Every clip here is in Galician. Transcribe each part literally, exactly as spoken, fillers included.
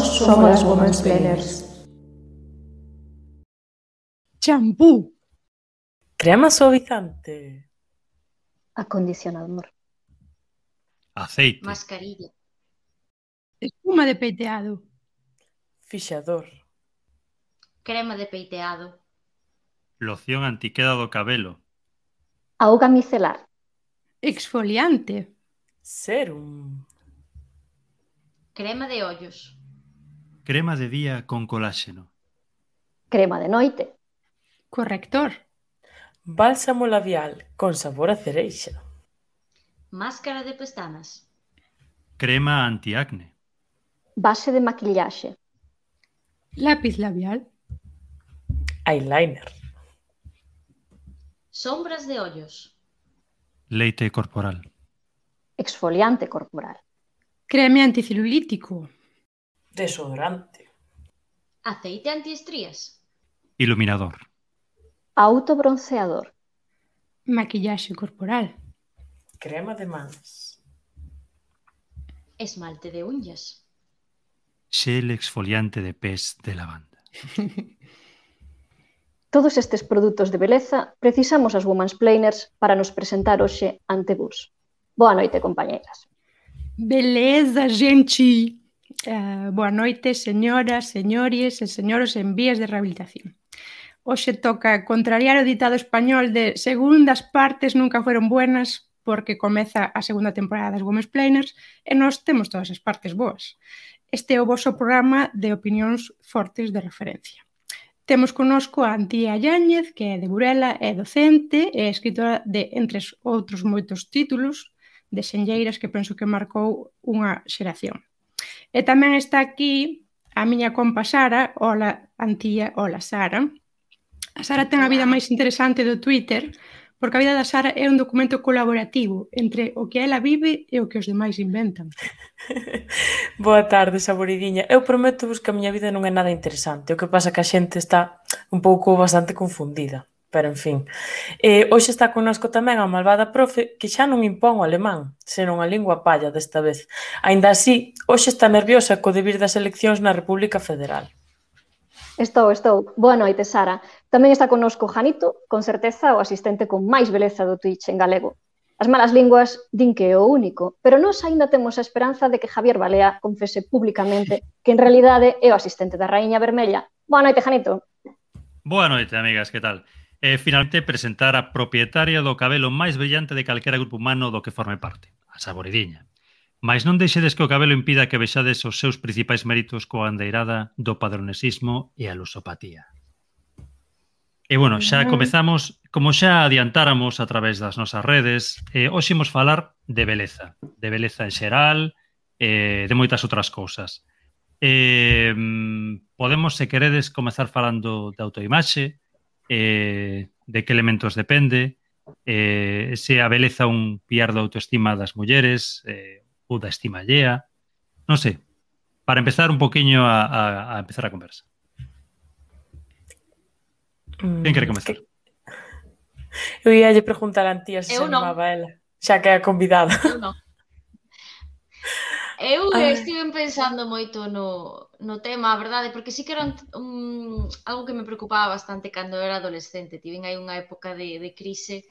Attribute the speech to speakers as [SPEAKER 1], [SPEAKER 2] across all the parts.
[SPEAKER 1] somos as Womansplainers.
[SPEAKER 2] Champú.
[SPEAKER 3] Crema suavizante.
[SPEAKER 4] Acondicionador.
[SPEAKER 5] Aceite.
[SPEAKER 6] Mascarilla.
[SPEAKER 2] Espuma de peiteado.
[SPEAKER 3] Fixador.
[SPEAKER 6] Crema de peiteado.
[SPEAKER 5] Loción antiqueda do cabelo.
[SPEAKER 4] Auga micelar.
[SPEAKER 2] Exfoliante.
[SPEAKER 3] Serum.
[SPEAKER 6] Crema de ollos.
[SPEAKER 5] Crema de día con coláxeno.
[SPEAKER 4] Crema de noite.
[SPEAKER 2] Corrector.
[SPEAKER 3] Bálsamo labial con sabor a cereixa.
[SPEAKER 6] Máscara de pestanas.
[SPEAKER 5] Crema antiacne.
[SPEAKER 4] Base de maquillaxe.
[SPEAKER 2] Lápiz labial.
[SPEAKER 3] Eyeliner.
[SPEAKER 6] Sombras de ollos.
[SPEAKER 5] Leite corporal.
[SPEAKER 4] Exfoliante corporal.
[SPEAKER 2] Creme anticelulítico.
[SPEAKER 3] Desodorante.
[SPEAKER 6] Aceite antiestrías.
[SPEAKER 5] Iluminador.
[SPEAKER 4] Autobronceador.
[SPEAKER 2] Maquillaxe corporal.
[SPEAKER 3] Crema de mans.
[SPEAKER 6] Esmalte de uñas.
[SPEAKER 5] Xel exfoliante de pés de lavanda.
[SPEAKER 4] Todos estes produtos de beleza precisamos as Womansplainers para nos presentar hoxe ante vos. Boa noite, compañeiras.
[SPEAKER 2] Beleza, gente. Uh, boa noite, señoras, señores e señoros en vías de rehabilitación. Hoxe toca contrariar o ditado español de segundas partes nunca fueron buenas porque comeza a segunda temporada das Womansplainers e nós temos todas as partes boas. Este é o voso programa de opinións fortes de referencia. Temos connosco a Antía Yáñez, que é de Burela, é docente e escritora de, entre outros moitos títulos, de xenlleiras que penso que marcou unha xeración. E tamén está aquí a miña compa Sara. Hola, Antía. Hola, Sara. A Sara ten a vida máis interesante do Twitter, porque a vida da Sara é un documento colaborativo entre o que ela vive e o que os demais inventan.
[SPEAKER 3] Boa tarde, saboridiña. Eu prometo vos que a miña vida non é nada interesante. O que pasa que a xente está un pouco bastante confundida. Pero, en fin. Eh, hoxe está connosco tamén a malvada profe que xa non impón o alemán, senón a lingua palla desta vez. Aínda así, hoxe está nerviosa co debir das eleccións na República Federal.
[SPEAKER 4] Estou, estou. Boa noite, Sara. Tamén está connosco Janito, con certeza o asistente con máis beleza do Twitch en galego. As malas linguas din que é o único, pero nós aínda temos a esperanza de que Javier Balea confese públicamente que en realidade é o asistente da Raíña Vermella. Boa noite, Janito.
[SPEAKER 5] Boa noite, amigas, que tal? E finalmente presentar a propietaria do cabelo máis brillante de calquera grupo humano do que forme parte, a saboridiña. Mais non deixedes que o cabelo impida que vexades os seus principais méritos coa andeirada do padronesismo e a lusopatía. E, bueno, xa comezamos, como xa adiantáramos a través das nosas redes, eh, hoxe imos falar de beleza, de beleza en xeral, eh, de moitas outras cousas. Eh, podemos, se queredes, comezar falando de autoimaxe, eh, de que elementos depende, eh, se a beleza un piar da autoestima das mulleres, eh, ou da estima allea, non sei, para empezar un poquinho a, a, a empezar a conversa. Quen quere comezar?
[SPEAKER 3] Eu ia lle preguntar a Antía se se animaba ela, xa que é a convidada.
[SPEAKER 6] Eu non. Eu estive pensando moito no, no tema, a verdade, porque sí que era un, un, algo que me preocupaba bastante cando era adolescente. Tiven aí unha época de, de crise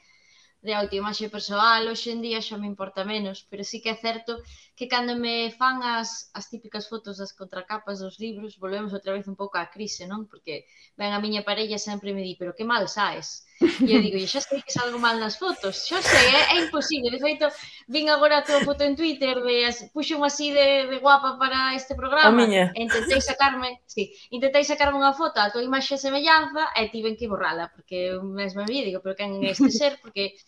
[SPEAKER 6] de autoimaxe persoal, hoxe en día xa me importa menos, pero sí que é certo que cando me fan as, as típicas fotos das contracapas dos libros, volvemos outra vez un pouco á crise, non? Porque ben a miña parella sempre me di, pero que mal saes. E eu digo, xa sei que salgo mal nas fotos, xa sei, é, é imposible. De feito, vin agora a tua foto en Twitter, de, puxo unha así de, de guapa para este programa,
[SPEAKER 3] a miña.
[SPEAKER 6] E intentei sacarme, sí, intentei sacarme unha foto a tua imaxe e semellanza e tiven que borrala, porque eu mesma me digo, pero quen é este ser, porque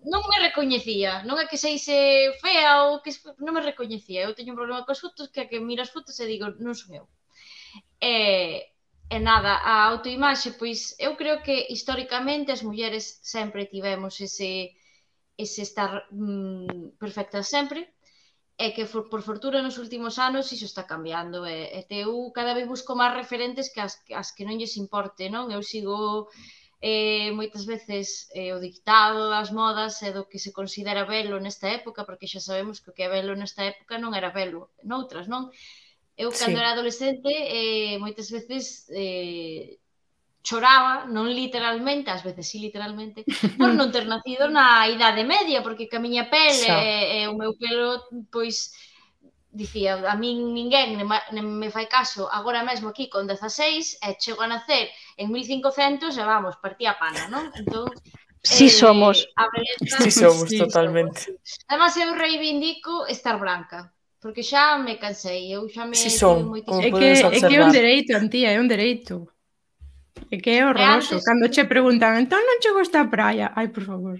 [SPEAKER 6] non me recoñecía, non é que seise fea ou que non me recoñecía. Eu teño un problema coas fotos que a que miro as fotos e digo, non son eu. E, e nada, a autoimaxe, pois eu creo que históricamente as mulleres sempre tivemos ese, ese estar mm, perfectas sempre, e que for, por fortuna nos últimos anos iso está cambiando, e, e te, eu cada vez busco máis referentes que as, as que non lles importe, non? Eu sigo eh, moitas veces eh, o dictado das modas e do que se considera belo nesta época, porque xa sabemos que o que é belo nesta época non era belo noutras, non? Eu, cando
[SPEAKER 3] Sí.
[SPEAKER 6] era adolescente, eh, moitas veces eh, choraba, non literalmente, ás veces sí literalmente, por non ter nacido na idade media, porque que a miña pele
[SPEAKER 3] Xa.
[SPEAKER 6] e, e o meu pelo, pois, dicía, a min ninguén nem ma- nem me fai caso agora mesmo aquí con dezaseis e chego a nacer en mil cincocentos e vamos, partía a pana, non? Entón,
[SPEAKER 4] Sí somos.
[SPEAKER 6] a beleza...
[SPEAKER 3] Sí somos,
[SPEAKER 2] Sí,
[SPEAKER 3] totalmente.
[SPEAKER 6] Además, eu reivindico estar branca, porque xa me cansei, eu xa me
[SPEAKER 3] Sí
[SPEAKER 6] tive
[SPEAKER 3] son,
[SPEAKER 6] moitísimo...
[SPEAKER 3] como
[SPEAKER 2] É que,
[SPEAKER 3] podedes
[SPEAKER 2] é que é
[SPEAKER 3] observar.
[SPEAKER 2] un dereito, Antía, é un dereito. É que é horroroso.
[SPEAKER 6] antes-
[SPEAKER 2] Cando che preguntan, entón non che gusta a praia? Ai, por favor.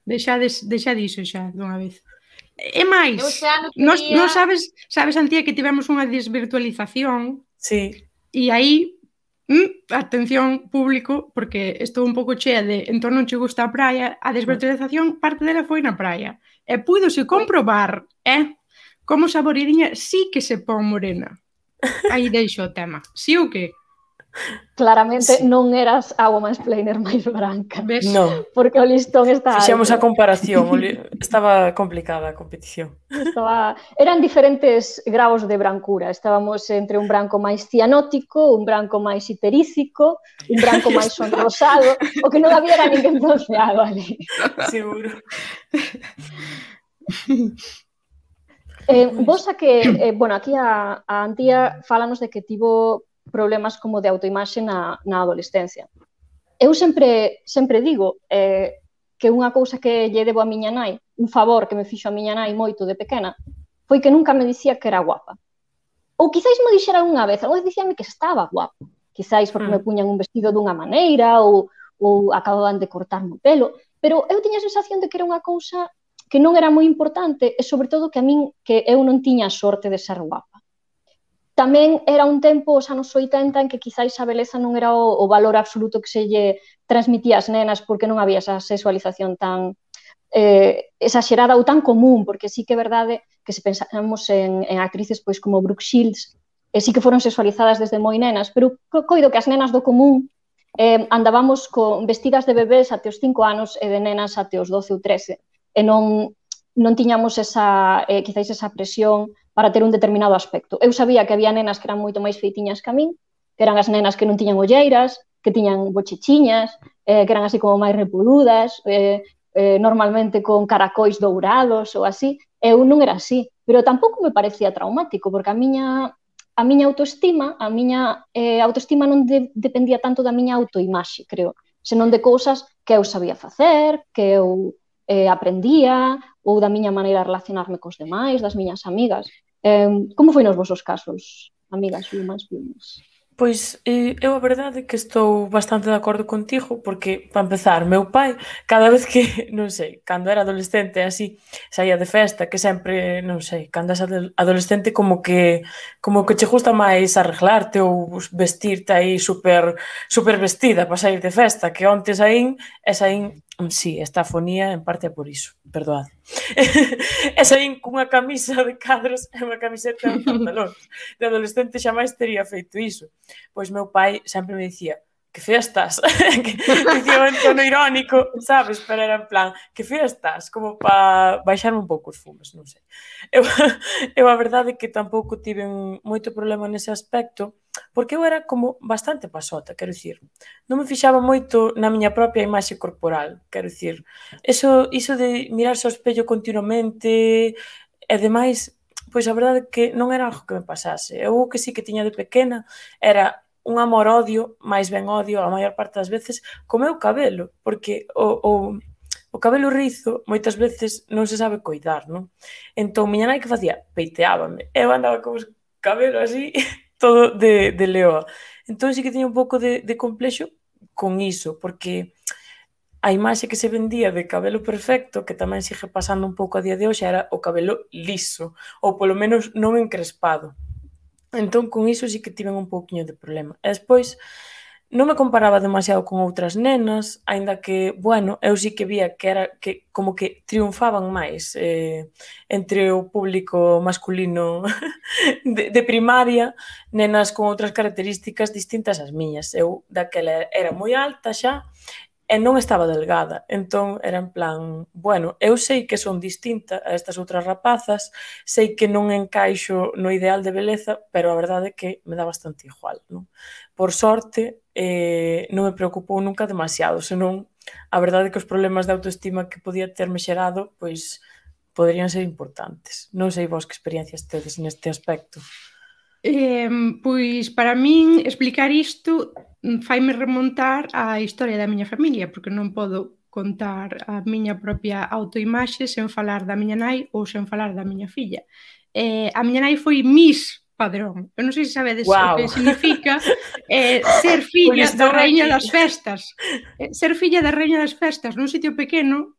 [SPEAKER 2] Deixades, deixa diso xa, dunha vez. E máis,
[SPEAKER 6] Eu este ano
[SPEAKER 2] nos,
[SPEAKER 6] quería-
[SPEAKER 2] nos sabes, sabes, Antía, que tivemos unha desvirtualización
[SPEAKER 3] Sí,
[SPEAKER 2] e aí, mm, atención público, porque estou un pouco chea de entón non che gusta a praia, a desvirtualización parte dela foi na praia. E púidose comprobar, eh, como Saboridiña sí que se pon morena. Aí deixo o tema. Sí ou que?
[SPEAKER 4] Claramente
[SPEAKER 3] Sí.
[SPEAKER 4] non eras a womansplainer máis branca,
[SPEAKER 2] Ves?
[SPEAKER 3] non.
[SPEAKER 4] porque o listón está
[SPEAKER 3] Fixemos a
[SPEAKER 4] alto.
[SPEAKER 3] comparación, o li- estaba complicada a competición.
[SPEAKER 4] Estaba... Eran diferentes graos de brancura. Estábamos entre un branco máis cianótico, un branco máis iterícico, un branco máis sonrosado, o que non había era ninguén bronceado ali.
[SPEAKER 3] Seguro.
[SPEAKER 4] Eh, vos a que, eh, bueno, aquí a, a Antía fálanos de que tivo problemas como de autoimaxe na, na adolescencia. Eu sempre, sempre digo eh, que unha cousa que lle debo a miña nai, un favor que me fixo a miña nai moito de pequena, foi que nunca me dicía que era guapa. Ou quizáis me dixera unha vez, unha vez dicíame que estaba guapa, quizáis porque
[SPEAKER 3] Mm.
[SPEAKER 4] me puñan un vestido dunha maneira ou, ou acababan de cortarme o pelo, pero eu tiña a sensación de que era unha cousa que non era moi importante e sobre todo que a min que eu non tiña a sorte de ser guapa. Tamén era un tempo, os anos oitenta, en que quizáis a beleza non era o, o valor absoluto que se lle transmitía ás nenas porque non había esa sexualización tan eh, exagerada ou tan común, porque sí que é verdade que se pensamos en, en actrices pois como Brooke Shields, e sí que foron sexualizadas desde moi nenas, pero coido que as nenas do común eh, andábamos con vestidas de bebés até os cinco anos e de nenas até os doce ou trece, e non, non tiñamos esa, eh, quizáis esa presión para ter un determinado aspecto. Eu sabía que había nenas que eran moito máis feitiñas que a min, que eran as nenas que non tiñan olleiras, que tiñan bochechiñas, eh, que eran así como máis repoludas, eh, eh, normalmente con caracois dourados ou así. Eu non era así, pero tampouco me parecía traumático, porque a miña, a miña autoestima, a miña eh, autoestima non de, dependía tanto da miña autoimaxe, creo, senón de cousas que eu sabía facer, que eu eh, aprendía, ou da miña maneira de relacionarme cos demais, das miñas amigas. Eh, como foi nos vosos casos, amigas womansplainers?
[SPEAKER 3] Pois eh, eu a verdade é que estou bastante de acordo contigo, porque, para empezar, meu pai, cada vez que, non sei, cando era adolescente, así, saía de festa, que sempre, non sei, cando és adolescente como que como que che gusta máis arreglarte ou vestirte aí super, super vestida para sair de festa, que onte saín, e saín, sí, esta afonía en parte é por iso, perdoad. E saín cunha camisa de cadros e unha camiseta e un pantalón. De adolescente xa máis tería feito iso. Pois meu pai sempre me dicía, que fea estás, que dicía en tono irónico, sabes, pero era en plan, que fea estás, como para baixarme un pouco os fumes, non sei. Eu, eu a verdade é que tampouco tiven moito problema nese aspecto, porque eu era como bastante pasota, quero dicir, non me fixaba moito na miña propia imaxe corporal, quero dicir, eso, iso de mirarse ao espello continuamente, e demais, pois a verdade é que non era algo que me pasase. Eu o que sí que tiña de pequena era un amor-odio, máis ben odio, a maior parte das veces, co meu cabelo, porque o, o, o cabelo rizo moitas veces non se sabe coidar, non? Entón, miña nai que facía? Peiteábame. Eu andaba con os cabelo así, todo de, de leoa. Entón, sí que tiña un pouco de, de complexo con iso, porque a imaxe que se vendía de cabelo perfecto, que tamén sigue pasando un pouco a día de hoxe, era o cabelo liso, ou polo menos non encrespado. Entón, con iso sí que tiven un pouquiño de problema. E despois, non me comparaba demasiado con outras nenas, aínda que, bueno, eu sí que vía que era que como que triunfaban máis eh, entre o público masculino de, de primaria, nenas con outras características distintas ás miñas. Eu daquela era moi alta xa, e non estaba delgada. Entón, era en plan, bueno, eu sei que son distinta a estas outras rapazas, sei que non encaixo no ideal de beleza, pero a verdade é que me dá bastante igual, non? Por sorte, eh, non me preocupou nunca demasiado, senón a verdade é que os problemas de autoestima que podía terme xerado, pois, poderían ser importantes. Non sei vos que experiencias tedes neste aspecto.
[SPEAKER 2] Eh, pois, para min, explicar isto faime remontar á historia da miña familia, porque non podo contar a miña propia autoimaxe sen falar da miña nai ou sen falar da miña filla. Eh, a miña nai foi Miss Padrón. Eu non sei se sabedes wow. o que significa eh, ser filla da raíña das festas. Eh, ser filla da raíña das festas nun sitio pequeno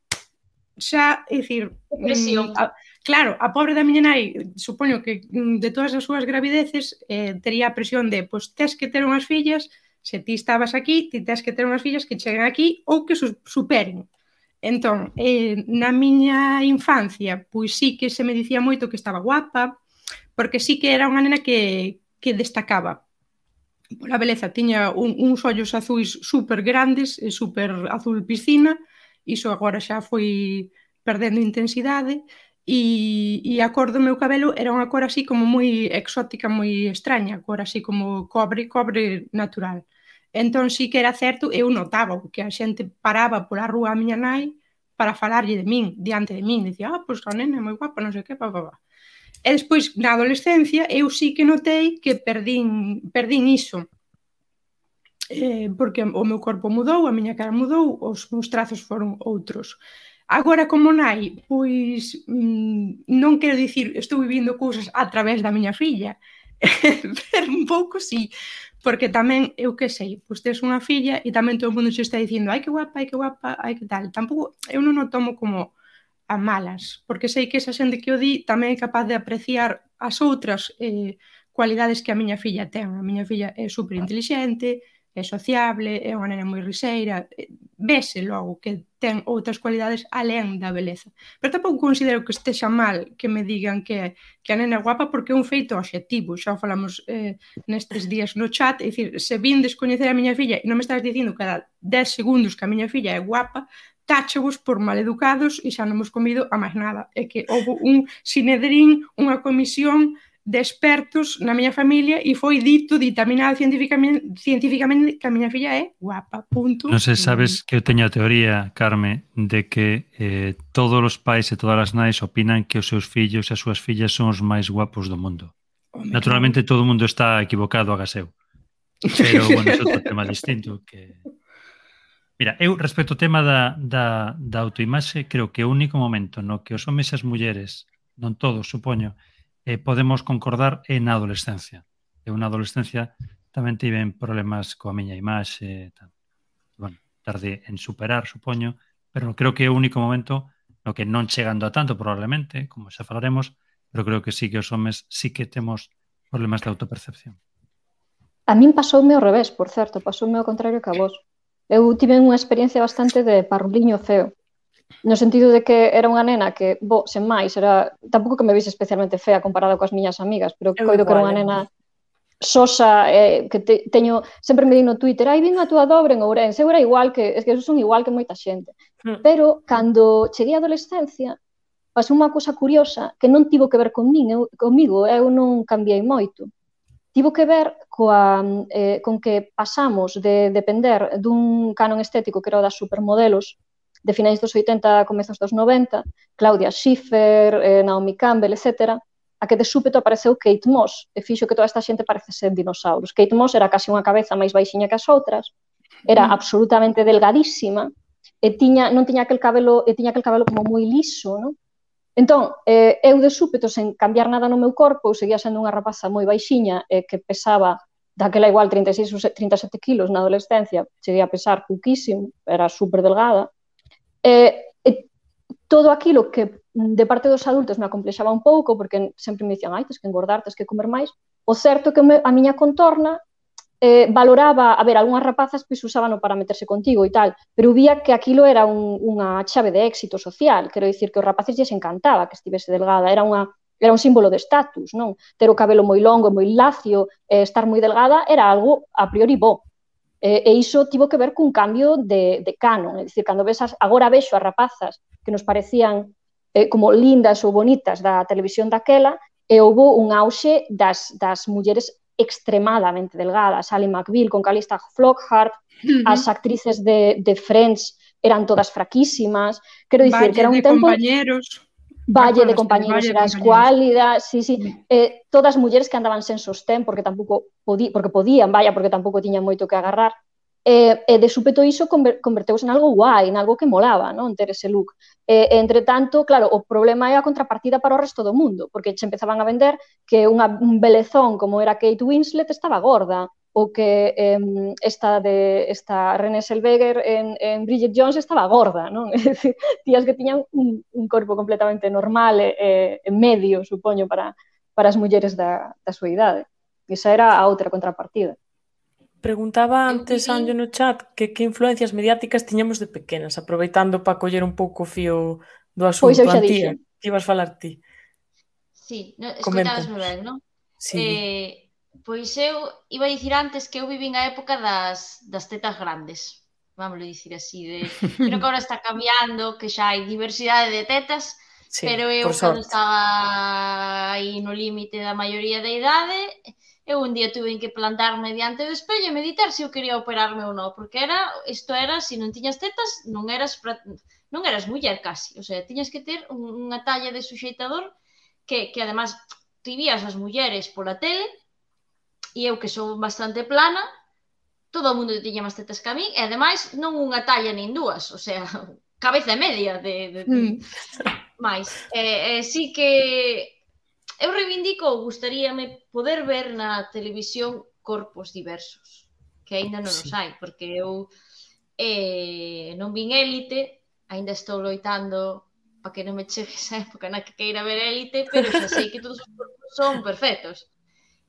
[SPEAKER 2] xa, é dicir...
[SPEAKER 6] Presión.
[SPEAKER 2] Mm, a, claro, a pobre da miña nai, supoño que de todas as súas gravideces eh, tería a presión de, pois, tes que ter unhas fillas, se ti estabas aquí, ti tes que ter unhas fillas que cheguen aquí ou que superen. Entón, eh, na miña infancia, pois sí que se me dicía moito que estaba guapa, porque sí que era unha nena que, que destacaba pola beleza. Tiña un, uns ollos azuis super grandes, super azul piscina, iso agora xa foi perdendo intensidade, e, e a cor do meu cabelo era unha cor así como moi exótica, moi extraña, cor así como cobre, cobre natural. Entón sí que era certo, eu notaba que a xente paraba pola rúa a miña nai para falarlle de min, diante de min, dicía, ah, pois a nena é moi guapa, non sei que, pa, pa, pa. E despois, na adolescencia, eu sí que notei que perdín, perdín iso. Eh, porque o meu corpo mudou, a miña cara mudou, os meus trazos foron outros. Agora, como nai, pois mmm, non quero dicir, estou vivindo cousas a través da miña filla, pero un pouco sí, porque tamén, eu que sei, pois tes unha filla e tamén todo o mundo se está dicindo, ai que guapa, ai que guapa, ai que tal. Tampouco, eu non o tomo como a malas, porque sei que esa xente que o di tamén é capaz de apreciar as outras eh, cualidades que a miña filla ten. A miña filla é super intelixente, é sociable, é unha nena moi riseira, vese logo que ten outras cualidades alén da beleza. Pero tampouco considero que estexa mal que me digan que, que a nena é guapa, porque é un feito obxectivo. Xa falamos eh, nestes días no chat, é dicir, se vindes coñecer a miña filla e non me estás dicindo cada dez segundos que a miña filla é guapa, táchevos por maleducados e xa non hemos comido a máis nada. É que houve un sinedrín, unha comisión de expertos na miña familia e foi dito, ditaminado científicamente, científicamente que a miña filla é guapa, punto.
[SPEAKER 5] Non sei, sabes que eu teño a teoría, Carme, de que eh, todos os pais e todas as nais opinan que os seus fillos e as súas fillas son os máis guapos do mundo. Home, naturalmente claro. Todo o mundo está equivocado, agaseu. Pero, bueno, é outro tema distinto que... Mira, eu respecto ao tema da, da, da autoimaxe, creo que o único momento no que os homes e as mulleres, non todos, supoño, eh, podemos concordar é na adolescencia. Eu na adolescencia tamén tiven problemas coa miña imaxe, tal. Bueno, tarde en superar, supoño, pero creo que é o único momento no que non chegando a tanto, probablemente, como xa falaremos, pero creo que sí que os homes sí que temos problemas de autopercepción.
[SPEAKER 4] A min pasoume ao revés, por certo, pasoume ao contrario que a vos. Eu tive unha experiencia bastante de parruliño feo, no sentido de que era unha nena que, bo, sen máis, era tampouco que me vise especialmente fea comparada coas miñas amigas, pero eu coido que era unha nena sosa, eh, que te, teño, sempre me di no Twitter, ai, vin a túa dobre en Ourense, eu era igual que, es que eu son igual que moita xente. Mm. Pero, cando cheguei á adolescencia, pasou unha cousa curiosa que non tivo que ver con min, eu, comigo, eu non cambiei moito. Tivo que ver coa, eh, con que pasamos de depender dun canon estético que era o das supermodelos de finais dos oitenta, comezos dos noventa, Claudia Schiffer, eh, Naomi Campbell, etcétera, a que de súpeto apareceu Kate Moss e fixo que toda esta xente parece ser dinosauros. Kate Moss era casi unha cabeza máis baixiña que as outras, era absolutamente delgadísima e tiña, non tiña aquel cabelo, e tiña aquel cabelo como moi liso, non? Entón, eh, eu de súpeto, sen cambiar nada no meu corpo, eu seguía sendo unha rapaza moi baixiña e eh, que pesaba daquela igual trinta e seis ou trinta e sete kilos na adolescencia, cheguei a pesar pouquísimo, era super delgada. E, e todo aquilo que de parte dos adultos me acomplexaba un pouco, porque sempre me dicían, ai, tes que engordar, tes que comer máis, o certo que me, a miña contorna eh, valoraba, a ver, algunhas rapazas pois usábano para meterse contigo e tal, pero vía que aquilo era un, unha chave de éxito social, quero dicir que os rapaces lles encantaba que estivese delgada, era unha era un símbolo de estatus, non? Ter o cabelo moi longo, moi lacio, eh, estar moi delgada, era algo a priori bo. E, e iso tivo que ver cun cambio de, de canon, é dicir, cando ves as, agora vexo as rapazas que nos parecían eh, como lindas ou bonitas da televisión daquela, e houve un auxe das, das mulleres extremadamente delgadas, Ally McBeal con Calista Flockhart, uh-huh. as actrices de, de Friends eran todas fraquísimas, quero dicir
[SPEAKER 2] Valle
[SPEAKER 4] que era un
[SPEAKER 2] de
[SPEAKER 4] tempo...
[SPEAKER 2] compañeros...
[SPEAKER 4] Valle de compañeros era escuálida, sí, sí, eh, todas mulleres que andaban sen sostén porque tampouco podí, porque podían, vaya, porque tampouco tiñan moito que agarrar. E, e de súpeto iso conver, converteuse en algo guai, en algo que molaba, non? Ter ese look. E, e, entre tanto, claro, o problema é a contrapartida para o resto do mundo, porque se empezaban a vender que unha, un belezón como era Kate Winslet estaba gorda, ou que eh, esta, de, esta Renée Zellweger en, en Bridget Jones estaba gorda, non? É dicir, tías que tiñan un, un corpo completamente normal e, e medio, supoño, para, para as mulleres da, da súa idade. Esa era a outra contrapartida.
[SPEAKER 3] Preguntaba antes, Anjo, no chat, que que influencias mediáticas tiñamos de pequenas, aproveitando para coller un pouco o fío do asunto.
[SPEAKER 4] Pois eu xa
[SPEAKER 3] Antía,
[SPEAKER 4] dixen.
[SPEAKER 3] que ibas falar ti?
[SPEAKER 6] Sí, no, escoitabasme ben, non?
[SPEAKER 3] Sí.
[SPEAKER 6] Eh, pois eu iba a dicir antes que eu vivín a época das, das tetas grandes, vamos dicir así, de... creo que agora está cambiando, que xa hai diversidade de tetas,
[SPEAKER 3] sí,
[SPEAKER 6] pero eu cando estaba aí no límite da maioría da idade, eu un día tuve que plantarme diante do espello e meditar se eu quería operarme ou non, porque era, isto era, se non tiñas tetas, non eras, non eras muller casi, o sea, tiñas que ter unha talla de suxeitador que, que además, ti vías as mulleres pola tele, e eu que sou bastante plana, todo o mundo tiña máis tetas que a min, e ademais non unha talla nin dúas, o sea, cabeza e media de, de, de... Mm. máis. E, e sí que eu reivindico, gustaríame poder ver na televisión corpos diversos, que aínda non os hai, porque eu eh, non vin Élite, aínda estou loitando para que non me chegue esa época na que queira ver Élite, pero xa sei que todos os corpos son perfectos.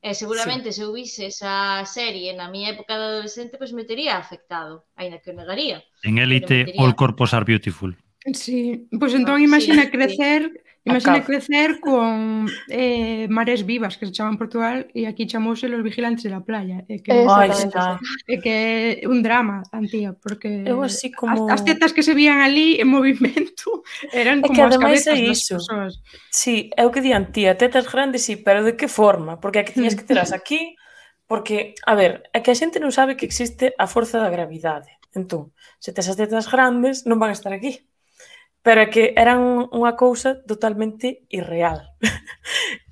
[SPEAKER 6] E seguramente sí. Se eu vise esa serie na miña época de adolescente, pois pues me tería afectado, aínda que o negaría.
[SPEAKER 5] En Élite, all corpos are beautiful.
[SPEAKER 2] Sí, pois pues entón imagina
[SPEAKER 6] sí,
[SPEAKER 2] crecer,
[SPEAKER 6] sí.
[SPEAKER 2] imagina crecer con eh, Mares Vivas, que se chama en Portugal, e aquí chamouse Los Vigilantes de la Playa. É que, é que é un drama, Antía, porque
[SPEAKER 3] eu así como...
[SPEAKER 2] as, as tetas que se vían ali en movimento eran como as cabezas das persoas.
[SPEAKER 3] Sí, é o que di Antía, tetas grandes, sí, pero de que forma? Porque aquí tiñas que terás aquí, porque, a ver, é que a xente non sabe que existe a forza da gravidade. Entón, se tes as tetas grandes, non van a estar aquí. Pero é que eran unha cousa totalmente irreal.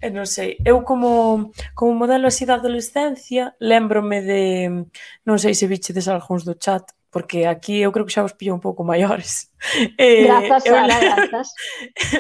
[SPEAKER 3] E non sei, eu como, como modelo así da adolescencia, lembrome de, non sei se vichedes algúns do chat, porque aquí eu creo que xa os pillo un pouco maiores.
[SPEAKER 4] Grazas,
[SPEAKER 3] eh,
[SPEAKER 4] Sara, grazas.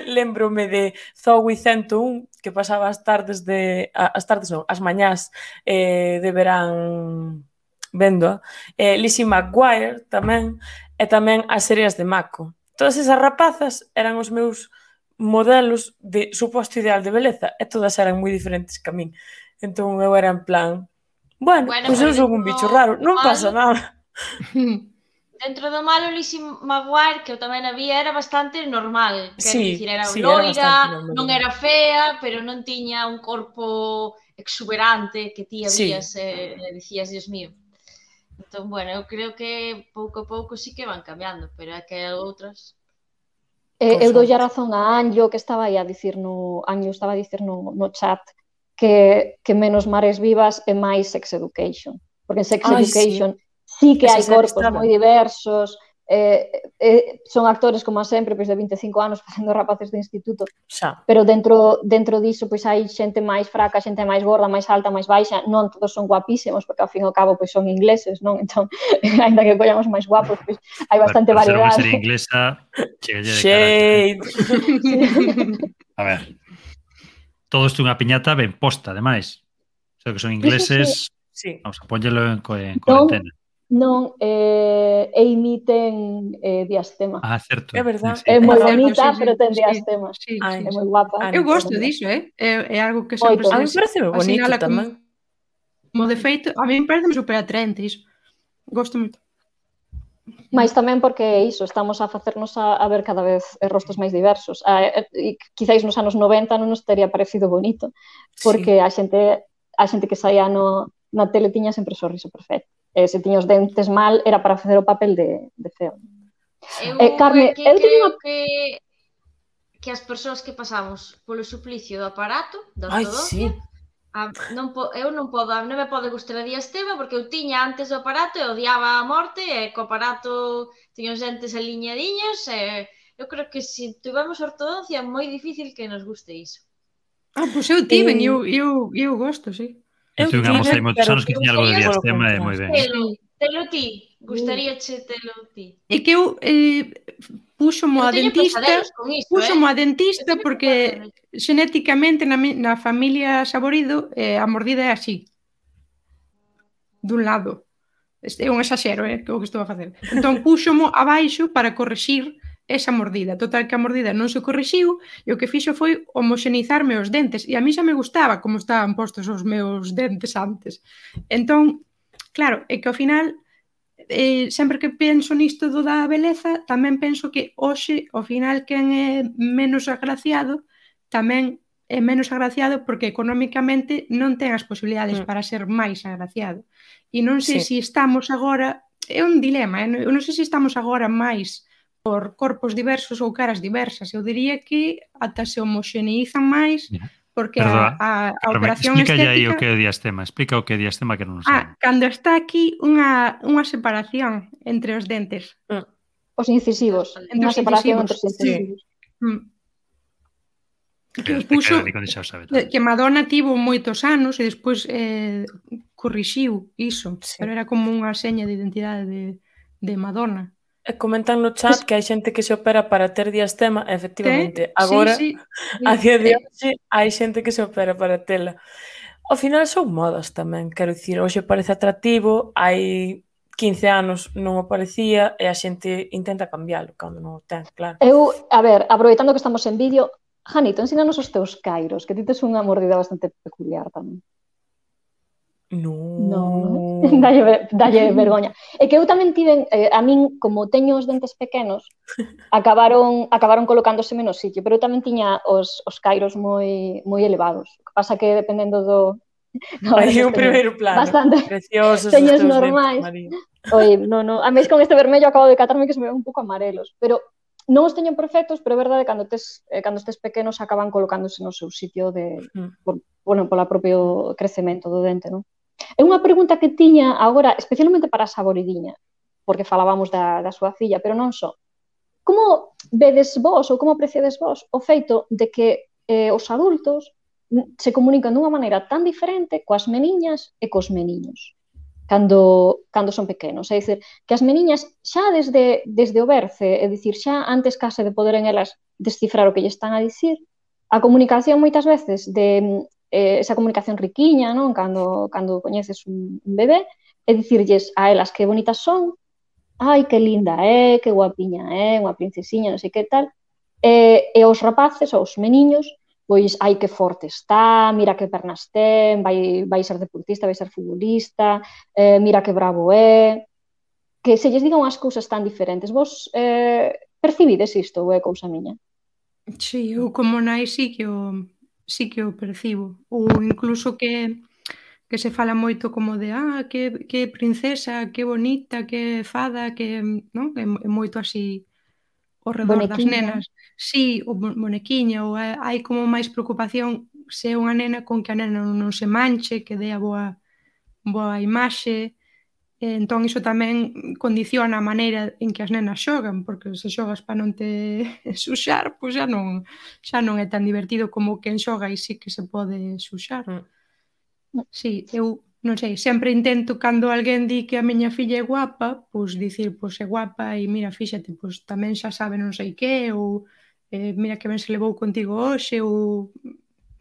[SPEAKER 3] Lembrome de Zoe ciento un, que pasaba as tardes de, as tardes non, as mañás eh, de verán vendo, eh, Lizzie McGuire tamén, e tamén as series de Mako. Todas esas rapazas eran os meus modelos de suposto ideal de beleza e todas eran moi diferentes que a min. Entón eu era en plan, bueno, bueno pois pues eu son un bicho raro, non malo, pasa nada.
[SPEAKER 6] Dentro do malo, Lizzie McGuire, que eu tamén a vi, era bastante normal. Quero
[SPEAKER 3] sí,
[SPEAKER 6] dicir, era
[SPEAKER 3] sí,
[SPEAKER 6] loira, era non era fea, pero non tiña un corpo exuberante que ti habías sí. e eh, dicías, Dios mío. Entón, bueno, eu creo que pouco a pouco sí que van cambiando, pero é que outras...
[SPEAKER 4] Eh, eu doulle a razón a Anjo, que estaba aí a dicir no... Anjo estaba a dicir no, no chat que, que menos Mares Vivas e máis Sex Education. Porque en Sex Ay, Education sí, sí que hai corpos moi diversos, eh, eh, son actores, como sempre, pois de vinte e cinco anos facendo rapaces de instituto,
[SPEAKER 3] xa.
[SPEAKER 4] Pero dentro dentro diso pois hai xente máis fraca, xente máis gorda, máis alta, máis baixa, non todos son guapísimos, porque ao fin e ao cabo pois son ingleses, non? Entón, ainda que collamos máis guapos, pois hai bastante
[SPEAKER 5] bueno,
[SPEAKER 4] variedade.
[SPEAKER 5] Ser unha inglesa, chegalle de
[SPEAKER 3] Shade.
[SPEAKER 5] A ver, todo isto unha piñata ben posta, ademais. O sea, que son ingleses,
[SPEAKER 3] sí.
[SPEAKER 5] Vamos a póñelo en, en cuarentena.
[SPEAKER 4] Non, eh, e imiten eh, diastema.
[SPEAKER 5] Ah, certo.
[SPEAKER 3] É verdade.
[SPEAKER 5] Sí.
[SPEAKER 4] É moi bonita,
[SPEAKER 2] sí, sí,
[SPEAKER 4] pero ten
[SPEAKER 2] sí,
[SPEAKER 4] diastema.
[SPEAKER 2] Sí, sí,
[SPEAKER 4] Ay,
[SPEAKER 2] sí.
[SPEAKER 4] é moi guapa.
[SPEAKER 2] Eu gosto diso, eh? É, é algo que sempre
[SPEAKER 4] Oito.
[SPEAKER 3] A mí parece moi bonito tamén.
[SPEAKER 2] Como de feito, a mí parece super atraente iso. Gosto moito.
[SPEAKER 4] Mais tamén porque iso, estamos a facernos a, a ver cada vez rostos máis diversos. A, e quizáis nos anos noventa non nos teria parecido bonito, porque sí. a xente a xente que saía no, na tele tiña sempre o sorriso perfecto. E se tiña os dentes mal, era para facer o papel de, de feo.
[SPEAKER 6] Eu
[SPEAKER 4] Eh, Carme,
[SPEAKER 6] que
[SPEAKER 4] eu teño
[SPEAKER 6] creo
[SPEAKER 4] unha...
[SPEAKER 6] que que as persoas que pasamos polo suplicio do aparato, da
[SPEAKER 3] Ai,
[SPEAKER 6] ortodoncia,
[SPEAKER 3] sí.
[SPEAKER 6] a, non po, eu non podo, non me pode gustar a diastema porque eu tiña antes do aparato e odiaba a morte e co aparato tiña os dentes aliñadiños e eu creo que se tivemos ortodoncia é moi difícil que nos guste iso.
[SPEAKER 2] Ah, pois eu tiven,
[SPEAKER 3] Eh,
[SPEAKER 2] eu, eu, eu gosto, sí.
[SPEAKER 5] Eu
[SPEAKER 3] Eu
[SPEAKER 5] tive unha moza hai
[SPEAKER 3] tive,
[SPEAKER 5] moitos
[SPEAKER 3] pero
[SPEAKER 5] anos que tiña algo de
[SPEAKER 6] gustaría
[SPEAKER 5] diastema e
[SPEAKER 3] polo
[SPEAKER 5] moi ben.
[SPEAKER 6] Telo,
[SPEAKER 2] Sí.
[SPEAKER 6] telo ti, gustaríache telo ti.
[SPEAKER 2] É que eu eh, púxomo
[SPEAKER 6] Eu
[SPEAKER 2] a
[SPEAKER 6] teño
[SPEAKER 2] dentista,
[SPEAKER 6] pesadelos con iso,
[SPEAKER 2] púxomo
[SPEAKER 6] eh?
[SPEAKER 2] a dentista
[SPEAKER 6] Eu teño
[SPEAKER 2] porque
[SPEAKER 6] pesadelos.
[SPEAKER 2] xenéticamente na, mi- na familia Saborido eh, a mordida é así, dun lado. Este é un exaxero, eh, que é o que estou a facer. Entón púxomo abaixo para corrixir esa mordida. Total que a mordida non se corrixiu e o que fixo foi homoxenizarme os dentes. E a mí xa me gustaba como estaban postos os meus dentes antes. Entón, claro, é que ao final, eh, sempre que penso nisto do da beleza, tamén penso que hoxe, ao final, quen é menos agraciado, tamén é menos agraciado porque económicamente non ten as posibilidades
[SPEAKER 3] Mm.
[SPEAKER 2] para ser máis agraciado. E non sei
[SPEAKER 3] Sí.
[SPEAKER 2] se estamos agora, é un dilema, eh? Eu non sei se estamos agora máis por corpos diversos ou caras diversas. Eu diría que ata se homoxeneizan máis
[SPEAKER 5] Yeah.
[SPEAKER 2] porque
[SPEAKER 5] Perdoa,
[SPEAKER 2] a, a, a
[SPEAKER 5] Carmen,
[SPEAKER 2] operación
[SPEAKER 5] explícalle aí o
[SPEAKER 2] estética...
[SPEAKER 5] que é o diastema. Explica o que é diastema que non
[SPEAKER 2] Ah,
[SPEAKER 5] sabe.
[SPEAKER 2] cando está aquí unha, unha separación entre os dentes.
[SPEAKER 4] Os incisivos.
[SPEAKER 2] Entre
[SPEAKER 4] Unha
[SPEAKER 2] os
[SPEAKER 4] separación
[SPEAKER 2] incisivos,
[SPEAKER 4] entre os incisivos.
[SPEAKER 2] Mm. Que os
[SPEAKER 5] Te
[SPEAKER 2] puxo,
[SPEAKER 5] queda Nico, xa o sabe todo.
[SPEAKER 2] que Madonna tivo moitos anos e despois eh, corrixiu iso,
[SPEAKER 3] Sí.
[SPEAKER 2] pero era como unha seña de identidade de, de Madonna.
[SPEAKER 3] E comentan no chat que hai xente que se opera para ter diastema, efectivamente. Agora,
[SPEAKER 2] Sí, sí,
[SPEAKER 3] a día de
[SPEAKER 2] Eh,
[SPEAKER 3] hoxe, hai xente que se opera para tela. Ao final son modas tamén, quero dicir, hoxe parece atractivo, hai quince anos non o parecía e a xente intenta cambialo cando non o ten, claro.
[SPEAKER 4] Eu, a ver, aproveitando que estamos en vídeo, Janito, ensínanos os teus cairos, que ti tes unha mordida bastante peculiar tamén.
[SPEAKER 3] No.
[SPEAKER 4] No, dalle, ver- dalle vergoña. É que eu tamén tiven, eh, a min, como teño os dentes pequenos, acabaron acabaron colocándose menos sitio, pero eu tamén tiña os, os cairos moi moi elevados. O que pasa que dependendo do... No,
[SPEAKER 3] Hai
[SPEAKER 4] esos
[SPEAKER 3] un
[SPEAKER 4] teño
[SPEAKER 3] primeiro plano.
[SPEAKER 4] bastante.
[SPEAKER 3] Preciosos os
[SPEAKER 4] Teños
[SPEAKER 3] teus
[SPEAKER 4] normais.
[SPEAKER 3] dentes, María.
[SPEAKER 4] Oi, no, no, a mes con este vermello acabo de catarme que se me ven un pouco amarelos, pero non os teño perfectos, pero é verdade cando tes eh, cando estes pequenos acaban colocándose no seu sitio de
[SPEAKER 3] Mm.
[SPEAKER 4] por, bueno, pola propio crecemento do dente, non? É unha pregunta que tiña agora, especialmente para a Saboridiña, porque falábamos da, da súa filla, pero non só. Como vedes vos ou como apreciades vos o feito de que eh, os adultos mm, se comunican dunha maneira tan diferente coas meniñas e cos meniños cando, cando son pequenos? É dicir, que as meniñas xa desde, desde o berce, é dicir, xa antes case de poderen elas descifrar o que lle están a dicir, a comunicación moitas veces de eh, esa comunicación riquiña, non? Cando, cando coñeces un, un bebé, é dicirlles a elas que bonitas son, ai, que linda é, que guapiña é, unha princesiña, non sei que tal, e, e os rapaces, os meniños, pois, ai, que forte está, mira que pernas ten, vai, vai ser deportista, vai ser futbolista, eh, mira que bravo é, que se lles digan as cousas tan diferentes. Vos eh, percibides isto ou é cousa miña?
[SPEAKER 2] Sí, eu como nai sí que o, sí que o percibo. Ou incluso que, que se fala moito como de ah, que, que princesa, que bonita, que fada, que non? É, é moito así ao redor das
[SPEAKER 4] Bonequiña.
[SPEAKER 2] nenas. Sí, o bo- bonequiña, ou hai, hai como máis preocupación se é unha nena con que a nena non, non se manche, que dea boa, boa imaxe. E entón iso tamén condiciona a maneira en que as nenas xogan, porque se xogas para non te suxar, pois xa non, xa non é tan divertido como quen xoga e sí que se pode suxar.
[SPEAKER 3] Mm.
[SPEAKER 2] Sí, eu non sei, sempre intento cando alguén di que a miña filla é guapa, pois dicir, pois é guapa e mira, fíxate, pois tamén xa sabe non sei que, ou eh, mira que ben se levou contigo hoxe, ou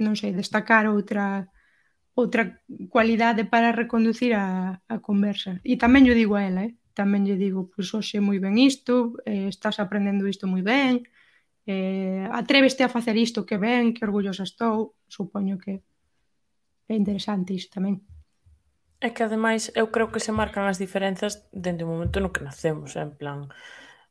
[SPEAKER 2] non sei, destacar outra outra cualidade para reconducir a, a conversa. E tamén yo digo a ela, eh? tamén lle digo, pois hoxe moi ben isto, eh, estás aprendendo isto moi ben, eh, atréveste a facer isto que ben, que orgullosa estou, supoño que é interesante isto tamén.
[SPEAKER 3] É que ademais eu creo que se marcan as diferenzas dende o momento no que nacemos, en plan,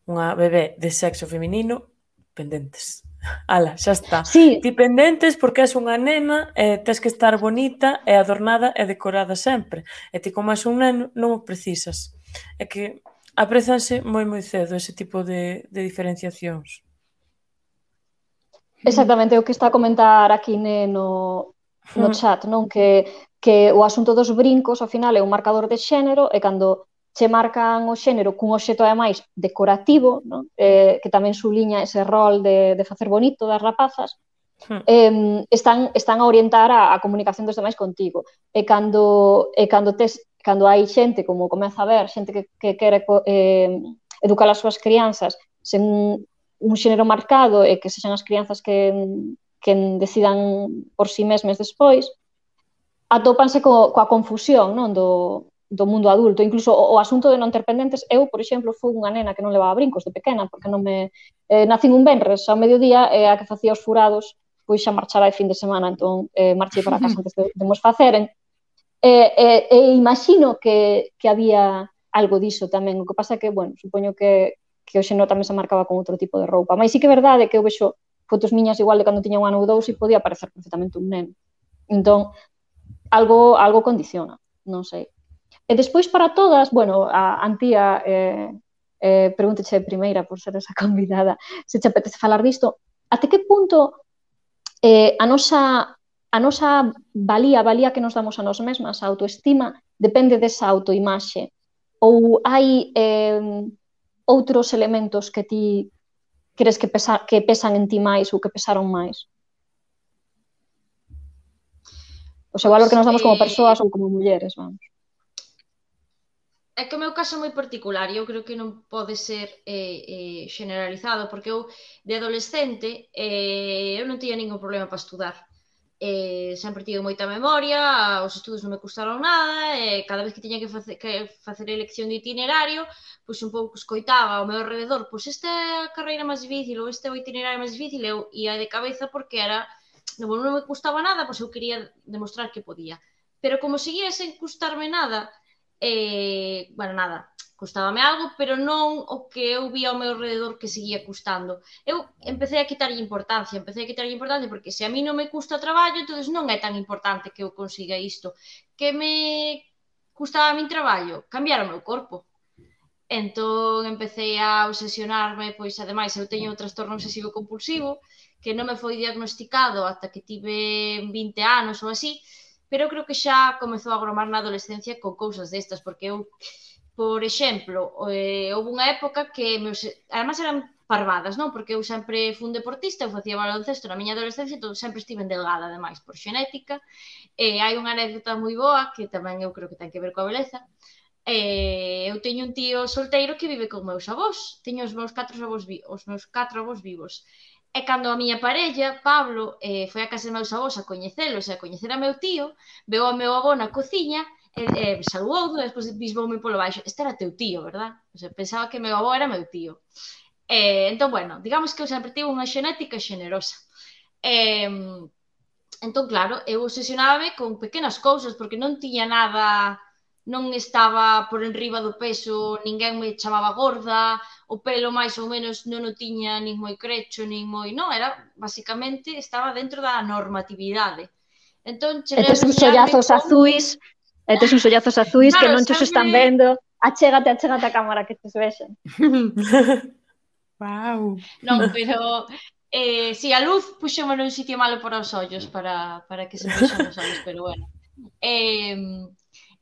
[SPEAKER 3] unha bebé de sexo feminino, pendentes. Ala, xa está.
[SPEAKER 4] Sí,
[SPEAKER 3] Ti pendentes porque és unha nena e tes que estar bonita e adornada e decorada sempre. E ti como és un neno non o precisas. É que aprezanse moi moi cedo ese tipo de, de diferenciacións.
[SPEAKER 4] exactamente o que está a comentar aquí ne, no, no chat, non? Que, que o asunto dos brincos, ao final, é un marcador de xénero e cando che marcan o xénero cun obxecto ademais decorativo, non? Eh, que tamén suliña ese rol de, de facer bonito das rapazas, eh, están, están a orientar a, a comunicación dos demais contigo. E cando, e cando, tes, cando hai xente, como comeza a ver, xente que, que quere eh, educar as súas crianzas sen un, un xénero marcado e que sexan as crianzas que, que decidan por si mesmas despois, atópanse co, coa confusión, non? Do, do mundo adulto, incluso o, o asunto de non ter pendentes. Eu, por exemplo, fui unha nena que non levaba brincos de pequena, porque non me eh, nacín un venres ao mediodía e a que facía os furados, pois xa marchara de fin de semana, entón eh, marchei para casa antes de, de mos faceren. E, e, e imagino que, que había algo diso tamén, o que pasa é que, bueno, supoño que, que o xeno tamén se marcaba con outro tipo de roupa, mas sí que é verdade que eu vexo fotos miñas igual de cando tiña un ano ou dous e podía parecer perfectamente un neno, entón algo, algo condiciona, non sei. E despois para todas, bueno, a Antía eh, eh, pregúnteche primeira por ser esa convidada, se che apetece falar disto, até que punto eh, a nosa a nosa valía, a valía que nos damos a nós mesmas, a autoestima, depende desa autoimaxe, ou hai eh, outros elementos que ti crees que, pesa, que pesan en ti máis ou que pesaron máis? O seu valor que nos damos como persoas ou como mulleres, vamos.
[SPEAKER 6] É que o meu caso é moi particular e eu creo que non pode ser eh, eh, generalizado, porque eu, de adolescente, eh, eu non tiña ningún problema para estudar. Eh, sempre tive moita memoria, os estudos non me custaron nada, e cada vez que tiña que facer, que facer elección de itinerario, pois un pouco escoitaba ao meu alrededor, pois esta é a carreira máis difícil ou este é o itinerario máis difícil, eu ia de cabeza porque era, non, non me custaba nada, pois eu quería demostrar que podía. Pero como seguía sen custarme nada, eh, bueno, nada, custábame algo, pero non o que eu vía ao meu alrededor que seguía custando. Eu empecé a quitarlle importancia, empecé a quitarlle importancia porque se a mí non me custa o traballo, entón non é tan importante que eu consiga isto. Que me custaba a min traballo? Cambiar o meu corpo. Entón empecé a obsesionarme, pois ademais eu teño un trastorno obsesivo compulsivo que non me foi diagnosticado ata que tive vinte anos ou así, pero creo que xa comezou a gromar na adolescencia con cousas destas, porque eu, por exemplo, eh, houve unha época que, meus, además eran parvadas, non? Porque eu sempre fui un deportista, eu facía baloncesto na miña adolescencia, entón sempre estive delgada, ademais, por xenética, e hai unha anécdota moi boa, que tamén eu creo que ten que ver coa beleza. Eh, eu teño un tío solteiro que vive con meus avós, teño os meus catro avós, os meus catro avós vivos. E cando a miña parella, Pablo, eh, foi a casa de meus avós a coñecelos e a coñecer a meu tío, veu ao meu avó na cociña e, e saludou, e despois bisboume polo baixo. Este era teu tío, verdad? O sea, pensaba que meu avó era meu tío. Eh, entón, bueno, digamos que eu sempre tive unha xenética xenerosa. Eh, entón, claro, eu obsesionábame con pequenas cousas, porque non tiña nada, non estaba por enriba do peso, ninguén me chamaba gorda, o pelo máis ou menos non o tiña nin moi crecho, nin moi... Non, era, basicamente, estaba dentro da normatividade. Entón,
[SPEAKER 4] e tes uns sollazos con... azuis, e tes uns sollazos azuis claro, que non te sempre... están vendo. Achégate, achégate a cámara que te vexen.
[SPEAKER 2] Wow.
[SPEAKER 6] Non, pero... Eh, si, a luz puxémo nun sitio malo para os ollos, para, para que se vexan os ollos, pero bueno. Eh...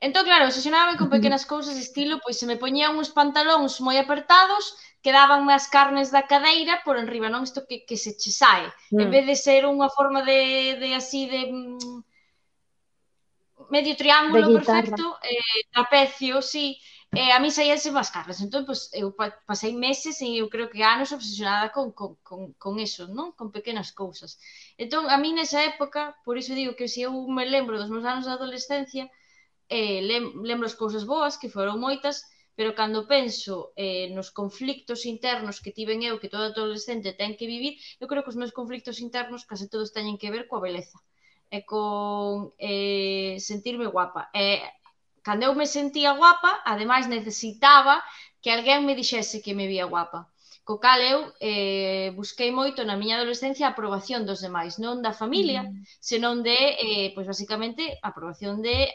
[SPEAKER 6] Entón, claro, obsesionábame con pequenas cousas estilo, pois se me poñían uns pantalóns moi apertados, quedabanme as carnes da cadeira por enriba, non? Isto que, que se che sae. Mm. En vez de ser unha forma de, de así, de mm, medio triángulo perfecto, eh, trapecio, sí, eh, a mí saíanse as carnes. Entón, pois, eu pasei meses e eu creo que anos obsesionada con, con, con, con eso, non? Con pequenas cousas. Entón, a mí nesa época, por iso digo que se eu me lembro dos meus anos de adolescencia, Eh, lem lembro as cousas boas, que foron moitas, pero cando penso eh, nos conflictos internos que tiven eu, que todo adolescente ten que vivir, eu creo que os meus conflictos internos case todos teñen que ver coa beleza e con eh, sentirme guapa. E cando eu me sentía guapa, ademais necesitaba que alguén me dixese que me vía guapa. Co cal eu eh, busquei moito na miña adolescencia a aprobación dos demais, non da familia, mm. senón de, eh, pois basicamente, a aprobación de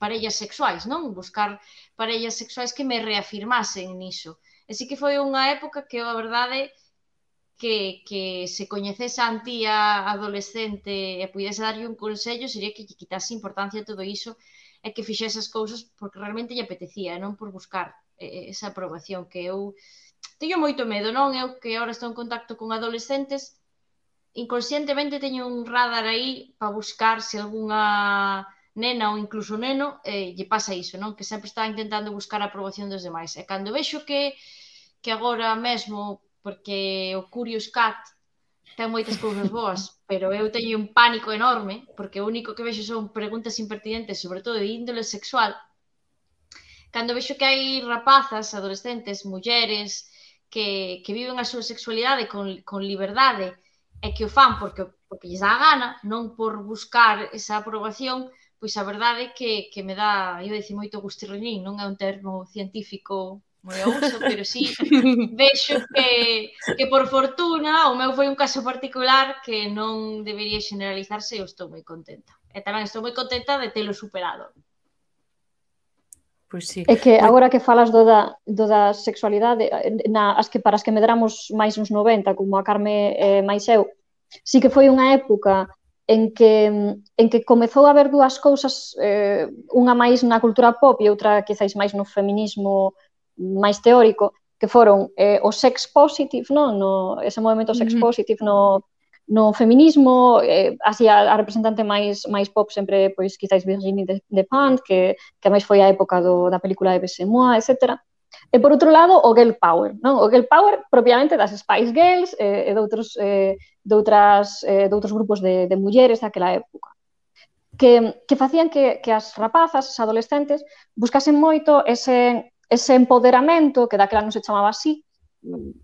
[SPEAKER 6] parellas sexuais, non? Buscar parellas sexuais que me reafirmasen niso. E sí que foi unha época que, a verdade, que, que se coñecese a tía adolescente e pudese darlle un consello, sería que lle quitase importancia a todo iso e que fixese as cousas porque realmente lle apetecía, non por buscar eh, esa aprobación que eu teño moito medo, non? Eu que agora estou en contacto con adolescentes, inconscientemente teño un radar aí para buscar se algunha nena ou incluso neno eh, lle pasa iso, non? Que sempre está intentando buscar a aprobación dos demais. E cando vexo que, que agora mesmo, porque o Curious Cat ten moitas cousas boas, pero eu teño un pánico enorme, porque o único que vexo son preguntas impertinentes, sobre todo de índole sexual. Cando vexo que hai rapazas, adolescentes, mulleres, que, que viven a súa sexualidade con, con liberdade e que o fan porque, porque lles dá a gana, non por buscar esa aprobación, pois a verdade é que, que me dá, eu dicir moito gustirrinín, non é un termo científico moi a uso, pero sí vexo que, que por fortuna o meu foi un caso particular que non debería generalizarse e eu estou moi contenta. E tamén estou moi contenta de telo superado.
[SPEAKER 3] Pois sí.
[SPEAKER 4] É que agora que falas do da, do da sexualidade, na, as que para as que medramos máis uns noventa, como a Carme eh, máis eu, sí que foi unha época en que, en que comezou a haber dúas cousas, eh, unha máis na cultura pop e outra quizáis máis no feminismo máis teórico, que foron eh, o sex positive, no? No, ese movimento sex positive no, no feminismo, eh, así a, a representante máis máis pop sempre, pois, quizáis Virginie Despentes, que, que máis foi a época do, da película de Bessemois, etcétera. E por outro lado, o girl power, non? O girl power propiamente das Spice Girls eh, e de outros, eh, de, outras, eh, de outros grupos de, de mulleres daquela época. Que, que facían que, que as rapazas, as adolescentes, buscasen moito ese, ese empoderamento, que daquela non se chamaba así,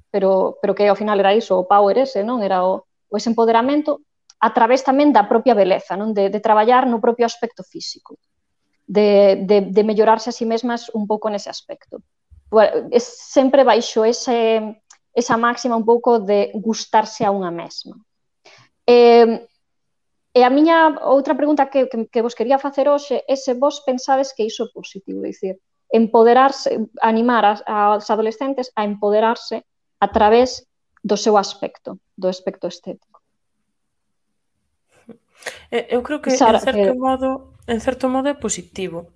[SPEAKER 4] pero, pero que ao final era iso, o power ese, non? Era o o ese empoderamento a través tamén da propia beleza, non? De, de traballar no propio aspecto físico, de, de, de mellorarse a si mesmas un pouco nese aspecto. Bueno, é sempre baixo ese, esa máxima un pouco de gustarse a unha mesma. E, e a miña outra pregunta que, que, que vos quería facer hoxe é se vos pensades que iso é positivo, é dicir, empoderarse, animar as, as adolescentes a empoderarse a través do seu aspecto, do aspecto estético.
[SPEAKER 3] Eu creo que, Sara, en certo que... modo, en certo modo é positivo.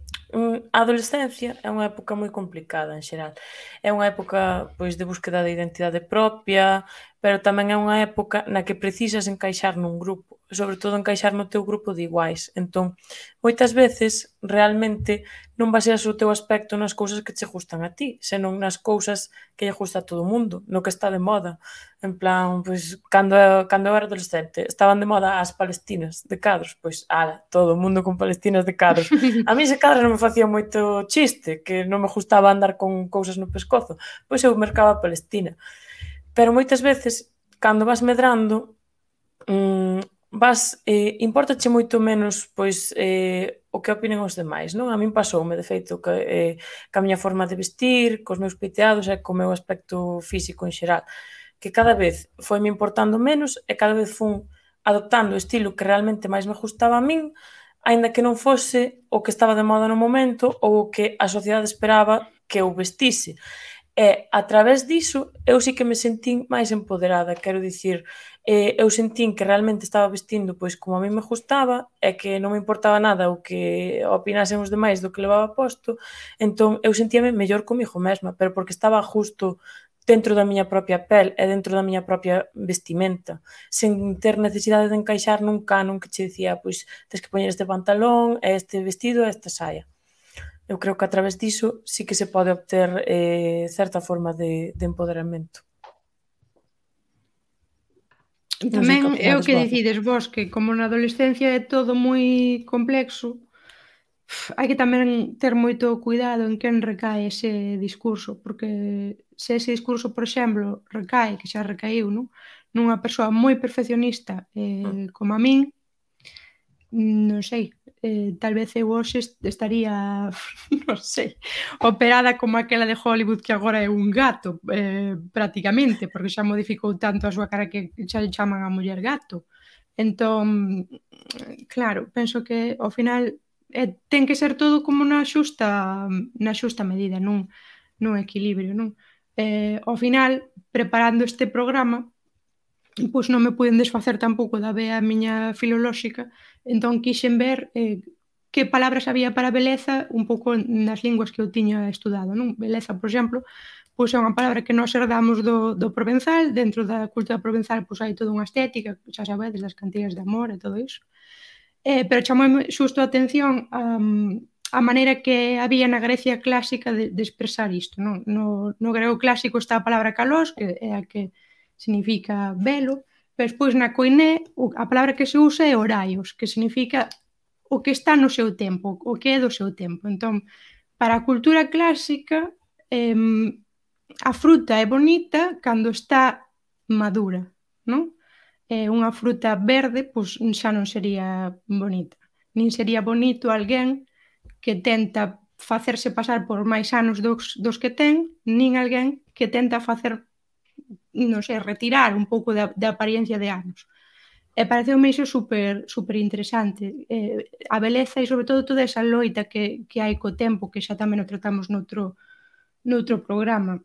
[SPEAKER 3] A adolescencia é unha época moi complicada en xeral. É unha época, pois, de búsqueda de identidade propia, pero tamén é unha época na que precisas encaixar nun grupo, sobre todo encaixar no teu grupo de iguais. Entón, moitas veces, realmente, non baseas o teu aspecto nas cousas que che gustan a ti, senón nas cousas que lle gusta a todo o mundo, no que está de moda. En plan, pois, cando, cando eu era adolescente, estaban de moda as palestinas de cadros, pois, ala, todo o mundo con palestinas de cadros. A mí ese cadros non me facía moito chiste, que non me gustaba andar con cousas no pescozo, pois eu mercaba a palestina. Pero moitas veces, cando vas medrando, mmm, vas, eh, importache moito menos, pois, eh, o que opinen os demais, non? A min pasoume, de feito, que, eh, que a miña forma de vestir, cos meus peiteados e co meu aspecto físico en xeral, que cada vez foi-me importando menos e cada vez fun adoptando o estilo que realmente máis me gustaba a min, aínda que non fose o que estaba de moda no momento ou o que a sociedade esperaba que eu vestise. E, a través diso, eu sí que me sentín máis empoderada, quero dicir, eh, eu sentín que realmente estaba vestindo pois como a mí me gustaba e que non me importaba nada o que opinasen os demais do que levaba posto, entón eu sentíame mellor comigo mesma, pero porque estaba justo dentro da miña propia pel e dentro da miña propia vestimenta, sen ter necesidade de encaixar nun canon que che dicía, pois, tens que poñer este pantalón, este vestido e esta saia. Eu creo que a través diso sí que se pode obter eh, certa forma de, de empoderamento.
[SPEAKER 2] Tamén é o que decides vos, que como na adolescencia é todo moi complexo, hai que tamén ter moito cuidado en quen recae ese discurso, porque se ese discurso, por exemplo, recae, que xa recaíu, non? Nunha persoa moi perfeccionista eh, como a min, non sei, eh, tal vez eu hoxe estaría, non sei, operada como aquela de Hollywood que agora é un gato, eh, prácticamente, porque xa modificou tanto a súa cara que xa lle chaman a muller gato. Entón, claro, penso que ao final eh, ten que ser todo como na xusta na xusta medida, nun, nun equilibrio, non? Eh, ao final, preparando este programa, pois non me puiden desfacer tampouco da vea miña filolóxica, entón quixen ver eh, que palabras había para beleza un pouco nas linguas que eu tiña estudado, non? Beleza, por exemplo, pois é unha palabra que nós herdamos do, do provenzal, dentro da cultura provenzal pois hai toda unha estética, xa sabedes, das cantigas de amor e todo iso. Eh, pero chamou xusto a atención um, a maneira que había na Grecia clásica de, de expresar isto, non? No, no grego clásico está a palabra kalos, que é a que significa velo, pero despois na koiné a palabra que se usa é oraios, que significa o que está no seu tempo, o que é do seu tempo. Entón, para a cultura clásica, eh, a fruta é bonita cando está madura, non? Eh, unha fruta verde, pois xa non sería bonita. Nin sería bonito alguén que tenta facerse pasar por máis anos dos, dos que ten, nin alguén que tenta facer non sei, retirar un pouco da, da apariencia de anos. E pareceume iso super, super interesante. Eh, a beleza e, sobre todo, toda esa loita que, que hai co tempo, que xa tamén o tratamos noutro, noutro programa.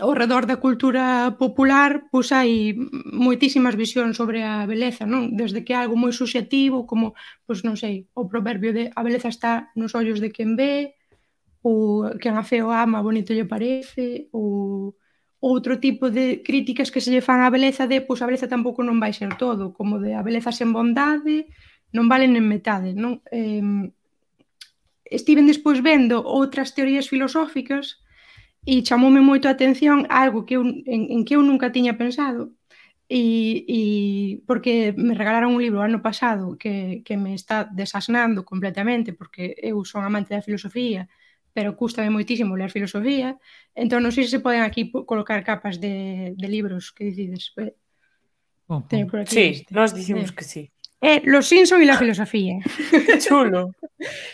[SPEAKER 2] Ao redor da cultura popular, pois hai moitísimas visións sobre a beleza, non? Desde que é algo moi subxetivo, como, pois non sei, o proverbio de a beleza está nos ollos de quen ve, ou quen a feo ama, bonito lle parece, ou outro tipo de críticas que se lle fan á beleza de, pois a beleza tampouco non vai ser todo, como de a beleza sen bondade non vale nen metade, non? Eh, estiven despois vendo outras teorías filosóficas e chamoume moito a atención algo que eu, en, en que eu nunca tiña pensado, e, e porque me regalaron un libro ano pasado que, que me está desasnando completamente, porque eu son amante da filosofía, pero cústame moitísimo ler filosofía, entón non sei se se poden aquí colocar capas de, de libros que decides.
[SPEAKER 3] Oh, por aquí sí, este. Nós dicimos eh. que sí.
[SPEAKER 2] Eh, Los Simpson e la filosofía.
[SPEAKER 3] Chulo.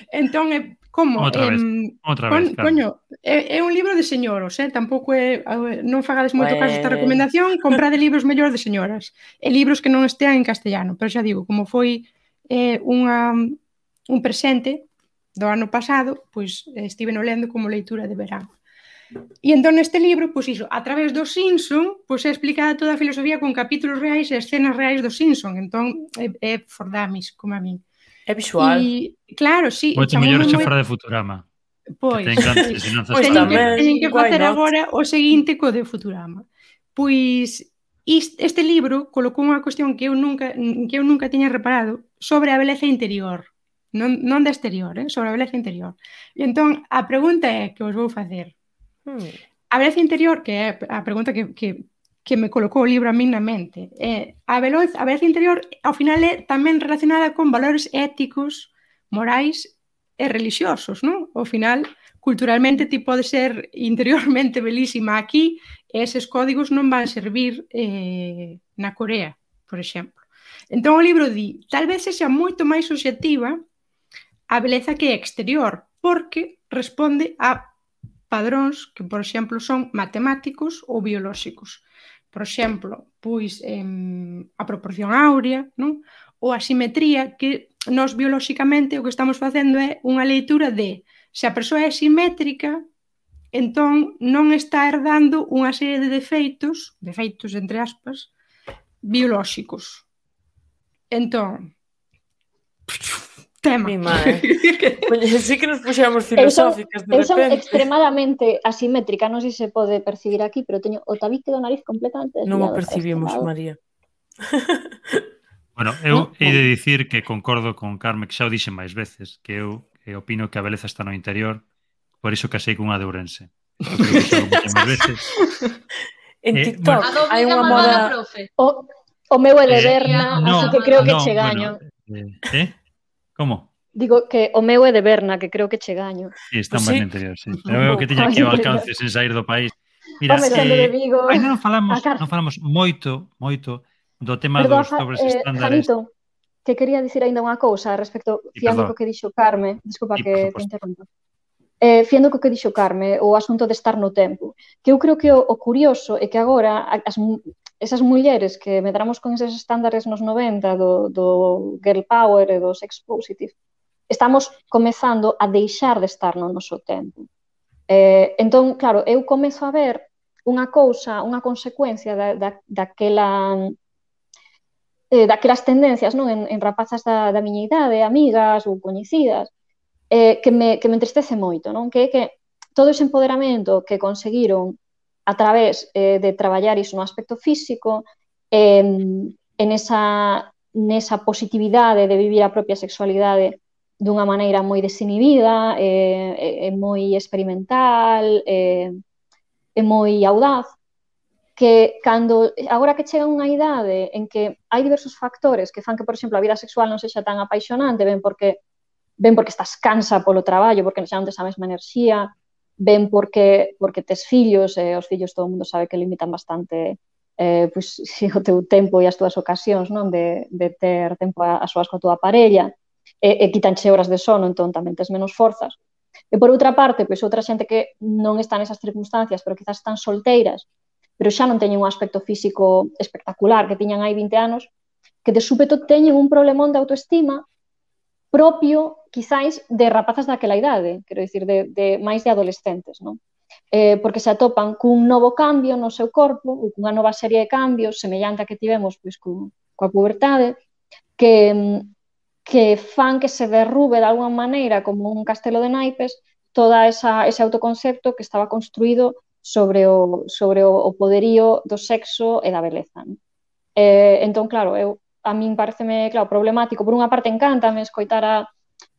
[SPEAKER 2] Entón, eh, como?
[SPEAKER 5] Outra vez,
[SPEAKER 2] eh,
[SPEAKER 5] outra
[SPEAKER 2] con,
[SPEAKER 5] vez, claro.
[SPEAKER 2] Coño, é, é un libro de señoros, eh? Tampouco é, non fagades moito caso esta recomendación, comprade libros mellores de señoras, e libros que non estean en castellano, pero xa digo, como foi eh, unha, un presente do ano pasado, pois estive no lendo como leitura de verán. E entón neste libro, pois iso, a través do Simpson, pois é explicada toda a filosofía con capítulos reais e escenas reais do Simpson, entón é, é fordamis, como a min.
[SPEAKER 3] É visual.
[SPEAKER 2] E, claro, sí.
[SPEAKER 5] Moito mellor xe fora de Futurama.
[SPEAKER 2] Pois,
[SPEAKER 5] que ten grandes ensinanzas.
[SPEAKER 2] Pois tamén, teñen que facer agora o seguinte co de Futurama. Pois este libro colocou unha cuestión que eu nunca que eu nunca tiña reparado sobre a beleza interior. Non, non da exterior, eh? Sobre a beleza interior. E entón, a pregunta é que vos vou facer. Hmm. A beleza interior, que é a pregunta que, que, que me colocou o libro a min na mente, é, a, beleza, a beleza interior, ao final, é tamén relacionada con valores éticos, morais e religiosos, non? Ao final, culturalmente, ti pode ser interiormente belísima aquí, e eses códigos non van servir eh, na Corea, por exemplo. Entón, o libro di, tal vez sexa moito máis subxectiva a beleza que é exterior, porque responde a padróns que, por exemplo, son matemáticos ou biolóxicos. Por exemplo, pois eh, a proporción áurea, non? Ou a simetría, que nós biolóxicamente o que estamos facendo é unha leitura de se a persoa é simétrica, entón non está herdando unha serie de defeitos, defeitos entre aspas, biolóxicos. Entón, tema.
[SPEAKER 3] Mi madre. Sí que nos puxemos filosóficas de repente.
[SPEAKER 4] Eu son extremadamente asimétrica, non sei se pode percibir aquí, pero teño o tabique do nariz completamente desviado.
[SPEAKER 3] Non o percibimos, María.
[SPEAKER 5] Bueno, eu hei de dicir que concordo con Carme, que xa o dixen máis veces, que eu que opino que a beleza está no interior, por iso casei cunha de Ourense. Máis veces.
[SPEAKER 3] En eh, TikTok bueno, hai unha moda...
[SPEAKER 4] O, o meu é de Berna, eh, no, así que creo que no, che gaño.
[SPEAKER 5] Bueno, eh, eh? Como?
[SPEAKER 4] Digo que o meu é de Berna, que creo que che gaño.
[SPEAKER 5] Sí, está máis no interior, sí. Pero eu que teña aquí o alcance sen sair do país. Mira, eh, aí non falamos, non falamos moito, moito do tema
[SPEAKER 4] Perdón,
[SPEAKER 5] dos dobres
[SPEAKER 4] eh,
[SPEAKER 5] estándares.
[SPEAKER 4] Janito, que quería dicir aínda unha cousa respecto,
[SPEAKER 5] Sí,
[SPEAKER 4] fiando
[SPEAKER 5] perdón.
[SPEAKER 4] co que dixo Carme, desculpa
[SPEAKER 5] Sí, por
[SPEAKER 4] que te
[SPEAKER 5] suposto.
[SPEAKER 4] interrompa. Eh, fiando co que dixo Carme, o asunto de estar no tempo, que eu creo que o, o curioso é que agora as, esas mulleres que medramos con eses estándares nos noventa do, do girl power e do sex positive, estamos comezando a deixar de estar no noso tempo. Eh, entón, claro, eu comezo a ver unha cousa, unha consecuencia da, da, daquela eh, daquelas tendencias, non, en, en rapazas da, da miña idade, amigas ou coñecidas, eh, que, me, que me entristece moito, non? Que é que todo ese empoderamento que conseguiron a través eh, de traballar iso no aspecto físico, eh, en esa, nesa positividade de vivir a propia sexualidade dunha maneira moi desinhibida, eh, e moi experimental, eh, e moi audaz, que cando, agora que chega unha idade en que hai diversos factores que fan que, por exemplo, a vida sexual non sexa tan apaixonante, ben porque ben porque estás cansa polo traballo, porque xa non tes a mesma enerxía, ben porque porque tes fillos, e os fillos todo o mundo sabe que limitan bastante eh, pues, si, o teu tempo e as túas ocasións, non, de, de ter tempo a, a soas coa túa parella, e, e quitanche horas de sono, entón tamén tes menos forzas. E por outra parte, pois outra xente que non está nesas circunstancias, pero quizás están solteiras, pero xa non teñen un aspecto físico espectacular que tiñan hai vinte anos, que de súpeto teñen un problemón de autoestima propio, quizáis, de rapazas daquela idade, quero dicir, de, de máis de adolescentes, non? Eh, porque se atopan cun novo cambio no seu corpo, ou cunha nova serie de cambios, semellante a que tivemos pois, cu, coa pubertade, que, que fan que se derrube de alguma maneira como un castelo de naipes toda esa, ese autoconcepto que estaba construído sobre o, sobre o, o poderío do sexo e da beleza. Non? Eh, entón, claro, eu, a min pareceme, claro, problemático. Por unha parte, encántame escoitar a,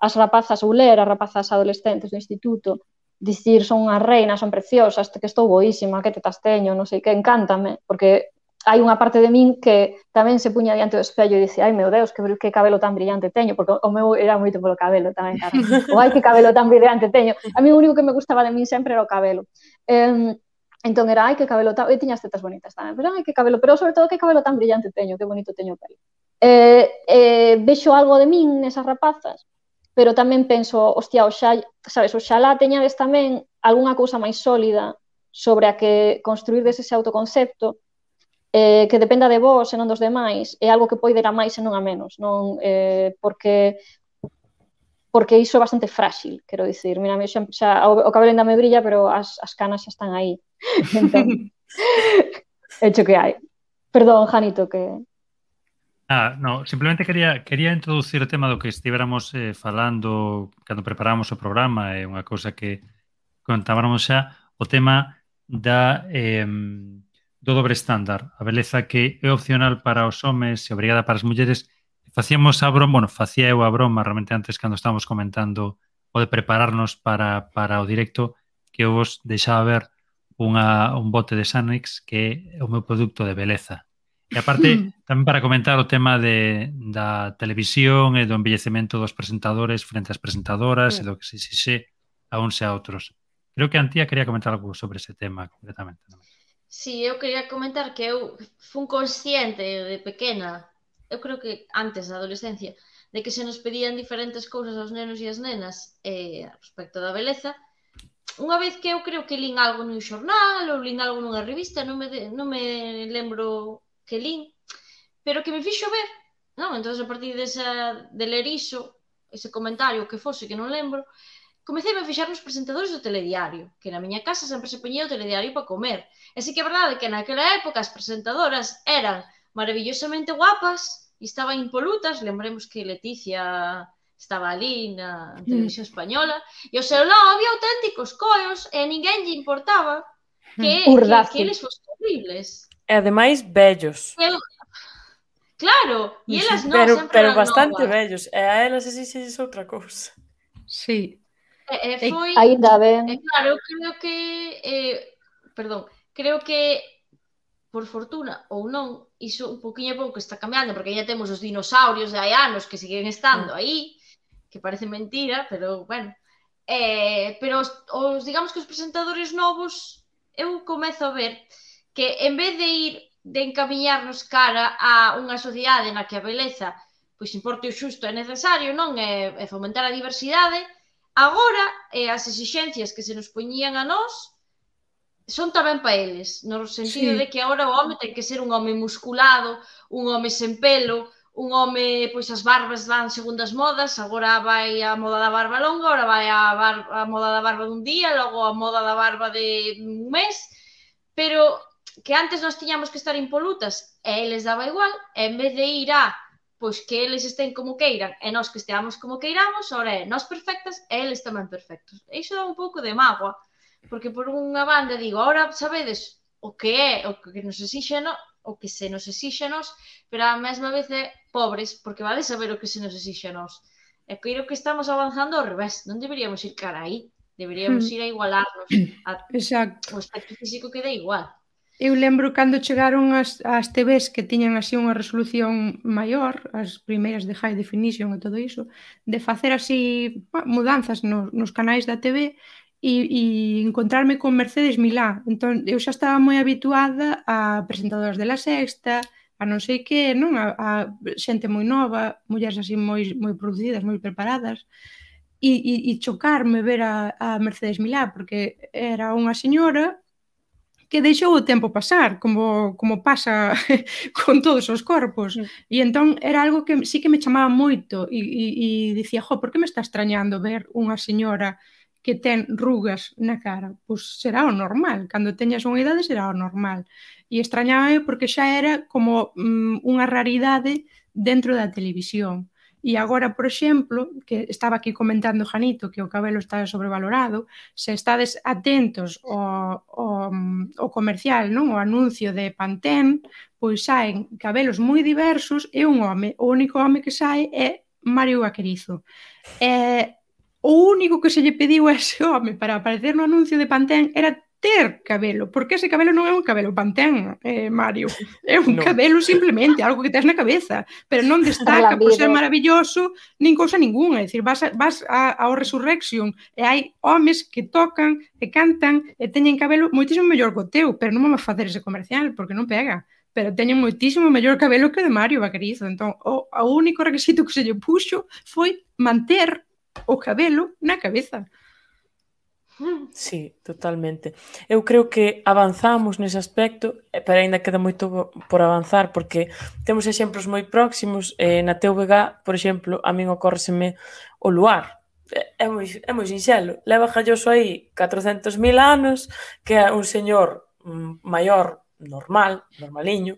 [SPEAKER 4] as rapazas ou ler as rapazas adolescentes do instituto dicir son unhas reinas, son preciosas, que estou boísima, que tetas teño, non sei que, encántame, porque hai unha parte de min que tamén se puña diante do espello e dice, ai meu Deus, que, que cabelo tan brillante teño, porque o meu era moito polo cabelo tamén, cara. O ai, que cabelo tan brillante teño. A mí o único que me gustaba de min sempre era o cabelo. Eh, entón era, ai, que cabelo tan... E tiña as tetas bonitas tamén, pero ai, que cabelo, pero sobre todo, que cabelo tan brillante teño, que bonito teño o pelo. Eh, eh, vexo algo de min nesas rapazas, pero tamén penso, hostia, oxa, sabes, oxalá teñades tamén algunha cousa máis sólida sobre a que construirdes ese autoconcepto, eh, que dependa de vos e non dos demais, é algo que pode ir a máis e non a menos, non? Eh, porque porque iso é bastante frágil, quero dicir, mira, xa, xa, o, o cabelo ainda me brilla, pero as, as canas xa están aí, entón, hecho que hai. Perdón, Janito, que...
[SPEAKER 5] Ah, no, simplemente quería quería introducir o tema do que estivéramos eh, falando cando preparamos o programa, é unha cousa que contábamos xa, o tema da eh, do dobre estándar, a beleza que é opcional para os homes e obrigada para as mulleres. Facíamos a broma, bueno, facía eu a broma realmente antes cando estábamos comentando o de prepararnos para, para o directo, que eu vos deixaba ver unha, un bote de Sanex que é o meu produto de beleza. E aparte, tamén para comentar o tema de, da televisión e do envellecemento dos presentadores frente ás presentadoras mm. e do que se exixe a uns e a outros. Creo que a Antía quería comentar algo sobre ese tema concretamente.
[SPEAKER 6] Sí, eu quería comentar que eu fun consciente de pequena, eu creo que antes da adolescencia, de que se nos pedían diferentes cousas aos nenos e as nenas eh, respecto da beleza. Unha vez que eu creo que lín algo nun xornal ou lín algo nunha revista, non me, de, non me lembro que lín, pero que me fixo ver, non? Entón, a partir desa, de ler iso, ese comentario que fose, que non lembro, comecei a fixar nos presentadores do telediario, que na miña casa sempre se poñía o telediario para comer. E sí que é verdade que naquela época as presentadoras eran maravillosamente guapas e estaban impolutas. Lembremos que Leticia estaba ali na televisión española, e ao seu lado había auténticos coios e a ninguén lle importaba que, que, que eles fosen horribles.
[SPEAKER 3] E ademais vellos.
[SPEAKER 6] Eu... Claro, e elas non,
[SPEAKER 3] pero,
[SPEAKER 6] sempre
[SPEAKER 3] pero
[SPEAKER 6] eran
[SPEAKER 3] bastante
[SPEAKER 6] novas.
[SPEAKER 3] vellos, e a elas exixes outra cousa.
[SPEAKER 2] Sí.
[SPEAKER 6] E, e foi...
[SPEAKER 4] Ainda ben.
[SPEAKER 6] E claro, eu creo que... Eh, perdón, creo que por fortuna ou non, iso un poquinho a pouco está cambiando, porque ya temos os dinosaurios de hai anos que siguen estando aí, que parece mentira, pero bueno. Eh, pero os, os, digamos que os presentadores novos, eu comezo a ver que en vez de ir de encamiñarnos cara a unha sociedade na que a beleza pois importe o xusto é necesario, non? É, é fomentar a diversidade. Agora, eh, as exixencias que se nos poñían a nós son tamén para eles, no sentido
[SPEAKER 2] Sí.
[SPEAKER 6] de que agora o home ten que ser un home musculado, un home sen pelo, un home, pois as barbas van segundo as modas, agora vai a moda da barba longa, agora vai a, bar, a moda da barba dun día, logo a moda da barba de un mes, pero que antes nós tiñamos que estar impolutas e eles daba igual, e en vez de ir a pois que eles estén como queiran e nós que esteamos como queiramos, ora é nós perfectas e eles tamén perfectos. E iso dá un pouco de mágoa, porque por unha banda digo, ahora sabedes o que é, o que nos exixe no, o que se nos exixe a nós, pero a mesma vez é pobres, porque vale saber o que se nos exixe a nós. E creo que estamos avanzando ao revés, non deberíamos ir cara aí, deberíamos ir a igualarnos, a,
[SPEAKER 2] Exacto.
[SPEAKER 6] o aspecto físico queda igual.
[SPEAKER 2] Eu lembro cando chegaron as, as T Vs que tiñan así unha resolución maior, as primeiras de High Definition e todo iso, de facer así mudanzas no, nos canais da T V e, e encontrarme con Mercedes Milá. Entón, eu xa estaba moi habituada a presentadoras de La Sexta, a non sei que, non? A, a xente moi nova, mulleres así moi, moi producidas, moi preparadas, e, e, e chocarme ver a, a Mercedes Milá, porque era unha señora que deixou o tempo pasar, como, como pasa con todos os corpos. E entón era algo que sí que me chamaba moito e, e, e dicía, jo, por que me está extrañando ver unha señora que ten rugas na cara? Pois será o normal, cando teñas unha idade será o normal. E extrañaba porque xa era como mm, unha raridade dentro da televisión. E agora, por exemplo, que estaba aquí comentando Janito que o cabelo está sobrevalorado, se estades atentos ao, ao, ao comercial, non? O anuncio de Pantene, pois saen cabelos moi diversos e un home, o único home que sae é Mario Vaquerizo. E o único que se lle pediu a ese home para aparecer no anuncio de Pantene era ter cabelo, porque ese cabelo non é un cabelo Pantene, eh, Mario, é un no. cabelo simplemente, algo que tes na cabeza, pero non destaca por ser maravilloso, nin cousa ninguna, é dicir, vas, a, vas a, ao Resurrection e hai homes que tocan e cantan e teñen cabelo moitísimo mellor que o teu, pero non vamos facer ese comercial, porque non pega, pero teñen moitísimo mellor cabelo que o de Mario Vaquerizo, entón o, o único requisito que se lle puxo foi manter o cabelo na cabeza.
[SPEAKER 3] Sí, totalmente. Eu creo que avanzamos nese aspecto, pero ainda queda moito por avanzar, porque temos exemplos moi próximos. Eh, na T V G, por exemplo, a min ocórreseme o luar. É moi, é moi sinxelo. Leva Galloso aí catrocentos mil anos, que é un señor maior, normal, normaliño,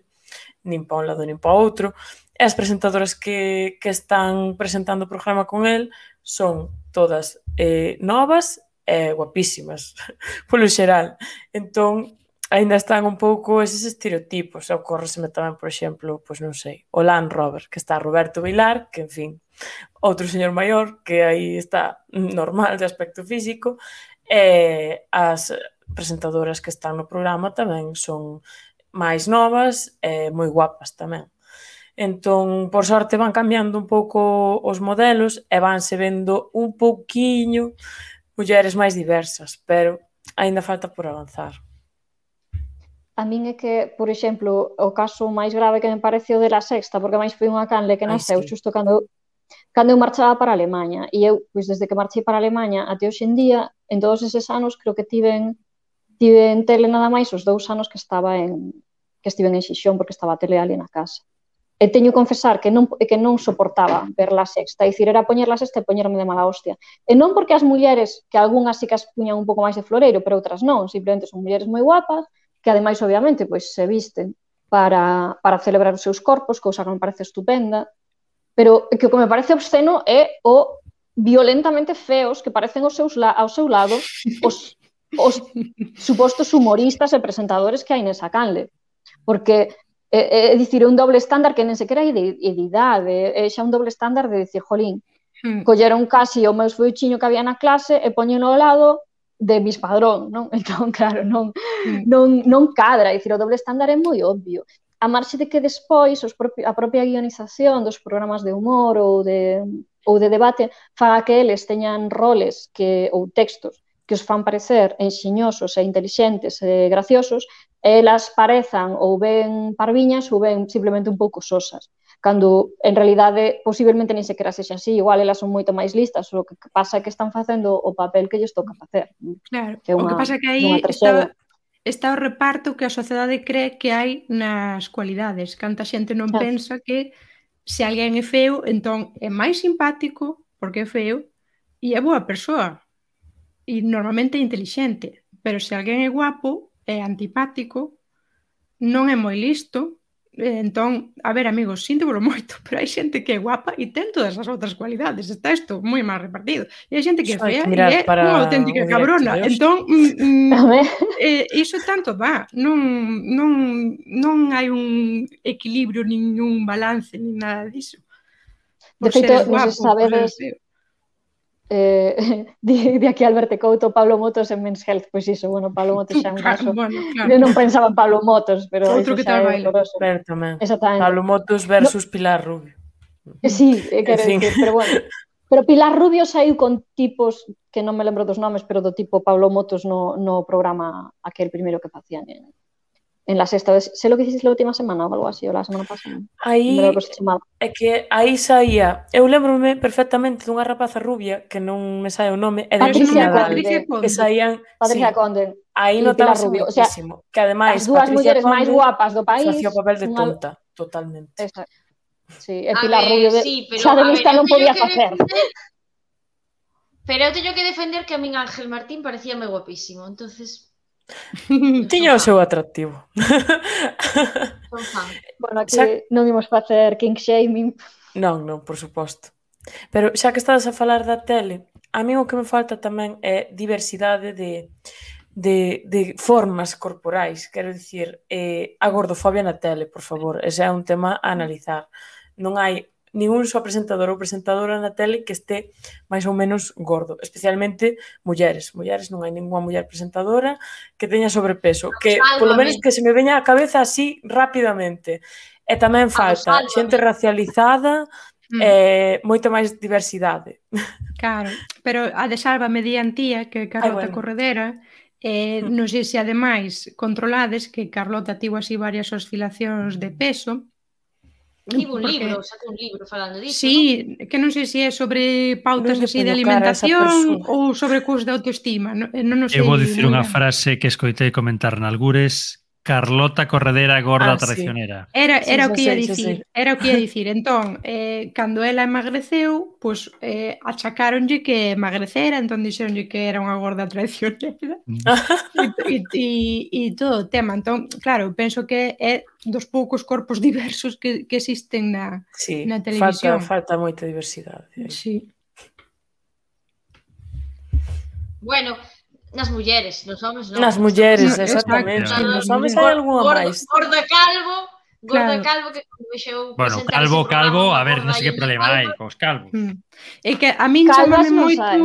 [SPEAKER 3] nin pa un lado nin pa outro, e as presentadoras que, que están presentando o programa con el son todas eh, novas e guapísimas, polo xeral. Entón, aínda están un pouco eses estereotipos. Ocórreseme tamén, por exemplo, pois non sei, o Land Rover, que está Roberto Vilar, que, en fin, outro señor maior, que aí está normal de aspecto físico, e as presentadoras que están no programa tamén son máis novas e moi guapas tamén. Entón, por sorte, van cambiando un pouco os modelos e vanse vendo un pouquiño mulleres máis diversas, pero aínda falta por avanzar.
[SPEAKER 4] A min é que, por exemplo, o caso máis grave que me parece o de La Sexta, porque máis foi unha canle que nasceu sí. xusto cando, cando eu marchaba para Alemanha. E eu, pois, desde que marchei para Alemanha até hoxe en día, en todos eses anos, creo que tiven, tiven tele nada máis os dous anos que estaba en que estiven en Xixón, porque estaba a tele ali na casa. E teño que confesar que non, que non soportaba ver La Sexta, é dicir, era poñer La Sexta e poñerme de mala hostia. E non porque as mulleres, que algunhas sí que as puñan un pouco máis de floreiro, pero outras non, simplemente son mulleres moi guapas, que ademais, obviamente, pois se visten para, para celebrar os seus corpos, cousa que me parece estupenda, pero que o que me parece obsceno é o violentamente feos que parecen os seus la, ao seu lado os, os supostos humoristas e presentadores que hai nesa canle. Porque é, é dicir, é un doble estándar que nen sequera é de, de idade, é xa un doble estándar de dicir, jolín, hmm. colleron casi o meu feuchiño que había na clase e poñeno ao lado de Miss Padrón, non? Entón, claro, non, hmm. non, non cadra, é dicir, o doble estándar é moi obvio. A marxe de que despois os propi, a propia guionización dos programas de humor ou de, ou de debate faga que eles teñan roles que, ou textos que os fan parecer enxiñosos e intelixentes e graciosos, elas parezan ou ben parviñas ou ben simplemente un pouco sosas. cando en realidade posiblemente nin sequera sexa así, igual elas son moito máis listas, o que pasa é que están facendo o papel que lles toca facer.
[SPEAKER 2] Claro,
[SPEAKER 4] que é unha,
[SPEAKER 2] o que pasa é que aí está, está o reparto que a sociedade cree que hai nas cualidades. Canta xente non
[SPEAKER 4] Ah.
[SPEAKER 2] pensa que se alguén é feo, entón é máis simpático porque é feo e é boa persoa e normalmente é intelixente, pero se alguén é guapo, é antipático, non é moi listo. Entón, a ver, amigos, síntevolo moito, pero hai xente que é guapa e ten todas as outras cualidades. Está isto moi máis repartido. E hai xente que é
[SPEAKER 3] Só hai
[SPEAKER 2] fea
[SPEAKER 3] que
[SPEAKER 2] e
[SPEAKER 3] mirar
[SPEAKER 2] é
[SPEAKER 3] para
[SPEAKER 2] unha auténtica
[SPEAKER 3] o directo
[SPEAKER 2] cabrona.
[SPEAKER 3] de hoxe.
[SPEAKER 2] Entón, mm,
[SPEAKER 4] A ver,
[SPEAKER 2] eh, iso tanto dá. Non, non, non hai un equilibrio, nin un balance, nin nada diso.
[SPEAKER 4] de
[SPEAKER 2] Por
[SPEAKER 4] feito,
[SPEAKER 2] seres
[SPEAKER 4] non sei
[SPEAKER 2] guapo,
[SPEAKER 4] se
[SPEAKER 2] por
[SPEAKER 4] sabedes,
[SPEAKER 2] seres feo.
[SPEAKER 4] eh, di, di aquí Alberto Couto, Pablo Motos en Men's Health, pois iso, bueno, Pablo Motos xa é un caso.
[SPEAKER 2] Bueno, claro.
[SPEAKER 4] Eu non pensaba en Pablo Motos, pero
[SPEAKER 2] Outro
[SPEAKER 4] iso
[SPEAKER 2] que
[SPEAKER 4] xa
[SPEAKER 2] tal
[SPEAKER 4] é
[SPEAKER 2] baila.
[SPEAKER 4] horroroso.
[SPEAKER 3] Pero tamén.
[SPEAKER 4] Exactamente.
[SPEAKER 3] Pablo Motos versus Pilar Rubio.
[SPEAKER 4] Eh, Sí, eh, quero
[SPEAKER 3] En fin.
[SPEAKER 4] dicir, pero bueno. Pero Pilar Rubio saiu con tipos que non me lembro dos nomes, pero do tipo Pablo Motos no, no programa aquel primeiro que facían en, en la sexta. Sei lo que hiciste la última semana ou algo así, ou la semana pasada.
[SPEAKER 3] Aí
[SPEAKER 4] Non me lembro que se chamaba.
[SPEAKER 3] é que aí saía, eu lembro-me perfectamente dunha rapaza rubia que non me sae o nome, e de
[SPEAKER 2] Pero
[SPEAKER 4] Patricia
[SPEAKER 2] non é
[SPEAKER 3] Nadal,
[SPEAKER 2] Patricia
[SPEAKER 4] Conde.
[SPEAKER 2] Conde.
[SPEAKER 3] que saían,
[SPEAKER 4] Patricia
[SPEAKER 3] sí,
[SPEAKER 4] Conde
[SPEAKER 3] aí
[SPEAKER 4] e Pilar
[SPEAKER 3] notábase
[SPEAKER 4] Rubio. O sea,
[SPEAKER 3] moitísimo, que ademais
[SPEAKER 4] as dúas
[SPEAKER 3] Patricia
[SPEAKER 4] mulleres máis
[SPEAKER 3] Conde
[SPEAKER 4] guapas do país.
[SPEAKER 3] facía o papel de
[SPEAKER 4] unha-
[SPEAKER 3] tonta, totalmente.
[SPEAKER 4] Esa. Sí, e
[SPEAKER 6] A
[SPEAKER 4] Pilar
[SPEAKER 6] ver,
[SPEAKER 4] Rubio de...
[SPEAKER 6] sí, pero,
[SPEAKER 4] xa de
[SPEAKER 6] a ver,
[SPEAKER 4] lista
[SPEAKER 6] eu
[SPEAKER 4] non
[SPEAKER 6] teño
[SPEAKER 4] podía
[SPEAKER 6] que
[SPEAKER 4] facer.
[SPEAKER 6] defender- Pero eu teño que defender que a min Ángel Martín parecíame guapísimo, entonces
[SPEAKER 3] Tiña o seu atractivo.
[SPEAKER 6] son fan.
[SPEAKER 4] Bueno, aquí
[SPEAKER 3] Xa-
[SPEAKER 4] non imos facer king shaming.
[SPEAKER 3] Non, non, por suposto. Pero xa que estás a falar da tele, a mí o que me falta tamén é diversidade de, de, de formas corporais. Quero dicir, eh, a gordofobia na tele, por favor. Ese é un tema a analizar. Non hai ningún só presentador ou presentadora na tele que este máis ou menos gordo, especialmente mulleres. Mulleres non hai ninguna muller presentadora que teña sobrepeso, que polo menos que se me veña á cabeza así rapidamente. E tamén falta
[SPEAKER 6] Sálvame.
[SPEAKER 3] xente racializada,
[SPEAKER 2] Mm.
[SPEAKER 3] eh, moita máis diversidade.
[SPEAKER 2] Claro, pero a de Sálvame di Antía, que é Carlota
[SPEAKER 3] Ai, bueno.
[SPEAKER 2] Corredera, eh,
[SPEAKER 3] Mm.
[SPEAKER 2] non sei se ademais controlades que Carlota tivo así varias oscilacións de peso.
[SPEAKER 6] Tivo un
[SPEAKER 2] porque-
[SPEAKER 6] libro, sacou un libro falando disso,
[SPEAKER 2] Sí, que non sei se é sobre pautas
[SPEAKER 3] Non lle
[SPEAKER 2] así de
[SPEAKER 3] poño cara a esa
[SPEAKER 2] alimentación
[SPEAKER 3] persoa.
[SPEAKER 2] ou sobre cos de autoestima. Non, eh, non o sei
[SPEAKER 5] Eu vou dicir
[SPEAKER 2] moi
[SPEAKER 5] unha
[SPEAKER 2] ben.
[SPEAKER 5] frase que escoitei comentar nalgures: Carlota Corredera gorda
[SPEAKER 3] Ah, sí.
[SPEAKER 5] traicionera.
[SPEAKER 2] Era,
[SPEAKER 3] Sí,
[SPEAKER 2] era
[SPEAKER 3] xa
[SPEAKER 2] o que ia
[SPEAKER 3] sei, xa
[SPEAKER 2] dicir,
[SPEAKER 3] sei.
[SPEAKER 2] era o que ia dicir. Entón, eh, cando ela emagreceu, pois eh, achacáronlle que emagrecera, entón dixeronlle que era unha gorda traicionera. e, e, e, e todo o tema. Entón, claro, eu penso que é dos poucos corpos diversos que, que existen na,
[SPEAKER 3] Sí,
[SPEAKER 2] na
[SPEAKER 3] falta,
[SPEAKER 2] televisión.
[SPEAKER 3] falta moita diversidade.
[SPEAKER 2] Sí.
[SPEAKER 6] Bueno, nas mulleres, nos homes non.
[SPEAKER 3] Nas mulleres,
[SPEAKER 2] No,
[SPEAKER 3] exactamente.
[SPEAKER 5] exacto.
[SPEAKER 3] Nos homes hai algunha
[SPEAKER 6] Gordo-
[SPEAKER 3] máis.
[SPEAKER 6] Gorda calvo, gorda
[SPEAKER 2] Claro.
[SPEAKER 6] calvo que como vexeu
[SPEAKER 5] Bueno,
[SPEAKER 6] presentar
[SPEAKER 5] calvo,
[SPEAKER 6] ese programa,
[SPEAKER 5] calvo,
[SPEAKER 6] unha
[SPEAKER 5] a ver,
[SPEAKER 6] gorda
[SPEAKER 5] non sei que
[SPEAKER 6] e unha
[SPEAKER 5] problema hai
[SPEAKER 6] calva.
[SPEAKER 5] cos calvos.
[SPEAKER 2] Mm. É que a min
[SPEAKER 4] Calvas
[SPEAKER 2] chámame
[SPEAKER 4] non
[SPEAKER 2] moito,
[SPEAKER 4] saen.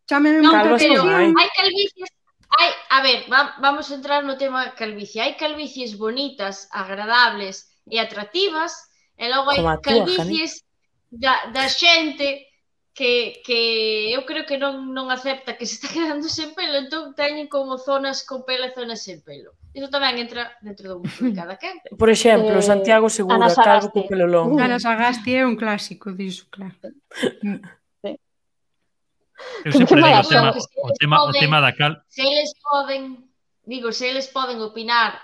[SPEAKER 2] chámame
[SPEAKER 6] Non,
[SPEAKER 2] moito a
[SPEAKER 3] Calvas non
[SPEAKER 6] pero
[SPEAKER 3] hai.
[SPEAKER 2] atención.
[SPEAKER 6] hai calvicies, hai, a ver, va- vamos a entrar no tema calvicie. Hai calvicies bonitas, agradables e atractivas, e logo hai
[SPEAKER 3] Como a túa,
[SPEAKER 6] calvicies da, da xente que, que eu creo que non, non acepta que se está quedando sen pelo, entón teñen como zonas con pelo e zonas sen pelo. Iso tamén entra dentro do gusto de cada quen.
[SPEAKER 3] Por exemplo,
[SPEAKER 4] Eh,
[SPEAKER 3] Santiago Segura,
[SPEAKER 4] Ana
[SPEAKER 3] calvo
[SPEAKER 4] Sagasti.
[SPEAKER 3] co pelo longo.
[SPEAKER 2] Ana Sagasti é un clásico diso, claro. Mm.
[SPEAKER 5] Eu
[SPEAKER 4] Que-
[SPEAKER 5] sempre
[SPEAKER 4] que
[SPEAKER 5] digo
[SPEAKER 4] mala
[SPEAKER 5] o tema,
[SPEAKER 6] sorte.
[SPEAKER 5] o tema, o tema da cal...
[SPEAKER 6] Se eles poden, digo, se eles poden opinar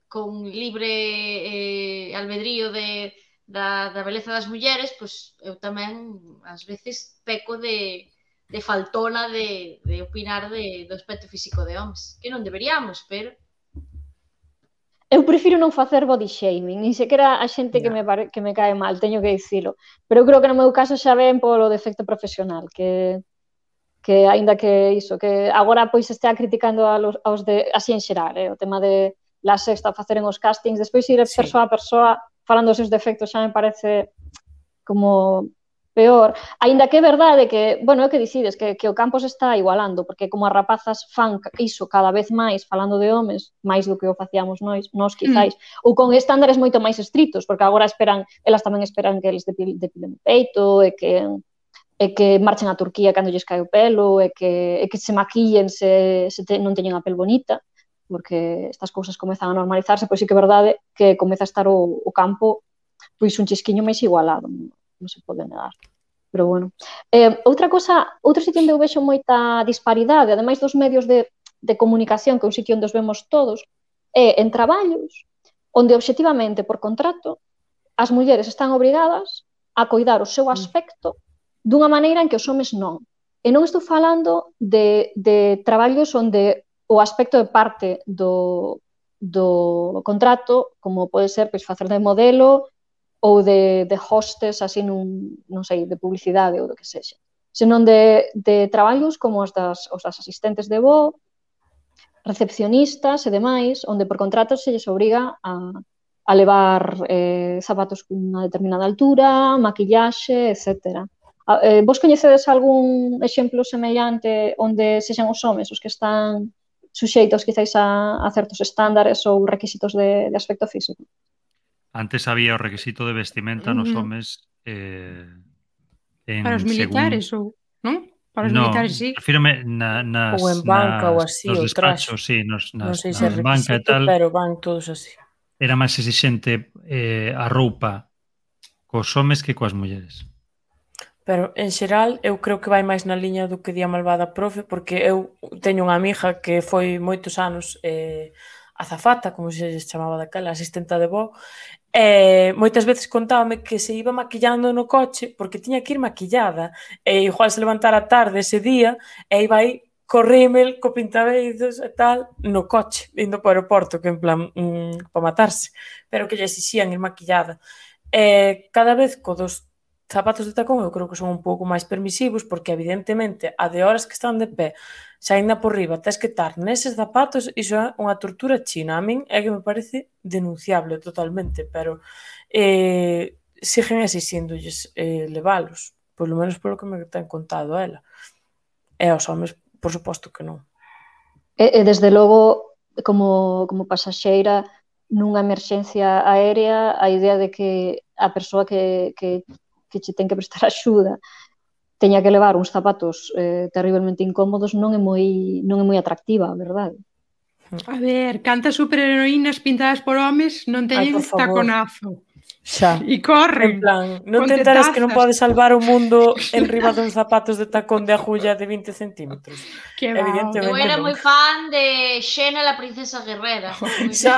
[SPEAKER 6] con libre eh, albedrío de, da, da beleza das mulleres, pois eu tamén ás veces peco de, de faltona de, de opinar de, do aspecto físico de homes, que non deberíamos, pero
[SPEAKER 4] Eu prefiro non facer body shaming, nin sequera a xente que
[SPEAKER 3] Ya.
[SPEAKER 4] me, pare, que me cae mal, teño que dicilo. Pero eu creo que no meu caso xa ven polo defecto profesional, que que aínda que iso, que agora pois estea criticando a los, aos de, así en xeral, eh, o tema de la sexta faceren os castings, despois ir
[SPEAKER 3] Sí.
[SPEAKER 4] persoa a persoa falando os seus defectos xa me parece como peor. Aínda que é verdade que, bueno, é que dicides que, que o campo se está igualando, porque como as rapazas fan iso cada vez máis falando de homes, máis do que o facíamos nós, nós quizáis, mm. ou con estándares moito máis estritos, porque agora esperan, elas tamén esperan que eles depilen o peito e que e que marchen a Turquía cando lles cae o pelo, e que, e que se maquillen se, se te, non teñen a pel bonita, porque estas cousas comezan a normalizarse, pois sí que é verdade que comeza a estar o, o campo pois un chisquiño máis igualado, non, non se pode negar. Pero bueno. Eh, outra cosa, outro sitio onde eu vexo moita disparidade, ademais dos medios de, de comunicación, que é un sitio onde os vemos todos, é en traballos onde obxectivamente por contrato as mulleres están obrigadas a coidar o seu aspecto dunha maneira en que os homes non. E non estou falando de, de traballos onde o aspecto é parte do, do contrato, como pode ser pois, facer de modelo ou de, de hostess, así nun, non sei, de publicidade ou do que sexa. Senón de, de traballos como os das, os das asistentes de voo, recepcionistas e demais, onde por contrato se lles obriga a, a levar eh, zapatos cunha determinada altura, maquillaxe, etcétera. Eh, vos coñecedes algún exemplo semellante onde sexan os homes os que están suxeitos quizáis a, a certos estándares ou requisitos de, de aspecto físico?
[SPEAKER 5] Antes había o requisito de vestimenta nos homes eh, en
[SPEAKER 2] para os militares
[SPEAKER 5] según...
[SPEAKER 2] ou, non? Para os
[SPEAKER 5] no,
[SPEAKER 2] militares, sí.
[SPEAKER 5] refírome na, nas,
[SPEAKER 3] ou en banca
[SPEAKER 5] nas,
[SPEAKER 3] ou así,
[SPEAKER 5] nos
[SPEAKER 3] ou
[SPEAKER 5] despachos,
[SPEAKER 3] traxe.
[SPEAKER 5] sí, nos, nas,
[SPEAKER 3] Non sei se é
[SPEAKER 5] nas banca e
[SPEAKER 3] requisito,
[SPEAKER 5] tal,
[SPEAKER 3] pero van todos así.
[SPEAKER 5] era máis exixente eh, a roupa cos homes que coas mulleres.
[SPEAKER 3] Pero, en xeral, eu creo que vai máis na liña do que di a malvada profe, porque eu teño unha amiga que foi moitos anos eh, azafata, como se chamaba daquela, asistenta de voo, e moitas veces contábame que se iba maquillando no coche porque tiña que ir maquillada, e igual se levantara tarde ese día e iba aí co rímel, co pintabeiros e tal, no coche, indo para o aeroporto, que en plan, mmm, para matarse, pero que lle exixían ir maquillada. E cada vez co dos zapatos de tacón eu creo que son un pouco máis permisivos porque evidentemente a de horas que están de pé xa ainda por riba tes que estar neses zapatos, iso é unha tortura china. A min é que me parece denunciable totalmente, pero eh, siguen exixiéndolles eh, levalos, polo menos polo que me ten contado ela. E aos homes, por suposto que non.
[SPEAKER 4] E, e desde logo, como, como pasaxeira nunha emerxencia aérea, a idea de que a persoa que, que, que che ten que prestar axuda teña que levar uns zapatos eh, terriblemente incómodos non é moi non é moi atractiva, verdade?
[SPEAKER 2] A ver, cantas superheroínas pintadas por homes non teñen taconazo.
[SPEAKER 3] Xa.
[SPEAKER 2] E corren.
[SPEAKER 3] En plan, non te enteras que non podes salvar o mundo en riba duns zapatos de tacón de agulla de vinte centímetros.
[SPEAKER 2] Que
[SPEAKER 3] evidentemente
[SPEAKER 6] eu era
[SPEAKER 3] non.
[SPEAKER 6] moi fan de Xena, la princesa guerrera.
[SPEAKER 3] Xa.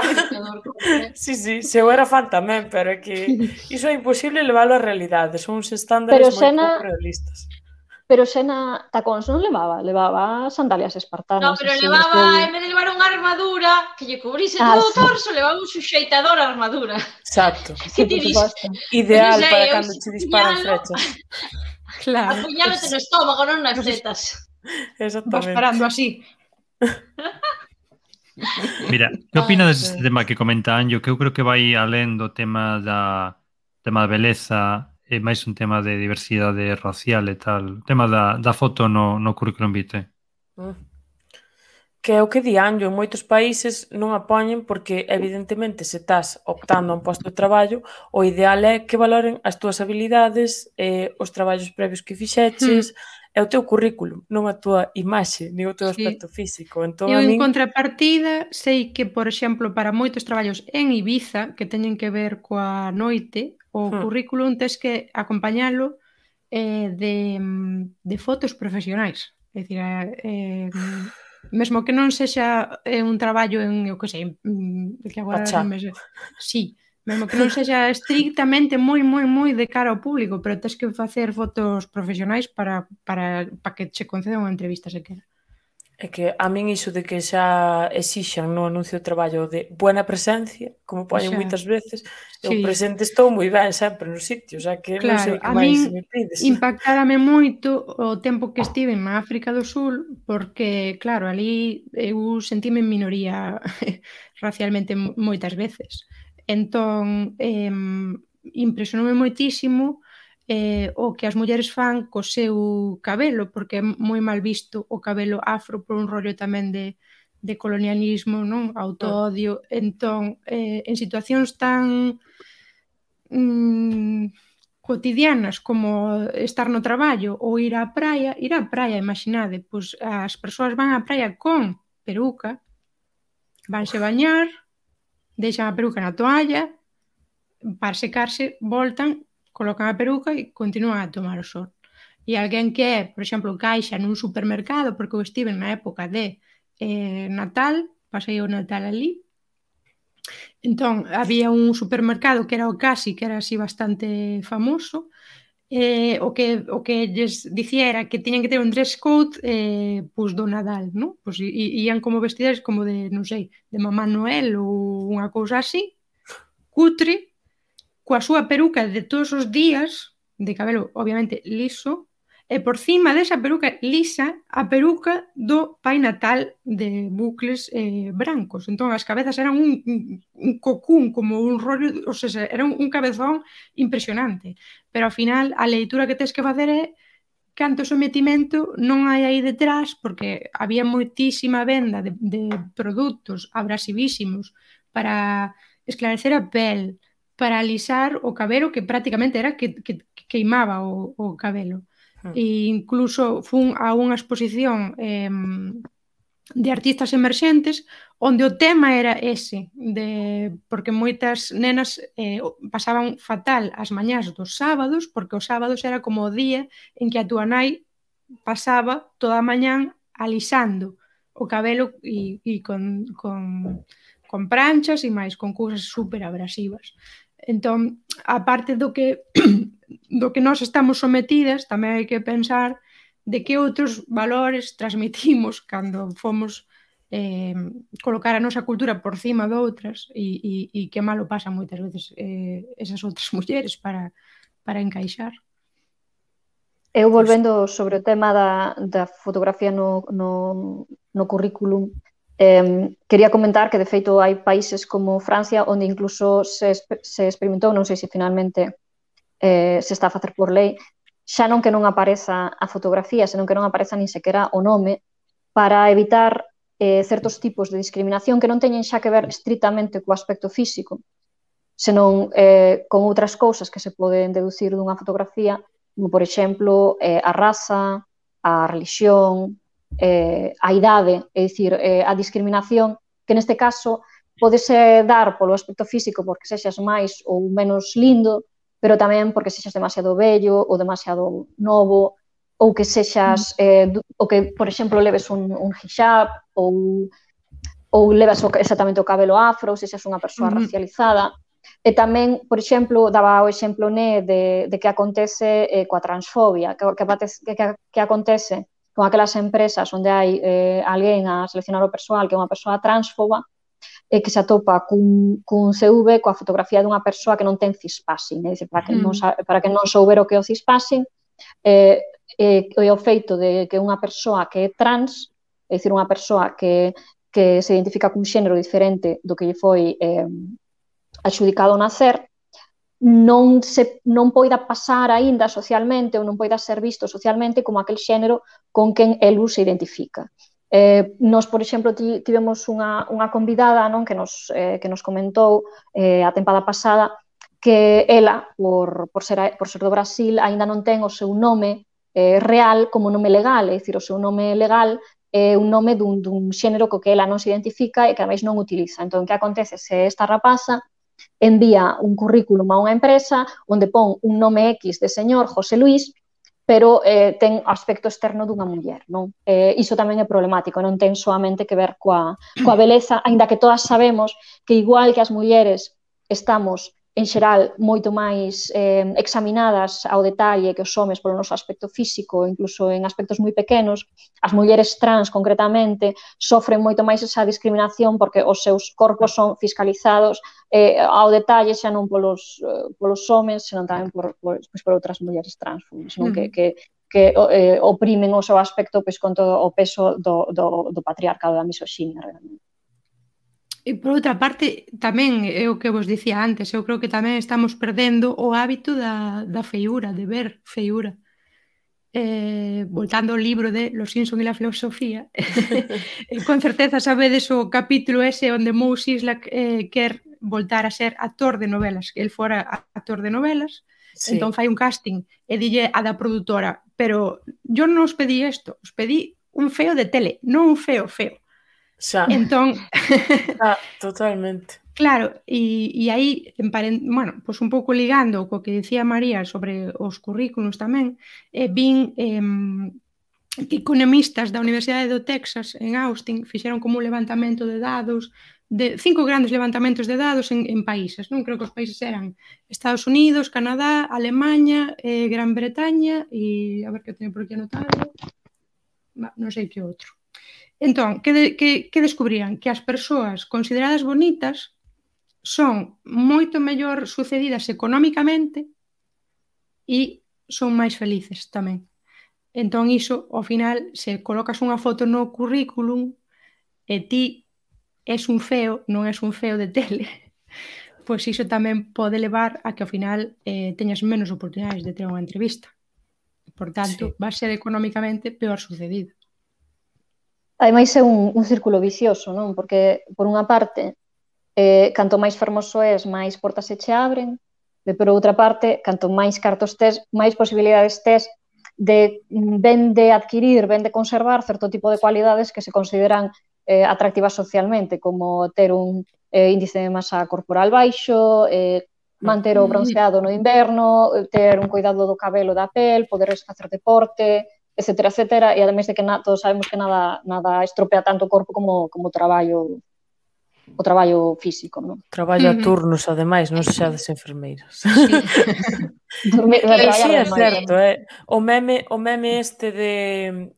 [SPEAKER 3] Sí, sí, se eu era fan tamén, pero é que iso é imposible leválo á realidade, son uns estándares moi
[SPEAKER 4] Xena...
[SPEAKER 3] pouco realistas.
[SPEAKER 4] Pero Xena tacóns non levaba, levaba sandalias espartanas.
[SPEAKER 6] No, pero levaba, en vez de levar unha armadura que lle cubrise ah, todo o torso, sí. Levaba un suxeitador a armadura.
[SPEAKER 3] Exacto.
[SPEAKER 6] Que ti dis?
[SPEAKER 3] Ideal sei, para cando te disparan flechas.
[SPEAKER 2] Claro.
[SPEAKER 6] Apuñálate no estómago, non nas tetas.
[SPEAKER 2] Vas
[SPEAKER 3] Exactamente.
[SPEAKER 2] parando así.
[SPEAKER 5] Mira, que opinas deste tema que comenta Anjo? Que eu creo que vai alén do tema da tema da beleza, é máis un tema de diversidade racial e tal. O tema da, da foto no, no currículum vitae.
[SPEAKER 3] Mm. Que é o que di Anjo, en moitos países non a poñen porque evidentemente se estás optando a un posto de traballo, o ideal é que valoren as túas habilidades, eh, os traballos previos que fixeches, mm. é o teu currículum, non a túa imaxe, nin o teu sí. aspecto físico. Entón,
[SPEAKER 2] eu
[SPEAKER 3] a min...
[SPEAKER 2] en contrapartida sei que, por exemplo, para moitos traballos en Ibiza que teñen que ver coa noite, o hmm. currículum tes que acompañalo eh, de, de fotos profesionais. É dicir, eh, mesmo que non sexa eh, un traballo en, eu que sei, que agora non me sei. Sí, mesmo que non sexa estrictamente moi, moi, moi de cara ao público, pero tes que facer fotos profesionais para, para, para que che conceda unha entrevista sequera.
[SPEAKER 3] É que a min iso de que xa exixan no anuncio de traballo de buena presencia, como poñen moitas veces, sí. Eu presente estou moi ben sempre nos sitios, xa que
[SPEAKER 2] claro,
[SPEAKER 3] non sei que
[SPEAKER 2] a
[SPEAKER 3] máis
[SPEAKER 2] min
[SPEAKER 3] me pides.
[SPEAKER 2] Impactárame moito o tempo que estive na África do Sul, porque, claro, ali eu sentime en minoría racialmente moitas veces. Entón, eh, impresionoume moitísimo Eh, o que as mulleres fan co seu cabelo, porque é moi mal visto o cabelo afro por un rollo tamén de, de colonialismo, non? Autoodio. Entón, eh, en situacións tan mm, cotidianas como estar no traballo ou ir á praia, ir á praia, imaginade, pois as persoas van á praia con peruca, vanse bañar, deixan a peruca na toalla, para secarse, voltan, colocan a peruca e continúan a tomar o sol. E alguén que é, por exemplo, caixa nun supermercado, porque eu estive na época de eh, Natal, pasei o Natal ali, entón había un supermercado que era o Casi, que era así bastante famoso, eh, o que o que lles dicía era que tiñan que ter un dress code eh, pois do Nadal, non? Pois ían como vestidas como de, non sei, de Mamá Noel ou unha cousa así, cutre, coa súa peruca de todos os días, de cabelo obviamente liso, e por cima desa peruca lisa, a peruca do Pai Natal de bucles eh, brancos. Entón as cabezas eran un, un, un cocún, como un rollo, o sea, era un, un cabezón impresionante. Pero ao final a leitura que tens que facer é canto sometimento non hai aí detrás, porque había moitísima venda de, de produtos abrasivísimos para esclarecer a pel, para alisar o cabelo, que prácticamente era que, que, que queimaba o, o cabelo. E incluso fun a unha exposición eh, de artistas emerxentes onde o tema era ese, de, porque moitas nenas eh, pasaban fatal as mañás dos sábados, porque os sábados era como o día en que a túa nai pasaba toda a mañán alisando o cabelo e, e con, con, con pranchas e máis, con cousas super abrasivas. Entón, a parte do que do que nós estamos sometidas, tamén hai que pensar de que outros valores transmitimos cando fomos eh, colocar a nosa cultura por cima de outras e, e, e que malo pasan moitas veces eh, esas outras mulleres para, para encaixar.
[SPEAKER 4] Eu volvendo sobre o tema da, da fotografía no, no, no currículum, Eh, quería comentar que, de feito, hai países como Francia onde incluso se, se experimentou, non sei se finalmente eh, se está a facer por lei, xa non que non apareza a fotografía, senón que non apareza nin sequera o nome, para evitar eh, certos tipos de discriminación que non teñen xa que ver estritamente co aspecto físico, senón eh, con outras cousas que se poden deducir dunha fotografía, como, por exemplo, eh, a raza, a religión, Eh, a idade, é dicir, eh, a discriminación, que neste caso podese dar polo aspecto físico porque sexas máis ou menos lindo, pero tamén porque sexas demasiado vello ou demasiado novo, ou que sexas, eh, ou que, por exemplo, leves un, un hijab ou, ou levas o, exactamente o cabelo afro, ou sexas unha persoa uh-huh. racializada. E tamén, por exemplo, daba o exemplo né, de, de que acontece eh, coa transfobia, que, que, que, que acontece con aquelas empresas onde hai eh, alguén a seleccionar o persoal que é unha persoa transfoba e que se atopa cun, cun C V coa fotografía dunha persoa que non ten cispassing, é dicir, para que non, para que non souber o que é o cispassing, eh, eh, o feito de que unha persoa que é trans, é dicir, unha persoa que, que se identifica cun xénero diferente do que lle foi eh, adxudicado ao nacer, non se non poida pasar aínda socialmente ou non poida ser visto socialmente como aquel xénero con quen el se identifica. Eh, nos, por exemplo, tivemos unha, unha convidada, non, que nos, eh, que nos comentou eh, a tempada pasada que ela, por, por, ser, por ser do Brasil, aínda non ten o seu nome eh, real como nome legal, é dicir, o seu nome legal é un nome dun, dun xénero co que ela non se identifica e que a máis non utiliza. Entón, que acontece se esta rapaza envía un currículum a unha empresa onde pon un nome X de señor José Luis, pero eh, ten aspecto externo dunha muller, non? Eh, iso tamén é problemático, non ten soamente que ver coa, coa beleza, aínda que todas sabemos que igual que as mulleres estamos en xeral moito máis eh, examinadas ao detalle que os homes polo noso aspecto físico, incluso en aspectos moi pequenos, as mulleres trans concretamente sofren moito máis esa discriminación porque os seus corpos son fiscalizados eh, ao detalle xa non polos, eh, polos homes, senón tamén por, por, pues, por outras mulleres trans, senón que, que, que eh, oprimen o seu aspecto pues, con todo o peso do, do, do patriarcado, da misoxinia, realmente.
[SPEAKER 2] E por outra parte, tamén é o que vos dicía antes, eu creo que tamén estamos perdendo o hábito da, da feiura, de ver feiura. Eh, voltando ao libro de Los Simpson e la filosofía, con certeza sabedes o capítulo ese onde Moe Szyslak eh, quer voltar a ser actor de novelas, que el fora actor de novelas, sí. Entón fai un casting e dille a da produtora, pero yo non os pedí isto, os pedí un feo de tele, non un feo feo.
[SPEAKER 3] Xa.
[SPEAKER 2] Entón,
[SPEAKER 3] ah, totalmente.
[SPEAKER 2] Claro, e, e aí, emparen- bueno, pois un pouco ligando co que dicía María sobre os currículos tamén, eh, vin eh, que economistas da Universidade do Texas en Austin fixeron como un levantamento de dados, de cinco grandes levantamentos de dados en, en países, non? Creo que os países eran Estados Unidos, Canadá, Alemanha, eh, Gran Bretaña e, a ver que teño por aquí anotado, non sei que outro. Entón, que, de, que, que descubrían? Que as persoas consideradas bonitas son moito mellor sucedidas económicamente e son máis felices tamén. Entón, iso, ao final, se colocas unha foto no currículum e ti és un feo, non és un feo de tele, pois iso tamén pode levar a que ao final eh, teñas menos oportunidades de ter unha entrevista. Por tanto,
[SPEAKER 3] Sí.
[SPEAKER 2] va a ser económicamente peor sucedido.
[SPEAKER 4] Ademais é un, un círculo vicioso, non? Porque, por unha parte, eh, canto máis fermoso és, máis portas se che abren, e por outra parte, canto máis cartos tes, máis posibilidades tes de ben de adquirir, ben de conservar certo tipo de cualidades que se consideran eh, atractivas socialmente, como ter un eh, índice de masa corporal baixo, eh, manter o bronceado no inverno, ter un cuidado do cabelo, da pel, poder facer deporte, etcétera, etcétera, e ademais de que na, todos sabemos que nada, nada estropea tanto o corpo como, como o traballo o traballo físico, non?
[SPEAKER 3] Traballo a
[SPEAKER 2] Ujú.
[SPEAKER 3] turnos, ademais, non sexades enfermeiras.
[SPEAKER 2] Sí.
[SPEAKER 4] Dormir,
[SPEAKER 6] É que
[SPEAKER 3] Pero
[SPEAKER 4] traballar
[SPEAKER 3] sí, é
[SPEAKER 4] demais.
[SPEAKER 3] certo, é. O meme, o meme este de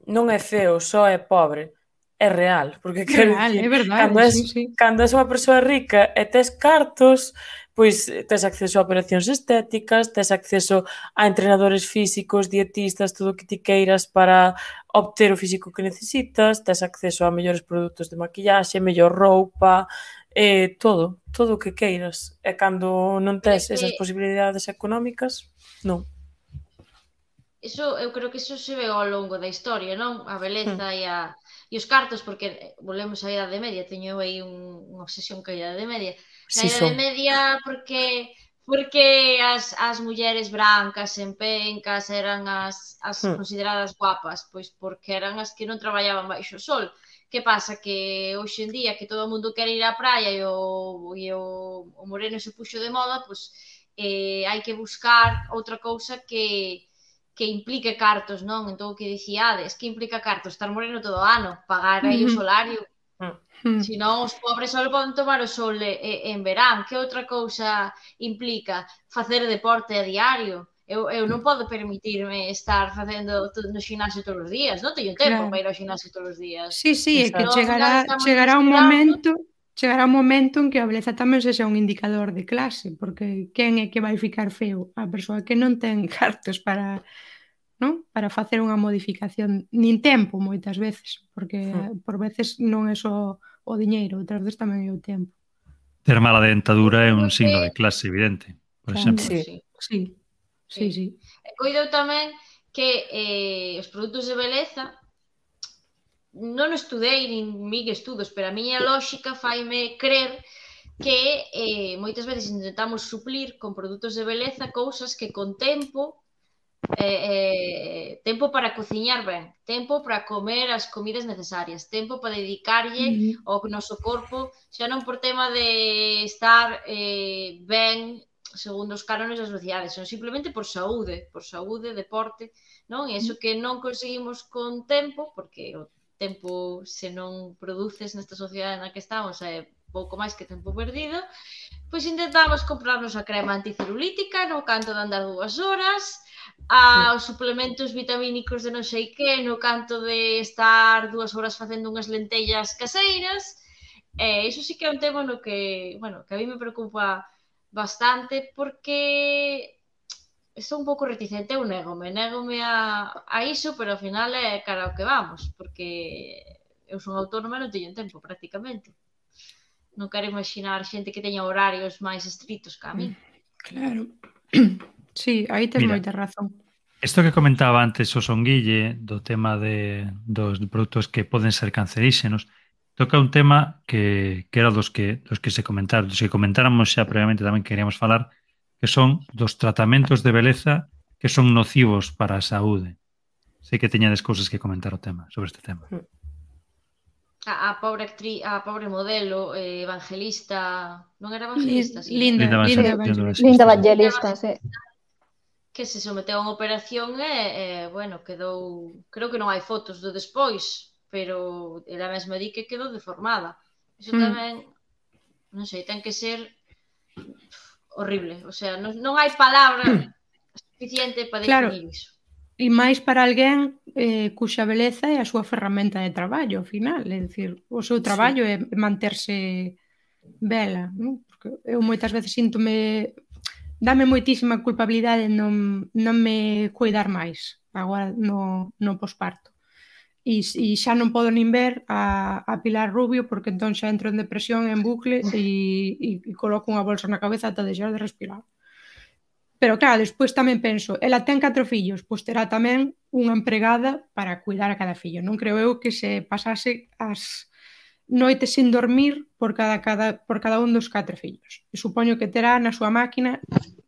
[SPEAKER 3] non é feo, só é pobre, é real, porque quero
[SPEAKER 2] Real,
[SPEAKER 3] dicir,
[SPEAKER 2] é verdade,
[SPEAKER 3] cando és,
[SPEAKER 2] sí, sí.
[SPEAKER 3] cando és unha persoa rica e tes cartos, pois tes acceso a operacións estéticas, tes acceso a entrenadores físicos, dietistas, todo o que ti queiras para obter o físico que necesitas, tes acceso a mellores produtos de maquillaxe, mellor roupa, eh, todo, todo o que queiras. E cando non tes
[SPEAKER 6] Pero é que-
[SPEAKER 3] esas posibilidades económicas, non.
[SPEAKER 6] Iso, eu creo que iso se ve ao longo da historia, non? A beleza e, a, e os cartos, porque volvemos á Idade Media, teño aí un, unha obsesión ca Idade Media. Na
[SPEAKER 3] Si
[SPEAKER 6] Idade
[SPEAKER 3] son.
[SPEAKER 6] Media, porque porque as, as mulleres brancas en pencas eran as, as
[SPEAKER 3] Hmm.
[SPEAKER 6] consideradas guapas, pois porque eran as que non traballaban baixo o sol. Que pasa? Que hoxe en día que todo o mundo quere ir á praia e o, e o, o moreno se puxo de moda, pois eh, hai que buscar outra cousa que que implique cartos, non? Entón o que dicíades, que implica cartos? Estar moreno todo o ano, pagar aí o
[SPEAKER 2] Ujú.
[SPEAKER 6] solario.
[SPEAKER 2] Mm.
[SPEAKER 6] Se non, os pobres só poden tomar o sol e- e- en verán. Que outra cousa implica? Facer deporte a diario. Eu, eu non podo permitirme estar facendo todo no xinasio todos os días. Non teño tempo
[SPEAKER 2] Claro.
[SPEAKER 6] para ir ao xinasio todos os días.
[SPEAKER 2] Sí, sí, é que
[SPEAKER 3] Exacto.
[SPEAKER 6] No, ao final
[SPEAKER 2] chegará,
[SPEAKER 6] estamos
[SPEAKER 2] chegará un
[SPEAKER 6] mesturando.
[SPEAKER 2] momento chegará un momento en que a beleza tamén sexa un indicador de clase, porque quen é que vai ficar feo? A persoa que non ten cartos para, non? Para facer unha modificación, nin tempo moitas veces, porque
[SPEAKER 3] Hmm.
[SPEAKER 2] por veces non é só o diñeiro, outras veces tamén é o tempo.
[SPEAKER 5] Ter mala dentadura é
[SPEAKER 6] Eu
[SPEAKER 5] un
[SPEAKER 6] creo
[SPEAKER 5] signo
[SPEAKER 6] que-
[SPEAKER 5] de clase, evidente. Por
[SPEAKER 2] Claro.
[SPEAKER 5] exemplo.
[SPEAKER 3] Sí.
[SPEAKER 6] Sí.
[SPEAKER 2] Sí, sí, sí.
[SPEAKER 6] E coido tamén que eh, os produtos de beleza non estudei nin mig estudos, pero a miña lógica faime crer que eh, moitas veces intentamos suplir con produtos de beleza cousas que con tempo eh, eh, tempo para cociñar ben, tempo para comer as comidas necesarias, tempo para dedicarlle
[SPEAKER 2] Ujú.
[SPEAKER 6] ao noso corpo, xa non por tema de estar eh, ben segundo os cánones da sociedade, son simplemente por saúde, por saúde, deporte, non? E iso que non conseguimos con tempo, porque o tempo se non produces nesta sociedade na que estamos é pouco máis que tempo perdido, pois intentamos comprarnos a crema anticelulítica no canto de andar dúas horas, a, os suplementos vitamínicos de non sei que no canto de estar dúas horas facendo unhas lentellas caseiras, e iso sí que é un tema no que, bueno, que a mí me preocupa bastante porque estou un pouco reticente, eu négome, négome a, a iso, pero ao final é cara ao que vamos, porque eu son autónoma e non teño tempo prácticamente. Non quero imaginar xente que teña horarios máis estritos que a mí.
[SPEAKER 2] Claro. Sí, aí tes
[SPEAKER 5] Mira.
[SPEAKER 2] moita razón.
[SPEAKER 5] Isto que comentaba antes o Songuille do tema de dos produtos que poden ser canceríxenos, toca un tema que, que era dos que dos que se comentaron, dos que comentáramos xa previamente tamén queríamos falar, que son dos tratamentos de beleza que son nocivos para a saúde. Sei que teñades cousas que comentar o tema sobre este tema.
[SPEAKER 6] A, a pobre actriz, a pobre modelo, eh, Evangelista, non era Evangelista,
[SPEAKER 2] Lin-
[SPEAKER 6] sí,
[SPEAKER 2] Linda,
[SPEAKER 5] Linda
[SPEAKER 2] Linda
[SPEAKER 5] Evangelista,
[SPEAKER 2] Evangelista.
[SPEAKER 4] Linda
[SPEAKER 5] sí.
[SPEAKER 4] Evangelista, sí.
[SPEAKER 6] que se someteu a unha operación e, e, bueno, quedou, creo que non hai fotos do despois, pero ela mesma di que quedou deformada. Iso
[SPEAKER 2] Mm.
[SPEAKER 6] tamén, non sei, ten que ser horrible, o sea, non, non hai palabra suficiente para
[SPEAKER 2] Claro.
[SPEAKER 6] definir iso.
[SPEAKER 2] E máis para alguén eh, cuxa beleza é a súa ferramenta de traballo, ao final. É dicir, o seu traballo é manterse bela, non? Porque eu moitas veces síntome... Dame moitísima culpabilidade non, non me cuidar máis agora no, no posparto. E, e xa non podo nin ver a, a Pilar Rubio porque entón xa entro en depresión en bucle e, e, e coloco unha bolsa na cabeza ata deixar de respirar. Pero claro, despois tamén penso, ela ten catro fillos, pois terá tamén unha empregada para cuidar a cada fillo. Non creo eu que se pasase as noites sin dormir por cada, cada, por cada un dos catro fillos. E supoño que terá na súa máquina,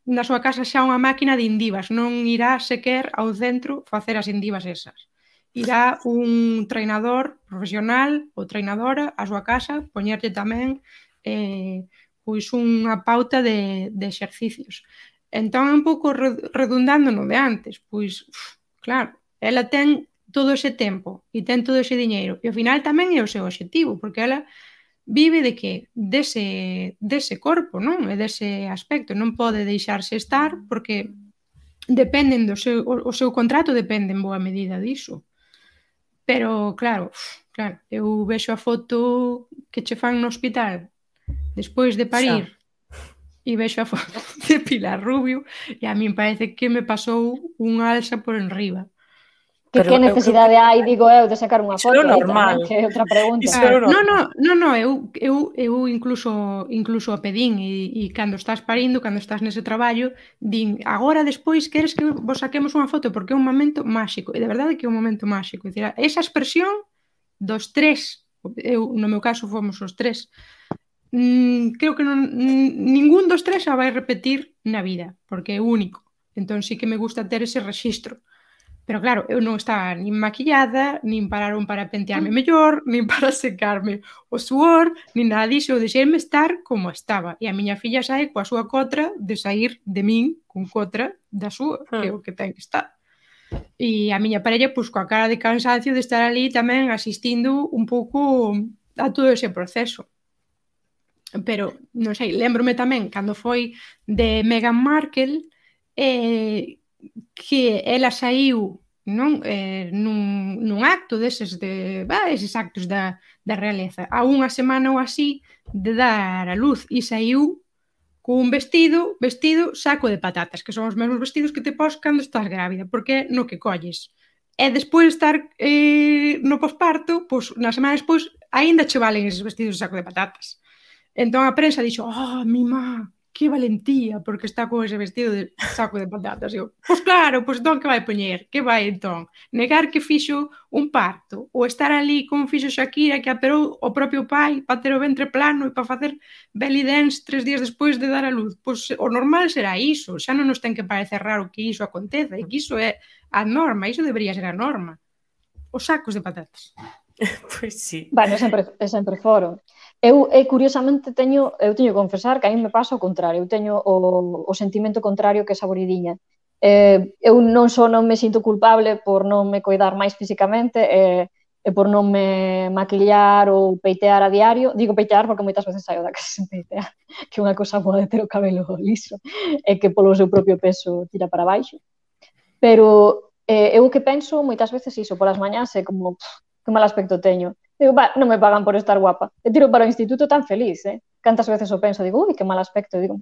[SPEAKER 2] na súa casa xa unha máquina de indivas, non irá sequer ao centro facer as indivas esas. Irá un treinador profesional ou treinadora á súa casa, poñerlle tamén eh, pois unha pauta de, de exercicios. Entón, un pouco redundando no de antes, pois, uf, claro, ela ten todo ese tempo e ten todo ese diñeiro e ao final tamén é o seu obxectivo, porque ela vive de que? Dese, dese corpo, non? E dese aspecto, non pode deixarse estar porque dependen do seu, o, o seu contrato depende en boa medida diso. Pero, claro, uf, claro, eu vexo a foto que che fan no hospital despois de parir, e vexo a foto de Pilar Rubio e a min parece que me pasou unha alza por enriba.
[SPEAKER 4] Que, que necesidade que... hai, digo eu, de sacar unha foto?
[SPEAKER 3] Iso é normal.
[SPEAKER 4] Tamén, que é outra pregunta.
[SPEAKER 3] Iso é
[SPEAKER 2] normal. No, no, no, no, eu, eu, eu incluso incluso a pedín e, e cando estás parindo, cando estás nese traballo, din, agora despois queres que vos saquemos unha foto porque é un momento máxico. E de verdade que é un momento máxico. É dicir, esa expresión dos tres, eu, no meu caso fomos os tres, Mm, creo que non, ningún dos tres a vai repetir na vida, porque é único. Entón sí que me gusta ter ese rexistro. Pero claro, eu non estaba nin maquillada, nin pararon para pentearme mellor, nin para secarme o suor, nin nada disso. Eu deixeime estar como estaba. E a miña filla sae coa súa cotra de sair de min con cotra da súa, que é o que ten que estar. E a miña parella, pois, coa cara de cansancio de estar ali tamén asistindo un pouco a todo ese proceso. Pero, non sei, lembrome tamén cando foi de Meghan Markle eh, que ela saiu non eh, nun, nun acto deses de, bah, eses actos da, da realeza a unha semana ou así de dar a luz e saiu cun vestido, vestido saco de patatas, que son os mesmos vestidos que te pos cando estás grávida, porque no que colles. E despois de estar eh, no posparto, pois na semana despois aínda che valen eses vestidos de saco de patatas. Entón a prensa dixo, ah, oh, mi má, que valentía, porque está con ese vestido de saco de patatas. E eu, pois claro, pois entón que vai poñer? Que vai entón? Negar que fixo un parto? Ou estar ali como fixo Shakira, que aperou o propio pai para ter o ventre plano e para facer belly dance tres días despois de dar a luz? Pois o normal será iso, xa non nos ten que parecer raro que iso aconteza, e que iso é a norma, iso debería ser a norma. Os sacos de patatas.
[SPEAKER 3] Pois sí.
[SPEAKER 4] Bueno, é sempre, é sempre foro. Eu, eu, curiosamente, teño, eu teño que confesar que a mí me pasa o contrario. Eu teño o, o sentimento contrario que esa Saboridiña. Eh, eu non só non me sinto culpable por non me coidar máis físicamente e, e por non me maquillar ou peitear a diario. Digo peitear porque moitas veces saio da casa sen peitear, que unha cosa boa de ter o cabelo liso e que polo seu propio peso tira para baixo. Pero eh, eu que penso moitas veces iso, polas mañás é como... Pff, que mal aspecto teño. Digo, va, non me pagan por estar guapa. E tiro para o instituto tan feliz, eh? Cantas veces o penso, digo, ui, que mal aspecto. Digo,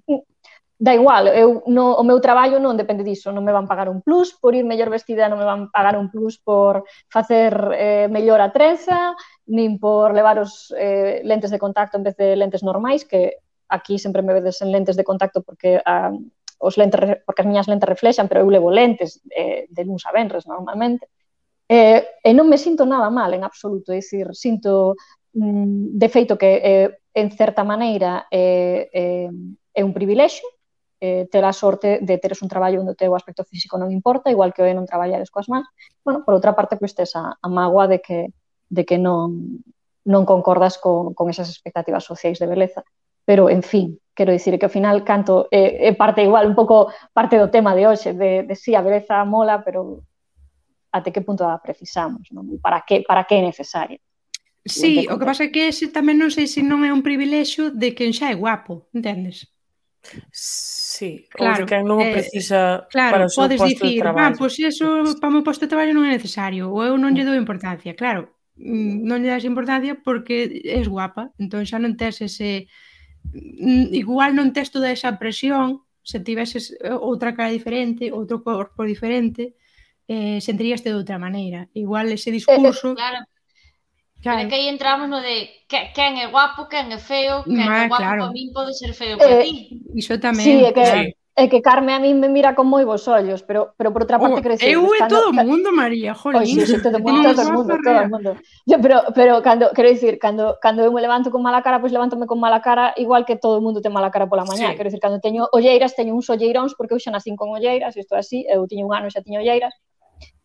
[SPEAKER 4] da igual, eu, no, o meu traballo non depende diso. Non me van pagar un plus por ir mellor vestida, non me van pagar un plus por facer eh, mellor a trenza, nin por levar os eh, lentes de contacto en vez de lentes normais, que aquí sempre me vedes en lentes de contacto porque a, os lentes, porque as miñas lentes reflexan, pero eu levo lentes eh, de luns a venres normalmente. Eh, e non me sinto nada mal en absoluto, é dicir, sinto mm, de feito que eh, en certa maneira eh, eh, é un privilexio eh, ter a sorte de teres un traballo onde o teu aspecto físico non importa, igual que o é non traballares coas mans. Bueno, por outra parte, pois tes a, a mágoa de que, de que non non concordas con, con esas expectativas sociais de beleza. Pero, en fin, quero dicir que ao final canto é, é parte igual, un pouco parte do tema de hoxe, de, de si, sí, a beleza mola, pero até que punto a precisamos, non? Para que, para que é necesario?
[SPEAKER 2] Sí, o que pasa é que ese tamén non sei se non é un privilexio de quen xa é guapo, entendes?
[SPEAKER 3] Sí,
[SPEAKER 2] claro,
[SPEAKER 3] ou de quen non o precisa
[SPEAKER 2] eh, claro,
[SPEAKER 3] para o seu
[SPEAKER 2] podes
[SPEAKER 3] posto
[SPEAKER 2] dicir,
[SPEAKER 3] de traballo.
[SPEAKER 2] Ah, pois pues eso para o meu posto de traballo non é necesario, ou eu non lle dou importancia, claro, non lle das importancia porque és guapa, entón xa non tes ese, igual non tes toda esa presión, se tiveses outra cara diferente, outro corpo diferente, eh, sentiríaste de outra maneira, igual ese discurso...
[SPEAKER 6] Claro.
[SPEAKER 2] Claro.
[SPEAKER 6] Pero que aí entramos no de que, quen é guapo, quen é feo, quen
[SPEAKER 2] Ma,
[SPEAKER 6] é guapo
[SPEAKER 2] claro.
[SPEAKER 6] para min pode ser feo para
[SPEAKER 4] Eh,
[SPEAKER 6] ti.
[SPEAKER 2] Iso tamén.
[SPEAKER 4] Sí, é que,
[SPEAKER 2] claro.
[SPEAKER 4] é que Carme a min me mira con moi bons ollos, pero, pero por outra parte,
[SPEAKER 2] Oh,
[SPEAKER 4] quero dicir...
[SPEAKER 2] eu e
[SPEAKER 4] cando,
[SPEAKER 2] todo o mundo, María, jolín.
[SPEAKER 4] Oh, sí, sí, todo o mundo,
[SPEAKER 2] Temos
[SPEAKER 4] todo o mundo,
[SPEAKER 2] guapa,
[SPEAKER 4] todo o mundo. Yo, pero, pero cando, quero dicir, cando, cando eu me levanto con mala cara, pois pues levántome con mala cara, igual que todo o mundo ten mala cara pola mañá. Sí. Quero dicir, cando teño olleiras, teño uns olleiróns, porque eu xa nacín con olleiras, isto é así, eu tiño un ano e xa tiño olleiras,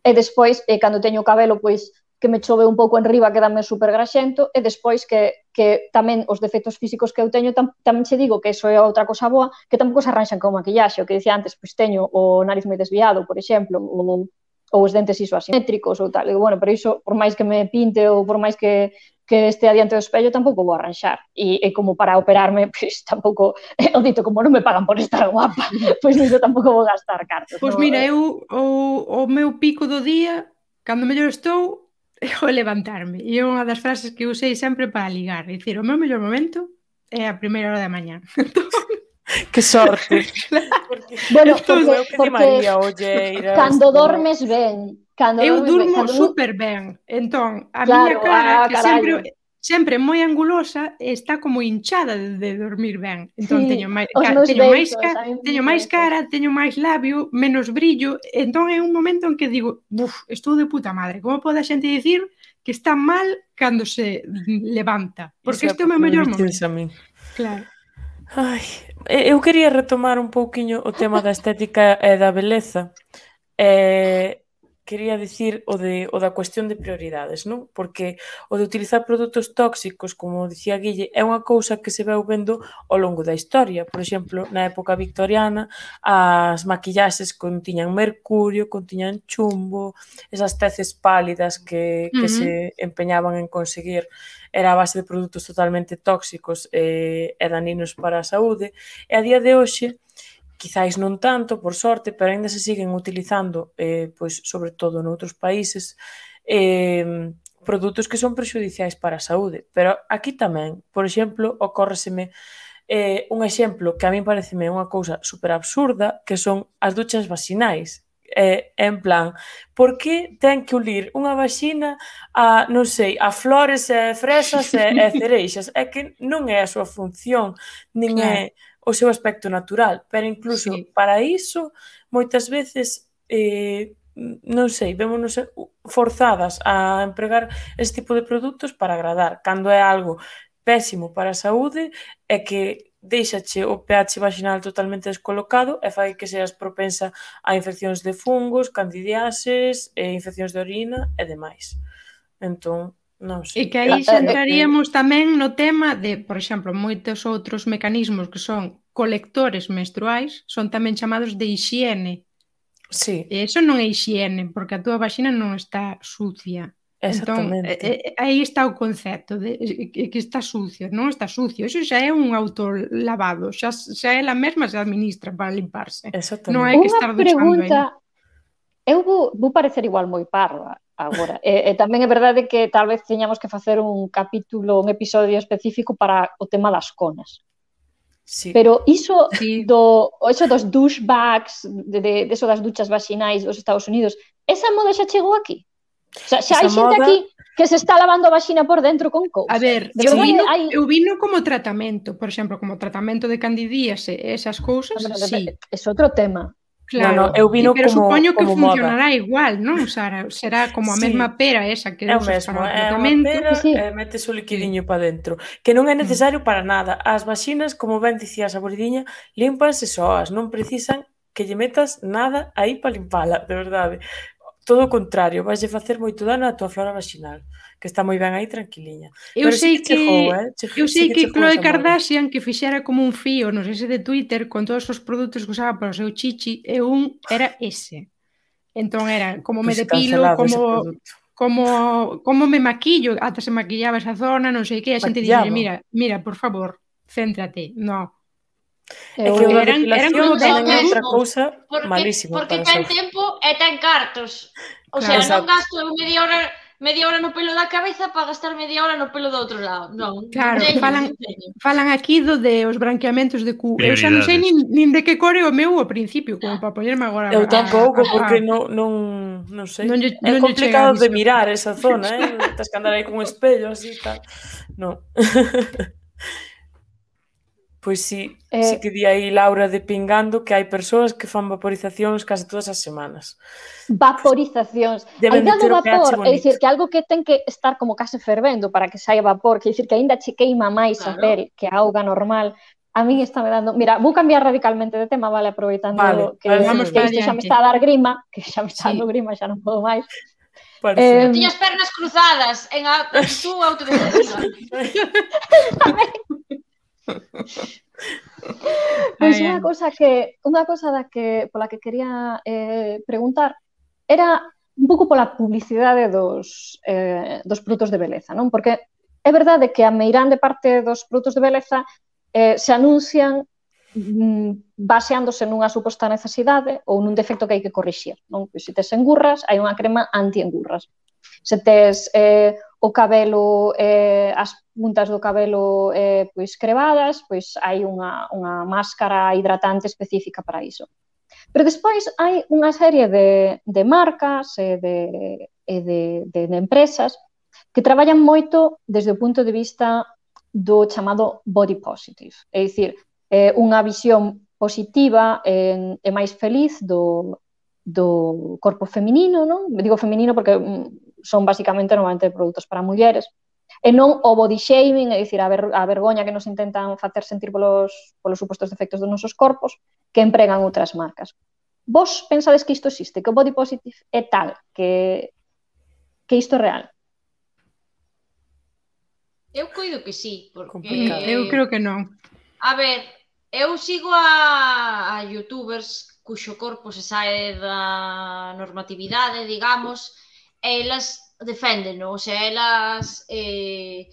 [SPEAKER 4] e despois, eh, cando teño o cabelo, pois, que me chove un pouco en riba, quedame super graxento, e despois que, que tamén os defectos físicos que eu teño, tam, tamén che digo que iso é outra cosa boa, que tampouco se arranxan con maquillaxe, o que dicía antes, pois teño o nariz moi desviado, por exemplo, ou, ou os dentes iso asimétricos ou tal, e bueno, pero iso, por máis que me pinte ou por máis que, que este adiante do espello, tampouco vou arranxar, e, e como para operarme, pois tampouco, o dito, como non me pagan por estar guapa, pois niso tampouco vou gastar cartos.
[SPEAKER 2] Pois
[SPEAKER 4] no?
[SPEAKER 2] mira, eu, o, o meu pico do día, cando mellor estou, o levantarme, e é unha das frases que usei sempre para ligar, é dicir, o meu mellor momento é a primeira hora da mañá.
[SPEAKER 3] Que sorte.
[SPEAKER 4] Porque, bueno,
[SPEAKER 3] porque, porque María, olleiras,
[SPEAKER 4] cando dormes ben, cando
[SPEAKER 2] eu
[SPEAKER 4] dormes
[SPEAKER 2] durmo
[SPEAKER 4] ben, cando...
[SPEAKER 2] super ben, entón, a
[SPEAKER 4] claro,
[SPEAKER 2] miña cara,
[SPEAKER 4] ah,
[SPEAKER 2] que
[SPEAKER 4] carallo.
[SPEAKER 2] sempre sempre moi angulosa, está como hinchada de, de dormir ben. Entón,
[SPEAKER 4] sí,
[SPEAKER 2] teño máis,
[SPEAKER 4] beizos,
[SPEAKER 2] teño máis, ca, teño máis cara, teño máis labio, menos brillo, entón é un momento en que digo, buf, estou de puta madre, como pode a xente dicir que está mal cando se levanta? Porque este é o meu mellor momento.
[SPEAKER 3] A min.
[SPEAKER 2] Claro.
[SPEAKER 3] Ai, eu quería retomar un pouquiño o tema da estética e da beleza. Eh, quería dicir o, de, o da cuestión de prioridades, non? Porque o de utilizar produtos tóxicos, como dicía Guille, é unha cousa que se veu vendo ao longo da historia. Por exemplo, na época victoriana, as maquillaxes contiñan mercurio, contiñan chumbo, esas teces pálidas que, que uh-huh. se empeñaban en conseguir era a base de produtos totalmente tóxicos e, e daninos para a saúde. E a día de hoxe, quizáis non tanto, por sorte, pero ainda se siguen utilizando, eh, pois, sobre todo noutros países, eh, produtos que son prexudiciais para a saúde. Pero aquí tamén, por exemplo, ocórreseme eh, un exemplo que a min pareceme unha cousa super absurda, que son as duchas vaxinais. Eh, en plan, por que ten que ulir unha vaxina a, non sei, a flores e fresas e, e cereixas? É que non é a súa función, nin claro. é o seu aspecto natural, pero incluso sí. para iso, moitas veces, eh, non sei, vémonos forzadas a empregar ese tipo de produtos para agradar, cando é algo pésimo para a saúde e que deixache o pH vaginal totalmente descolocado e fai que seas propensa a infeccións de fungos, candidiases, e infeccións de orina e demais. Entón, non sei.
[SPEAKER 2] E que aí xentraríamos tamén no tema de, por exemplo, moitos outros mecanismos que son colectores menstruais son tamén chamados de hixiene.
[SPEAKER 3] Sí.
[SPEAKER 2] E iso non é hixiene, porque a túa vaxina non está sucia.
[SPEAKER 3] Exactamente.
[SPEAKER 2] Entón, eh, aí está o concepto de que está sucio, non está sucio. Iso xa é un autolavado, xa, xa é la mesma se administra para limparse.
[SPEAKER 3] Exactamente.
[SPEAKER 2] Non hai que estar duchando aí.
[SPEAKER 4] Eu vou, vou parecer igual moi parva agora. E, e tamén é verdade que tal vez teñamos que facer un capítulo, un episodio específico para o tema das conas.
[SPEAKER 3] Sí.
[SPEAKER 4] Pero iso
[SPEAKER 2] sí.
[SPEAKER 4] do iso dos douchebags, de, de, de eso das duchas vaxinais dos Estados Unidos, esa moda xa chegou aquí? O sea, xa esa hai xente moda... aquí que se está lavando a vaxina por dentro con cousas.
[SPEAKER 2] A ver, eu vino, hai... eu vino como tratamento, por exemplo, como tratamento de candidíase e esas cousas, no, sí.
[SPEAKER 4] É outro tema.
[SPEAKER 2] Claro,
[SPEAKER 3] no, no, eu vino
[SPEAKER 2] pero
[SPEAKER 3] como,
[SPEAKER 2] supoño que
[SPEAKER 3] como
[SPEAKER 2] funcionará
[SPEAKER 3] moda.
[SPEAKER 2] Igual, non, Sara? Será como a
[SPEAKER 3] sí.
[SPEAKER 2] mesma pera esa que usas para o
[SPEAKER 3] É
[SPEAKER 2] tratamento.
[SPEAKER 3] unha pera sí. e metes o liquidiño sí. para dentro. Que non é necesario para nada. As vaxinas, como ben dicía a Saboridiña, límpanse soas, non precisan que lle metas nada aí para limpala, de verdade. todo o contrario, vais facer moito dano á tua flora vaginal, que está moi ben aí tranquiliña.
[SPEAKER 2] Eu
[SPEAKER 3] Pero
[SPEAKER 2] sei
[SPEAKER 3] sí
[SPEAKER 2] que,
[SPEAKER 3] chegou, eh? Che,
[SPEAKER 2] eu sei
[SPEAKER 3] sí
[SPEAKER 2] que,
[SPEAKER 3] que
[SPEAKER 2] Khloe
[SPEAKER 3] chegou esa moda.
[SPEAKER 2] Kardashian que fixera como un fío, non sei se de Twitter, con todos os produtos que usaba para o seu chichi, e un era ese. Entón era como me
[SPEAKER 3] Pois
[SPEAKER 2] depilo,
[SPEAKER 3] cancelado ese
[SPEAKER 2] como
[SPEAKER 3] produto.
[SPEAKER 2] como como me maquillo, ata se maquillaba esa zona, non sei que, a xente dixe,
[SPEAKER 3] Maquillaba.
[SPEAKER 2] mira, mira, por favor, céntrate. No.
[SPEAKER 3] É que
[SPEAKER 4] Eu,
[SPEAKER 3] unha
[SPEAKER 2] eran- eran
[SPEAKER 3] depilación
[SPEAKER 2] como
[SPEAKER 3] tamén é
[SPEAKER 6] dez
[SPEAKER 3] outra
[SPEAKER 6] euros.
[SPEAKER 3] cousa
[SPEAKER 6] Porque,
[SPEAKER 3] malísima
[SPEAKER 6] porque
[SPEAKER 3] para a
[SPEAKER 6] ten
[SPEAKER 3] saúde.
[SPEAKER 6] tempo e ten cartos. O
[SPEAKER 2] Claro.
[SPEAKER 6] sea, non
[SPEAKER 3] Exacto.
[SPEAKER 6] gasto media hora media hora no pelo da cabeza para gastar media hora no pelo do outro lado. Non,
[SPEAKER 2] Claro,
[SPEAKER 6] non teño,
[SPEAKER 2] falan-
[SPEAKER 6] non teño.
[SPEAKER 2] Falan aquí do de os branqueamentos de cu. Eu xa non sei
[SPEAKER 5] Prioridades.
[SPEAKER 2] nin, nin de que core o meu ao principio, como para poñerme agora.
[SPEAKER 3] Eu
[SPEAKER 2] a-
[SPEAKER 3] tampouco,
[SPEAKER 2] a- a-
[SPEAKER 3] porque non, non, non sei.
[SPEAKER 2] Non lle-
[SPEAKER 3] É
[SPEAKER 2] non lle
[SPEAKER 3] complicado
[SPEAKER 2] chega a
[SPEAKER 3] de
[SPEAKER 2] vista.
[SPEAKER 3] mirar esa zona, eh? Tens que andar aí con un espello así e tal. Non. Pois sí,
[SPEAKER 4] Eh,
[SPEAKER 3] sí que di aí Laura de Pingando que hai persoas que fan vaporizacións case todas as semanas.
[SPEAKER 4] vaporizacións. A
[SPEAKER 3] Deben
[SPEAKER 4] idea
[SPEAKER 3] de
[SPEAKER 4] do
[SPEAKER 3] ter o pH
[SPEAKER 4] vapor, é
[SPEAKER 3] bonito.
[SPEAKER 4] dicir, que algo que ten que estar como case fervendo para que saia vapor, que dicir que aínda che queima máis a
[SPEAKER 6] Claro.
[SPEAKER 4] pel que a auga normal, a min está me dando... Mira, vou cambiar radicalmente de tema, vale, aproveitando
[SPEAKER 3] Vale,
[SPEAKER 4] que,
[SPEAKER 3] parece
[SPEAKER 2] Vamos
[SPEAKER 4] que
[SPEAKER 3] ben.
[SPEAKER 4] isto xa me
[SPEAKER 2] adiante.
[SPEAKER 4] está a dar grima, que xa me está
[SPEAKER 2] Sí.
[SPEAKER 4] dando grima, xa non podo máis.
[SPEAKER 3] Parece.
[SPEAKER 4] Eh,
[SPEAKER 6] Tiñas pernas cruzadas en a tú autodefensiva.
[SPEAKER 4] Pois
[SPEAKER 2] Ai,
[SPEAKER 4] unha
[SPEAKER 2] ai.
[SPEAKER 4] cosa que unha cosa da que pola que quería eh, preguntar era un pouco pola publicidade dos eh, dos produtos de beleza, non? Porque é verdade que a meirande parte dos produtos de beleza eh, se anuncian mm, baseándose nunha suposta necesidade ou nun defecto que hai que corrixir, non? Pois se tes engurras, hai unha crema anti-engurras. Se tes eh, o cabelo, eh, as puntas do cabelo eh, pois crebadas, pois hai unha, unha máscara hidratante específica para iso. Pero despois hai unha serie de, de marcas e de, e de, de, de empresas que traballan moito desde o punto de vista do chamado body positive, é dicir, eh, unha visión positiva e, e máis feliz do, do corpo feminino, non? Digo feminino porque mm, son basicamente normalmente produtos para mulleres, e non o body shaming, é dicir, a, ver, a vergoña que nos intentan facer sentir polos, polos supostos defectos dos nosos corpos que empregan outras marcas. Vos pensades que isto existe, que o body positive é tal, que, que isto é real?
[SPEAKER 6] Eu coido que sí, porque...
[SPEAKER 3] Complicado.
[SPEAKER 2] Eu creo que non.
[SPEAKER 6] A ver, eu sigo a, a youtubers cuxo corpo se sae da normatividade, digamos, e elas deféndeno, o sea, elas eh,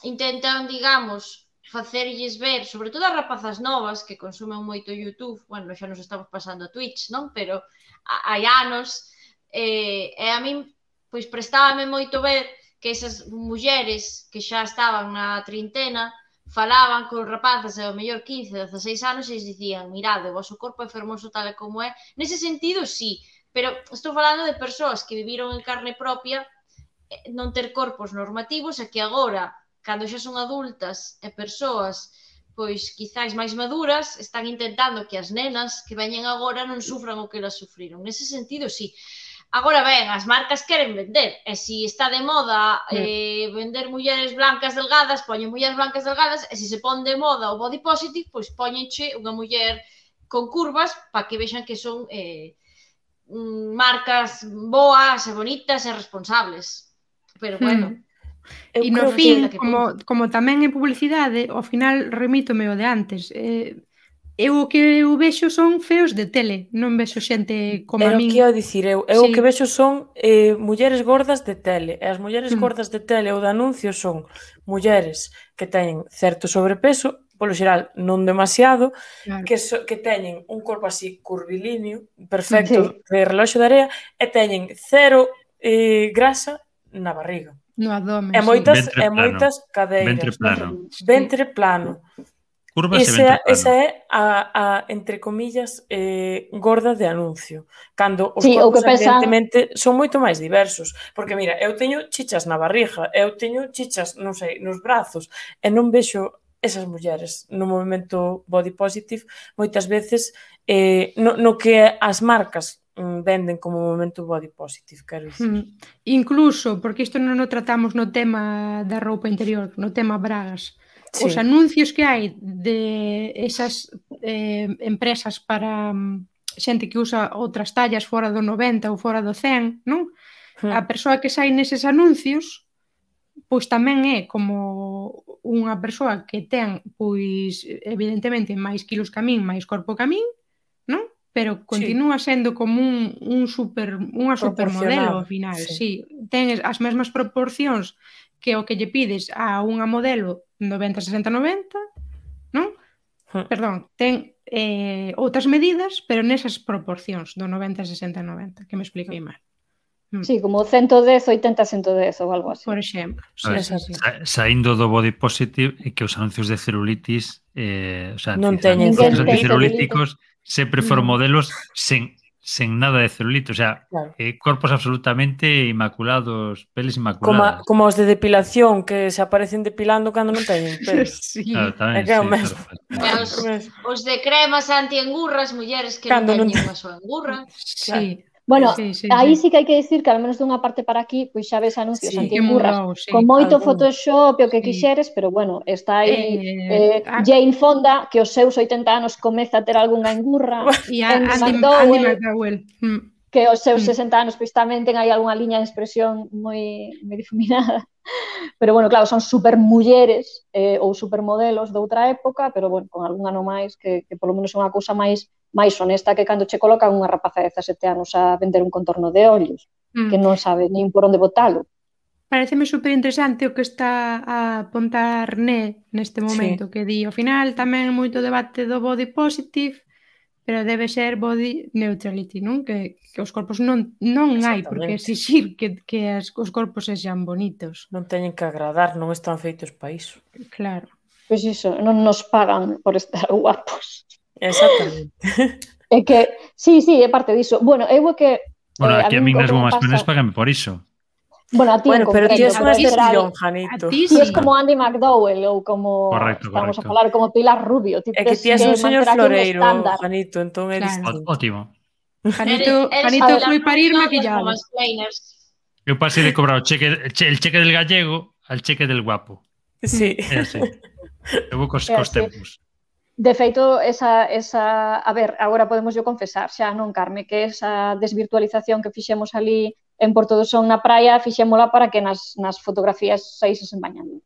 [SPEAKER 6] intentan, digamos, facerlles ver, sobre todo as rapazas novas que consumen moito YouTube, bueno, xa nos estamos pasando a Twitch, non? Pero a- hai anos, eh, e a min, pois prestábame moito ver que esas mulleres que xa estaban na trintena falaban con rapazas de ao mellor quince, dezaseis anos e lles dicían, mirade, o vosso corpo é fermoso tal e como é. Nese sentido, sí, pero estou falando de persoas que viviron en carne propia eh, non ter corpos normativos e que agora, cando xa son adultas e persoas pois quizáis máis maduras, están intentando que as nenas que veñen agora non sufran o que elas sufriron. Nese sentido, sí. Agora ben, as marcas queren vender, e se está de moda eh, vender mulleres blancas delgadas, poñen mulleres blancas delgadas, e se se pon de moda o body positive, pois poñenche unha muller con curvas para que vexan que son eh, marcas boas e bonitas e responsables. Pero bueno,
[SPEAKER 3] Eu
[SPEAKER 2] E no
[SPEAKER 3] creo
[SPEAKER 2] fin,
[SPEAKER 6] que-
[SPEAKER 2] como, como tamén é publicidade, ao final remítome o de antes. Eh, eu o que eu vexo son feos de tele, non vexo xente como
[SPEAKER 3] Era
[SPEAKER 2] a
[SPEAKER 3] o
[SPEAKER 2] min.
[SPEAKER 3] que ia dicir eu. Eu o
[SPEAKER 2] Sí.
[SPEAKER 3] que vexo son eh, mulleres gordas de tele. E as mulleres
[SPEAKER 2] Mm.
[SPEAKER 3] gordas de tele ou de anuncios son mulleres que teñen certo sobrepeso, polo xeral non demasiado,
[SPEAKER 2] Claro.
[SPEAKER 3] que, so, que teñen un corpo así curvilíneo, perfecto, de reloxo de area, e teñen cero eh, grasa na barriga.
[SPEAKER 2] No abdomen,
[SPEAKER 3] E moitas,
[SPEAKER 5] Ventre
[SPEAKER 3] e
[SPEAKER 5] plano.
[SPEAKER 3] moitas cadeiras.
[SPEAKER 5] Ventre plano.
[SPEAKER 2] sí.
[SPEAKER 3] Ventre plano.
[SPEAKER 5] Curvas e
[SPEAKER 3] Esa,
[SPEAKER 5] ventre plano.
[SPEAKER 3] esa é a, a, entre comillas, eh, gorda de anuncio. Cando os
[SPEAKER 4] Sí, o
[SPEAKER 3] corpos,
[SPEAKER 4] que pensan-
[SPEAKER 3] evidentemente, son moito máis diversos. Porque, mira, eu teño chichas na barriga, eu teño chichas, non sei, nos brazos, e non vexo esas mulleres no movimento body positive moitas veces eh, no, no que as marcas mm, venden como movimento body positive, quero dicir.
[SPEAKER 2] Mm. Incluso, porque isto non o tratamos no tema da roupa interior, no tema bragas.
[SPEAKER 3] Sí.
[SPEAKER 2] Os anuncios que hai de esas eh, empresas para mm, xente que usa outras tallas fora do noventa ou fora do cen, non?
[SPEAKER 3] Hmm.
[SPEAKER 2] A persoa que sai neses anuncios pois tamén é como unha persoa que ten, pois, evidentemente, máis quilos que a min, máis corpo que a min, non? Pero continúa sendo como un, un super, unha supermodelo ao final, sí. sí. Ten as mesmas proporcións que o que lle pides a unha modelo noventa sesenta noventa, non? Hmm. Perdón, ten eh, outras medidas, pero nesas proporcións do noventa sesenta noventa, que me expliquei mal.
[SPEAKER 4] Sí, como ciento dez, oitenta, ciento dez ou algo así.
[SPEAKER 2] Por exemplo.
[SPEAKER 5] Sí, sí, sí. Sa saindo do body positive e que os anuncios de celulitis eh, o sea,
[SPEAKER 3] non teñen
[SPEAKER 5] celulíticos sempre foron modelos sen, sen nada de celulite, o sea, claro. eh, corpos absolutamente inmaculados, peles inmaculadas.
[SPEAKER 3] Como, como os de depilación que se aparecen depilando cando non teñen pelos.
[SPEAKER 2] Sí.
[SPEAKER 5] Claro, tamén,
[SPEAKER 3] é que é o
[SPEAKER 5] sí,
[SPEAKER 3] mesmo.
[SPEAKER 6] Claro. Os, os de cremas anti-engurras, mulleres que cando non teñen unha súa engurra.
[SPEAKER 2] Sí.
[SPEAKER 6] Claro.
[SPEAKER 4] Bueno,
[SPEAKER 2] sí, sí,
[SPEAKER 4] aí
[SPEAKER 2] sí.
[SPEAKER 4] sí que hai que dicir que al menos dunha parte para aquí, pois xa ves anuncios
[SPEAKER 2] sí,
[SPEAKER 4] anti-engurras
[SPEAKER 2] sí,
[SPEAKER 4] con moito
[SPEAKER 3] algún...
[SPEAKER 4] Photoshop o que
[SPEAKER 2] sí.
[SPEAKER 4] quixeres, pero bueno, está aí
[SPEAKER 2] eh,
[SPEAKER 4] eh, Jane Fonda, que os seus oitenta anos comeza a ter algunha engurra,
[SPEAKER 2] e a
[SPEAKER 4] Andy,
[SPEAKER 2] Andy
[SPEAKER 4] McDowell,
[SPEAKER 2] Andy McDowell. Mm.
[SPEAKER 4] que os seus sesenta anos pois tamén ten aí algunha liña de expresión moi, moi difuminada. Pero bueno, claro, son super mulleres eh, ou supermodelos de outra época, pero bueno, con algún ano máis que, que polo menos é unha cousa máis máis honesta que cando che colocan unha rapaza de dezasete anos a vender un contorno de ollos, mm. que non sabe nin por onde botalo.
[SPEAKER 2] Pareceme super interesante o que está a apontar Né neste momento, sí. que di, ao final tamén moito debate do body positive, pero debe ser body neutrality, non? Que, que os corpos non, non hai por que exixir que, que as, os corpos sexan bonitos.
[SPEAKER 3] Non teñen que agradar, non están feitos para iso.
[SPEAKER 2] Claro.
[SPEAKER 4] Pois iso, non nos pagan por estar guapos.
[SPEAKER 3] Exactamente.
[SPEAKER 4] É que, sí, sí, é parte diso. Bueno, eu é que...
[SPEAKER 5] Bueno,
[SPEAKER 4] eh,
[SPEAKER 5] aquí a, a min nas gomas
[SPEAKER 4] pasa...
[SPEAKER 5] penes pagan por iso.
[SPEAKER 4] Bueno, a ti
[SPEAKER 3] bueno,
[SPEAKER 4] en
[SPEAKER 3] pero
[SPEAKER 4] concreto,
[SPEAKER 3] ti es unha excepción,
[SPEAKER 2] a
[SPEAKER 3] Janito.
[SPEAKER 2] ti
[SPEAKER 4] sí. Ti es como Andy McDowell ou como
[SPEAKER 5] correcto,
[SPEAKER 4] estamos
[SPEAKER 5] correcto.
[SPEAKER 4] a falar, como Pilar Rubio. Ti
[SPEAKER 3] é que ti es un señor floreiro, Janito, entón é
[SPEAKER 2] claro.
[SPEAKER 3] distinto.
[SPEAKER 5] Ótimo.
[SPEAKER 2] Janito, Janito foi parir maquillado.
[SPEAKER 5] Eu pasei de cobrar o cheque, el cheque del gallego al cheque del guapo.
[SPEAKER 3] Sí.
[SPEAKER 5] É así. Eu vou cos, cos tempos.
[SPEAKER 4] De feito, esa, esa, a ver, agora podemos yo confesar, xa non, Carme, que esa desvirtualización que fixemos ali en Porto do Son na praia, fixémola para que nas, nas fotografías saíses en bañador.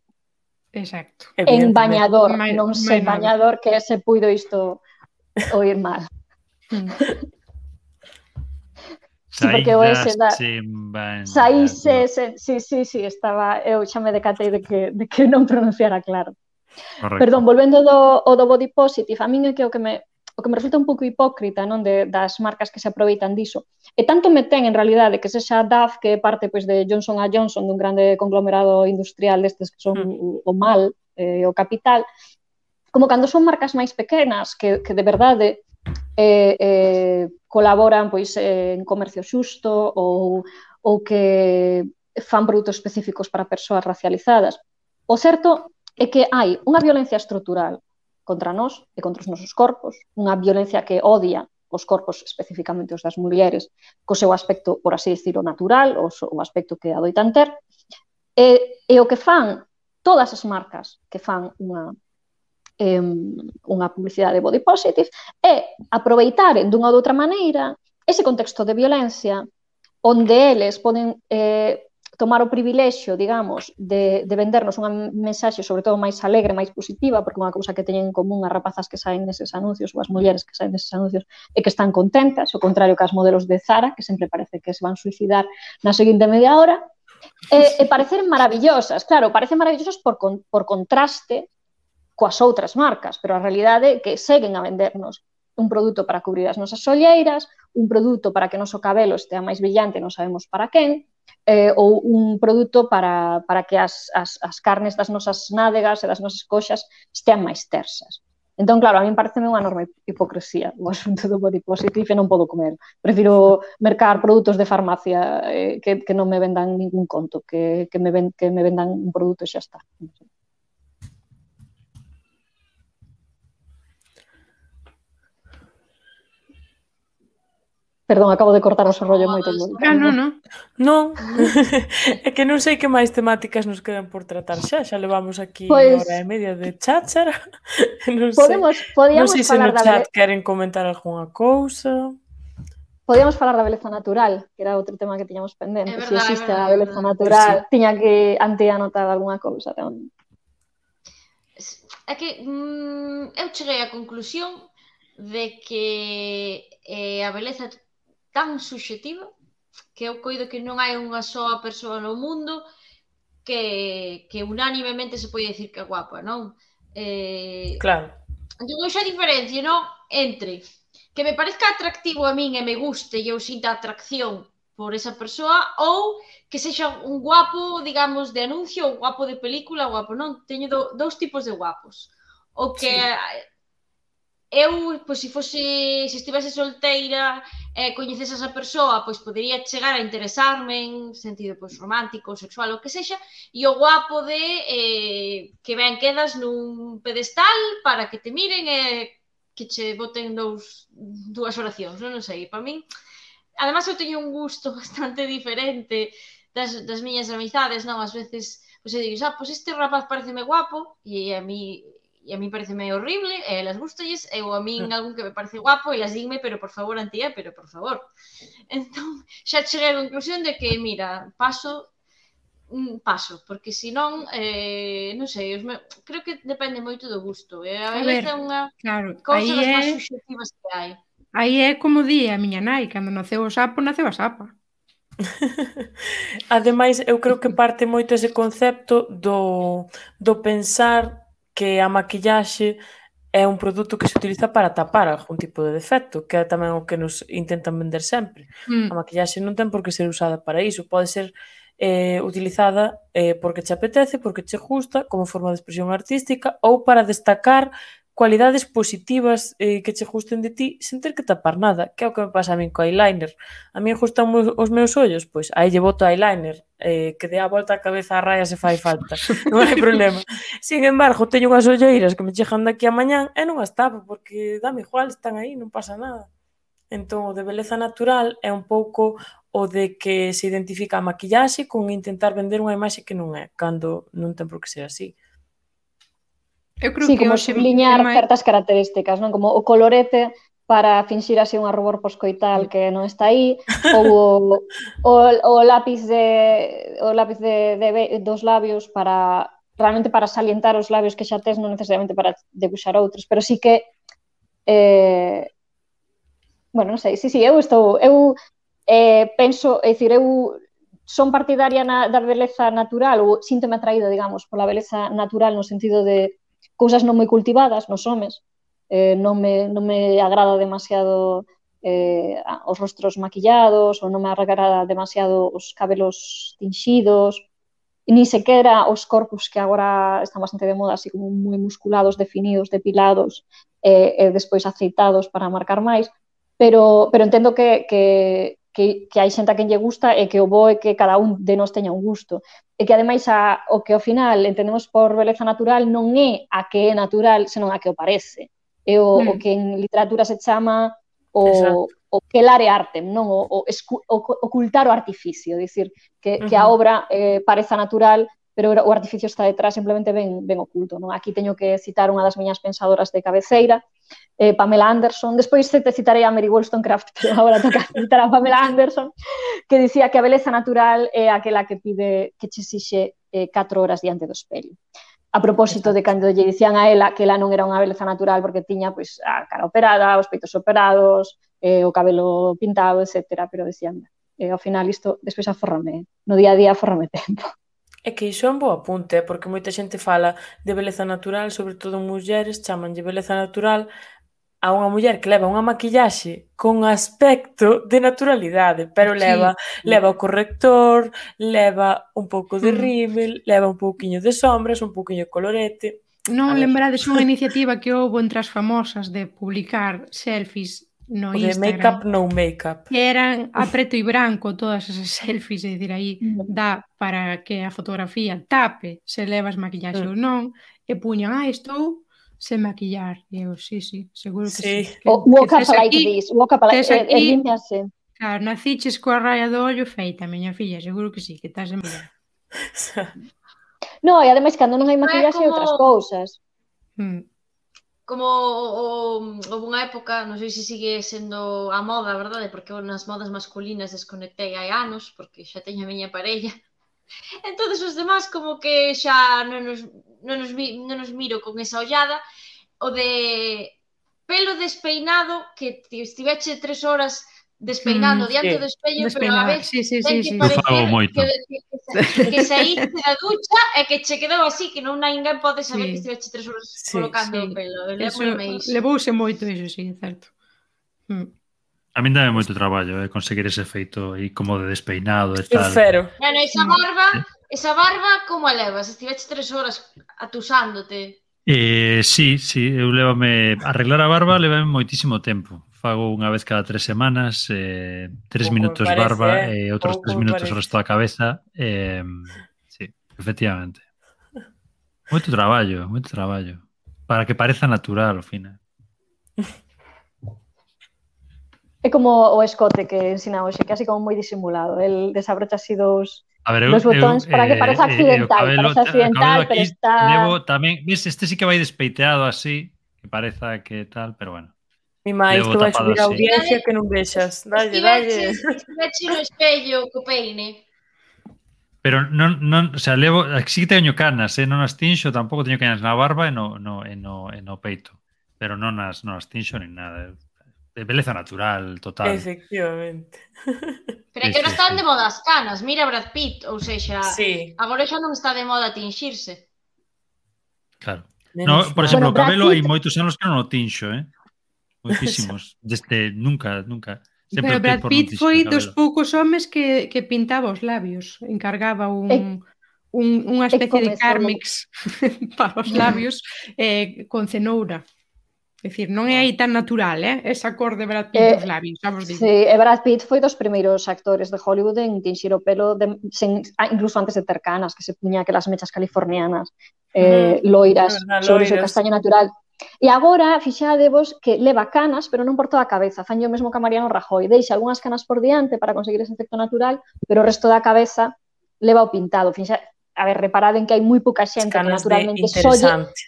[SPEAKER 2] Exacto.
[SPEAKER 4] En bañador,
[SPEAKER 2] my,
[SPEAKER 4] non sei bañador, que se puido isto oír mal. Sí, porque o ese da... Saíse, se, sí, sí, sí, estaba, eu xa me decatei de que, de que non pronunciara claro.
[SPEAKER 5] Correcto.
[SPEAKER 4] Perdón, volvendo do, o do body positive, a min é que o que me, o que me resulta un pouco hipócrita, non, de, das marcas que se aproveitan diso. E tanto me ten, en realidade, que sexa Dove, que é parte pois, de Johnson and Johnson, dun grande conglomerado industrial destes que son mm. o, o mal, eh, o capital, como cando son marcas máis pequenas, que, que de verdade eh, eh, colaboran pois, eh, en comercio xusto ou, ou que fan produtos específicos para persoas racializadas. O certo é que hai unha violencia estrutural contra nós e contra os nosos corpos, unha violencia que odia os corpos, especificamente os das mulleres, co seu aspecto, por así decirlo, natural, o, o aspecto que adoitan ter, e, e o que fan todas as marcas que fan unha, eh, unha publicidade body positive é aproveitaren dunha ou outra maneira ese contexto de violencia onde eles poden eh, tomar o privilexio, digamos, de, de vendernos unha mensaxe sobre todo máis alegre, máis positiva, porque unha cousa que teñen en común as rapazas que saen neses anuncios ou as mulleres que saen neses anuncios é que están contentas, ao contrario que as modelos de Zara, que sempre parece que se van suicidar na seguinte media hora, e, e parecen maravillosas, claro, parecen maravillosas por, con, por contraste coas outras marcas, pero a realidade é que seguen a vendernos un produto para cubrir as nosas olleiras, un produto para que o noso cabelo estea máis brillante, non sabemos para quen, eh, ou un produto para, para que as, as, as carnes das nosas nádegas e das nosas coxas estean máis tersas. Entón, claro, a mí pareceme unha enorme hipocresía o asunto do body positive e non podo comer. Prefiro mercar produtos de farmacia eh, que, que non me vendan ningún conto, que, que, me ven, que me vendan un produto e xa está. Perdón, acabo de cortar o rollo moito.
[SPEAKER 2] Ah, non, non.
[SPEAKER 3] Non, é que non sei que máis temáticas nos quedan por tratar xa, xa levamos aquí
[SPEAKER 4] pues,
[SPEAKER 3] hora e media de cháchara. Non
[SPEAKER 4] podemos,
[SPEAKER 3] sei,
[SPEAKER 4] podíamos
[SPEAKER 3] non sei se
[SPEAKER 4] falar
[SPEAKER 3] no
[SPEAKER 4] da
[SPEAKER 3] chat
[SPEAKER 4] bele...
[SPEAKER 3] queren comentar algunha cousa.
[SPEAKER 4] Podíamos falar da beleza natural, que era outro tema que tiñamos pendente.
[SPEAKER 6] É
[SPEAKER 4] Se
[SPEAKER 6] verdade,
[SPEAKER 4] existe
[SPEAKER 6] é verdade,
[SPEAKER 4] a beleza
[SPEAKER 6] é verdade.
[SPEAKER 4] natural, tiña que ante anotar algunha cousa tamén.
[SPEAKER 6] É que mm, eu cheguei á conclusión de que eh, a beleza é tan subxectiva que eu coido que non hai unha soa persoa no mundo que, que unánimemente se pode dicir que é guapa, non? Eh,
[SPEAKER 3] Claro.
[SPEAKER 6] entón eu xa diferencio, non? Entre que me parezca atractivo a min e me guste e eu sinta atracción por esa persoa ou que sexa un guapo, digamos, de anuncio ou guapo de película, guapo, non? Teño do, dous tipos de guapos. O que
[SPEAKER 3] Sí.
[SPEAKER 6] eu, pois, se fose, se estivese solteira e eh, coñecese esa persoa, pois podería chegar a interesarme en sentido pois romántico, sexual, o que sexa, e o guapo de eh, que ben quedas nun pedestal para que te miren e que che boten dous, dúas oracións, non, non sei, para min. Además, eu teño un gusto bastante diferente das, das miñas amizades, non? Ás veces, pois eu digo, ah, pois este rapaz pareceme guapo e a mí e a mí pareceme horrible, e elas gustalles, e ou a min algún que me parece guapo, e elas dinme, pero por favor, Antía, pero por favor. Entón, xa cheguei á conclusión de que, mira, paso, paso, porque senón, eh, non sei, os me... creo que depende moito do gusto. E a beleza é unha
[SPEAKER 2] claro,
[SPEAKER 6] cousa das
[SPEAKER 2] é...
[SPEAKER 6] máis subxectivas que hai.
[SPEAKER 2] Aí é como di a miña nai, cando naceu o sapo, naceu a sapa.
[SPEAKER 3] Ademais, eu creo que parte moito ese concepto do, do pensar que a maquillaxe é un produto que se utiliza para tapar algún tipo de defecto, que é tamén o que nos intentan vender sempre.
[SPEAKER 2] Mm.
[SPEAKER 3] A maquillaxe non ten por que ser usada para iso, pode ser eh, utilizada eh, porque che apetece, porque che gusta, como forma de expresión artística, ou para destacar cualidades positivas eh, que che gusten de ti sen ter que tapar nada, que é o que me pasa a min co eyeliner. A mí gustan os meus ollos, pois aí lle boto eyeliner, eh, que dé a volta a cabeza a raya se fai falta, non hai problema. Sin embargo, teño unhas olleiras que me chegan daqui a mañán e non as tapo, porque dame igual, están aí, non pasa nada. Entón, o de beleza natural é un pouco o de que se identifica a maquillaxe con intentar vender unha imaxe que non é, cando non ten por que ser así.
[SPEAKER 2] Eu creo
[SPEAKER 4] sí,
[SPEAKER 2] que
[SPEAKER 4] como
[SPEAKER 2] hoxe
[SPEAKER 4] subliñar
[SPEAKER 2] máis...
[SPEAKER 4] certas características, non? Como o colorete para finxir así unha rubor poscoital que non está aí, ou o, o, o lápiz de o lápiz de, de, dos labios para realmente para salientar os labios que xa tes, non necesariamente para debuxar outros, pero sí que eh, bueno, non sei, sí, sí, eu estou eu eh, penso, é dicir, eu son partidaria na, da beleza natural ou síntome atraído, digamos, pola beleza natural no sentido de cousas non moi cultivadas nos homes, eh, non, me, non me agrada demasiado eh, os rostros maquillados ou non me agrada demasiado os cabelos tinxidos, ni sequera os corpos que agora están bastante de moda, así como moi musculados, definidos, depilados e eh, eh, despois aceitados para marcar máis, pero, pero entendo que, que Que, que hai xente a quen lle gusta e que o bo é que cada un de nós teña un gusto. E que, ademais, a, o que ao final entendemos por beleza natural non é a que é natural, senón a que o parece. É o, mm. o que en literatura se chama o, o quelare artem, non? O, o, escu, o ocultar o artificio, dicir, que, uh-huh. que a obra eh, pareza natural, pero o artificio está detrás, simplemente ben, ben oculto, non? Aquí teño que citar unha das miñas pensadoras de cabeceira, Eh, Pamela Anderson, despois te citarei a Mary Wollstonecraft, pero agora toca citar a Pamela Anderson, que dicía que a beleza natural é aquela que pide que che sixe eh, catro horas diante do espello. A propósito Exacto. de cando lle dicían a ela que ela non era unha beleza natural porque tiña pois, a cara operada, os peitos operados, eh, o cabelo pintado, etcétera, pero decían, eh, ao final isto despois aforrame, no día a día aforrame tempo.
[SPEAKER 3] É que iso é un bo apunte, porque moita xente fala de beleza natural, sobre todo mulleres, chamanlle beleza natural a unha muller que leva unha maquillaxe con aspecto de naturalidade, pero sí. leva leva o corrector, leva un pouco de rímel, mm. leva un pouquiño de sombras, un pouquiño de colorete.
[SPEAKER 2] Non lembrades unha iniciativa que houve entre as famosas de publicar selfies no
[SPEAKER 3] o
[SPEAKER 2] Instagram.
[SPEAKER 3] De make-up, no make-up.
[SPEAKER 2] Que eran a preto e branco todas esas selfies, é dicir, aí dá para que a fotografía tape se levas maquillaxe mm. ou non, e puñan, ah, estou sen maquillar. E eu, sí, sí, seguro que sí. sí.
[SPEAKER 4] Que, o walk up like aquí, this, walk up like this, e limpiase.
[SPEAKER 2] Claro, naciches coa raya do ollo feita, miña filla, seguro que sí, que estás en maquillar.
[SPEAKER 4] No, e ademais, cando non hai maquillaxe, como... outras cousas.
[SPEAKER 6] Hmm. como o, o, unha época, non sei se sigue sendo a moda, verdade? Porque nas modas masculinas desconectei hai anos, porque xa teño a miña parella. Entonces os demás como que xa non nos, non nos, non nos miro con esa ollada. O de pelo despeinado, que estiveche tres horas despeinando
[SPEAKER 2] Mm,
[SPEAKER 6] diante
[SPEAKER 3] sí.
[SPEAKER 6] do espello, pero
[SPEAKER 2] Despeinada.
[SPEAKER 6] a vez
[SPEAKER 2] Sí, sí,
[SPEAKER 6] ten
[SPEAKER 2] sí,
[SPEAKER 6] que
[SPEAKER 2] sí.
[SPEAKER 5] Eu fago
[SPEAKER 6] parecer
[SPEAKER 5] moito.
[SPEAKER 6] que, que, que, que saíste da ducha e que che quedou así, que non ninguén pode saber
[SPEAKER 2] Sí.
[SPEAKER 6] que estiveche tres horas
[SPEAKER 3] Sí,
[SPEAKER 6] colocando
[SPEAKER 2] Sí.
[SPEAKER 6] o pelo.
[SPEAKER 2] Eso,
[SPEAKER 6] Lémbreme iso.
[SPEAKER 2] levouse moito iso, sí, é certo. Mm.
[SPEAKER 5] A min dame moito traballo eh, conseguir ese efeito aí como de despeinado e
[SPEAKER 3] Eu
[SPEAKER 5] tal.
[SPEAKER 3] cero.
[SPEAKER 6] Bueno, esa barba, esa barba como a levas? Estiveche tres horas atusándote.
[SPEAKER 5] Eh, sí, sí, eu levame arreglar a barba levame moitísimo tempo. Fago unha vez cada tres semanas, eh, tres
[SPEAKER 3] Pouco me
[SPEAKER 5] minutos
[SPEAKER 3] parece,
[SPEAKER 5] barba
[SPEAKER 3] eh?
[SPEAKER 5] e outros
[SPEAKER 3] Pouco
[SPEAKER 5] tres
[SPEAKER 3] me
[SPEAKER 5] minutos o
[SPEAKER 3] parece.
[SPEAKER 5] resto da cabeza. Eh, sí, efectivamente. Moito traballo, moito traballo. Para que pareza natural, ao final.
[SPEAKER 4] É como o escote que ensina hoxe, que é así como moi disimulado. El desabrocha así dos,
[SPEAKER 5] A ver, eu,
[SPEAKER 4] dos botóns
[SPEAKER 5] eu,
[SPEAKER 4] para que
[SPEAKER 5] eh,
[SPEAKER 4] pareza
[SPEAKER 5] eh, o
[SPEAKER 4] accidental.
[SPEAKER 5] cabelo,
[SPEAKER 4] Parece accidental,
[SPEAKER 5] o cabelo
[SPEAKER 4] pero
[SPEAKER 5] aquí
[SPEAKER 4] está...
[SPEAKER 5] levo tamén, ves, este sí que vai despeiteado así, que pareza que tal, pero bueno.
[SPEAKER 3] Mi máis,
[SPEAKER 5] Levo
[SPEAKER 3] que vai
[SPEAKER 5] tapado
[SPEAKER 3] subir a
[SPEAKER 5] así.
[SPEAKER 3] audiencia que non vexas. Dalle, dalle.
[SPEAKER 6] Estiveche no espello co peine.
[SPEAKER 5] Pero non, non, o sea, levo, sí que teño canas, eh, non as tinxo, tampouco teño canas na barba e no, no, e no, e no peito, pero non as, non as tinxo nin nada. De beleza natural, total.
[SPEAKER 3] Efectivamente.
[SPEAKER 6] Pero é
[SPEAKER 5] Sí,
[SPEAKER 6] que non
[SPEAKER 5] sí,
[SPEAKER 6] están
[SPEAKER 5] sí.
[SPEAKER 6] de moda as canas. Mira Brad Pitt, ou sexa,
[SPEAKER 3] Sí.
[SPEAKER 6] agora xa non está de moda tinxirse.
[SPEAKER 5] Claro.
[SPEAKER 3] Menos
[SPEAKER 5] No, por
[SPEAKER 3] mal.
[SPEAKER 5] exemplo,
[SPEAKER 4] Bueno,
[SPEAKER 5] o cabelo
[SPEAKER 4] Brad
[SPEAKER 5] hai
[SPEAKER 4] Pitt-
[SPEAKER 5] moitos anos que non o tinxo, eh? Moitísimos. Desde nunca, nunca. Sempre
[SPEAKER 2] Pero
[SPEAKER 5] optei
[SPEAKER 2] Brad
[SPEAKER 5] por non
[SPEAKER 2] Pitt
[SPEAKER 5] tinxer
[SPEAKER 2] foi
[SPEAKER 5] o
[SPEAKER 2] dos
[SPEAKER 5] cabelo.
[SPEAKER 2] poucos homes que, que pintaba os labios. Encargaba un,
[SPEAKER 4] E-
[SPEAKER 2] un, unha especie de
[SPEAKER 4] comezou-
[SPEAKER 2] Carmex para os labios eh, con cenoura. É dicir, non é aí tan natural, eh? Esa cor de Brad Pitt
[SPEAKER 4] Eh,
[SPEAKER 2] dos labios, xa vos digo.
[SPEAKER 4] Sí, e Brad Pitt foi dos primeiros actores de Hollywood en tinxir o pelo de, sen, ah, incluso antes de ter canas, que se puña aquelas mechas californianas eh,
[SPEAKER 3] Ujú.
[SPEAKER 4] loiras
[SPEAKER 3] É verdad,
[SPEAKER 4] sobre o seu
[SPEAKER 3] loiras.
[SPEAKER 4] castaño natural. E agora, fixadevos que leva canas, pero non por toda a cabeza. Fanlle o mesmo que a Mariano Rajoy. Deixa algunhas canas por diante para conseguir ese efecto natural, pero o resto da cabeza leva o pintado. Fixa, a ver, reparade en que hai moi pouca xente que
[SPEAKER 3] Canas de
[SPEAKER 4] naturalmente solle...
[SPEAKER 3] interesante.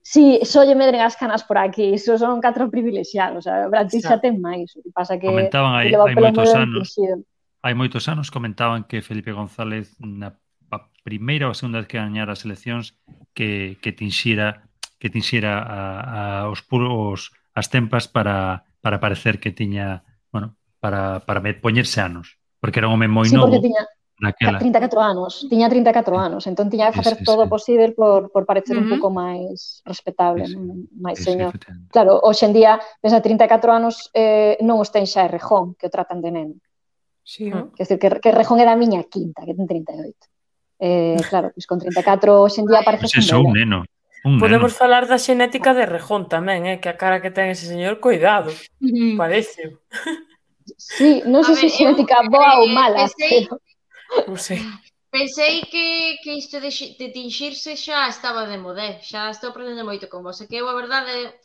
[SPEAKER 4] Sí, só lle medren as canas por aquí, iso son catro privilexiados, a Brad Pitt xa
[SPEAKER 3] Xa.
[SPEAKER 4] ten máis, o que pasa que,
[SPEAKER 5] Comentaban
[SPEAKER 4] que
[SPEAKER 5] hai,
[SPEAKER 4] leva o
[SPEAKER 5] hai
[SPEAKER 4] pelo
[SPEAKER 5] moitos
[SPEAKER 4] moi ben
[SPEAKER 5] anos,
[SPEAKER 4] tinxido.
[SPEAKER 5] hai moitos anos comentaban que Felipe González na a primeira ou a segunda vez que gañara as eleccións que, que tinxira que tinxira a, a os puros as tempas para, para parecer que tiña, bueno, para, para me poñerse anos, porque era un home moi
[SPEAKER 4] Sí,
[SPEAKER 5] novo
[SPEAKER 4] porque tiña
[SPEAKER 5] naquela.
[SPEAKER 4] trinta e catro anos, tiña trinta e catro anos, entón tiña que
[SPEAKER 5] Sí,
[SPEAKER 4] facer
[SPEAKER 5] sí,
[SPEAKER 4] todo o
[SPEAKER 5] sí.
[SPEAKER 4] posible por, por parecer un
[SPEAKER 2] Ujú.
[SPEAKER 4] pouco máis respetable,
[SPEAKER 5] Sí, sí.
[SPEAKER 4] non? máis
[SPEAKER 5] Sí, sí,
[SPEAKER 4] señor.
[SPEAKER 5] efectivamente.
[SPEAKER 4] Claro, hoxe en día, pensa, trinta e catro anos eh, non os ten xa Errejón, que o tratan de neno.
[SPEAKER 2] Sí, oh.
[SPEAKER 4] Quer dizer, que, que Errejón é da miña quinta, que ten trinta e oito. Eh, claro, pois con trinta e catro hoxe en día parece
[SPEAKER 5] Pois eso, un neno. Un
[SPEAKER 3] Podemos
[SPEAKER 5] neno.
[SPEAKER 3] falar da xenética de Rejón tamén, eh? Que a cara que ten ese señor, cuidado.
[SPEAKER 2] Mm.
[SPEAKER 3] Parece.
[SPEAKER 4] Sí, non
[SPEAKER 6] A
[SPEAKER 4] sei se
[SPEAKER 6] ver,
[SPEAKER 4] xenética
[SPEAKER 6] eu,
[SPEAKER 4] boa ou
[SPEAKER 6] eh,
[SPEAKER 4] mala,
[SPEAKER 6] pensei-
[SPEAKER 4] pero...
[SPEAKER 3] Non sei.
[SPEAKER 6] Pensei que, que isto de, xi- de tinxirse xa estaba de modé, xa estou aprendendo moito con vos, e que eu a verdade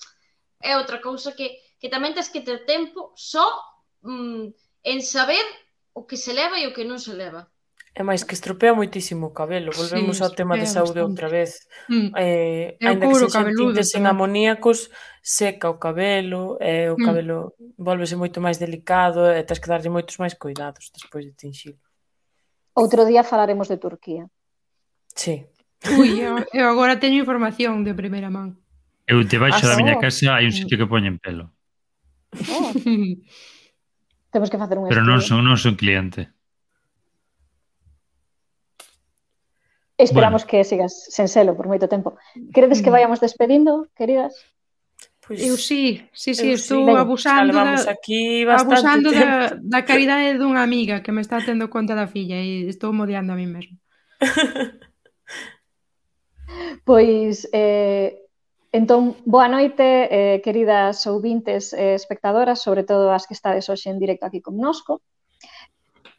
[SPEAKER 6] é outra cousa que, que tamén tens que ter tempo só mm, en saber o que se leva e o que non se leva.
[SPEAKER 3] É máis que estropea moitísimo o cabelo. Volvemos
[SPEAKER 2] Sí,
[SPEAKER 3] ao tema de
[SPEAKER 2] estropea
[SPEAKER 3] saúde
[SPEAKER 2] bastante.
[SPEAKER 3] outra vez.
[SPEAKER 2] Mm.
[SPEAKER 3] Eh,
[SPEAKER 2] E o
[SPEAKER 3] ainda que
[SPEAKER 2] couro
[SPEAKER 3] sexan
[SPEAKER 2] cabeludo
[SPEAKER 3] tintes en
[SPEAKER 2] tamén.
[SPEAKER 3] amoníacos, seca o cabelo, e o
[SPEAKER 2] Mm.
[SPEAKER 3] cabelo volvese moito máis delicado e tens que darlle moitos máis cuidados despois de tinxilo.
[SPEAKER 4] Outro día falaremos de Turquía.
[SPEAKER 3] Sí.
[SPEAKER 2] Ui, eu, eu agora teño información de primeira man.
[SPEAKER 5] Eu debaixo
[SPEAKER 3] Ah,
[SPEAKER 5] da miña
[SPEAKER 4] sí?
[SPEAKER 5] casa hai un sitio que poñen pelo,
[SPEAKER 4] Oh, temos que facer un
[SPEAKER 5] pero non
[SPEAKER 4] estudio.
[SPEAKER 5] son non son cliente.
[SPEAKER 4] Esperamos que sigas sen selo por moito tempo. Queredes que
[SPEAKER 2] Mm.
[SPEAKER 4] vayamos despedindo, queridas?
[SPEAKER 3] Pois,
[SPEAKER 2] Eu sí, sí, sí,
[SPEAKER 3] eu
[SPEAKER 2] estou
[SPEAKER 3] sí.
[SPEAKER 2] abusando
[SPEAKER 3] Xa levamos
[SPEAKER 2] da,
[SPEAKER 3] aquí bastante
[SPEAKER 2] abusando
[SPEAKER 3] tempo.
[SPEAKER 2] da, da caridade dunha amiga que me está tendo conta da filla e estou modiando a mí mesmo.
[SPEAKER 4] Pois, eh, entón, boa noite, eh, queridas ouvintes e espectadoras, sobre todo as que estades hoxe en directo aquí connosco.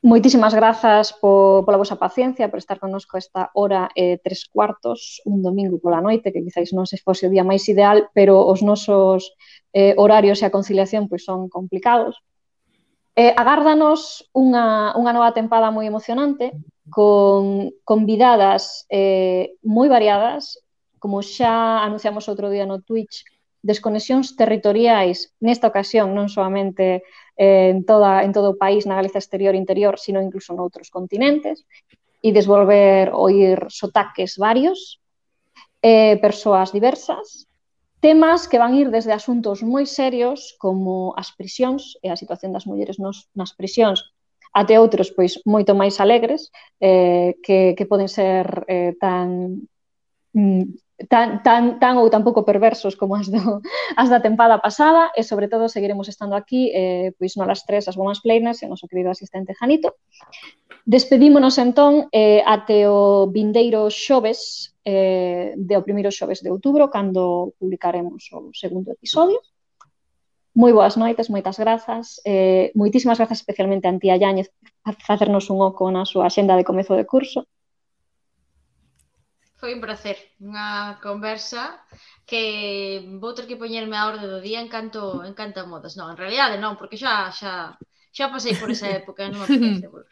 [SPEAKER 4] Moitísimas grazas po, pola vosa paciencia, por estar connosco esta hora e eh, tres cuartos, un domingo pola noite, que quizáis non se fose o día máis ideal, pero os nosos eh, horarios e a conciliación pois son complicados. Eh, agárdanos unha, unha nova tempada moi emocionante, con convidadas eh, moi variadas, como xa anunciamos outro día no Twitch, desconexións territoriais, nesta ocasión non solamente eh, en, toda, en todo o país, na Galiza exterior e interior, sino incluso noutros continentes, e desvolver oír sotaques varios, eh, persoas diversas, temas que van ir desde asuntos moi serios como as prisións e a situación das mulleres nos, nas prisións, até outros pois moito máis alegres, eh, que, que poden ser eh, tan, tan, tan, tan ou tan pouco perversos como as, do, as da tempada pasada, e sobre todo seguiremos estando aquí eh, pois no las tres as Women's Planers e o noso querido asistente Janito. Despedímonos entón eh, até o vindeiro xoves, eh, de o primeiro xoves de outubro, cando publicaremos o segundo episodio. Moi boas noites, moitas grazas. Eh, moitísimas grazas especialmente a Antía Yáñez por facernos un oco na súa axenda de comezo de curso.
[SPEAKER 6] Foi un placer, unha conversa que vou ter que poñerme a orde do día en canto, en canto a modas. Non, en realidade non, porque xa xa, xa pasei por esa época, non me apetece volver.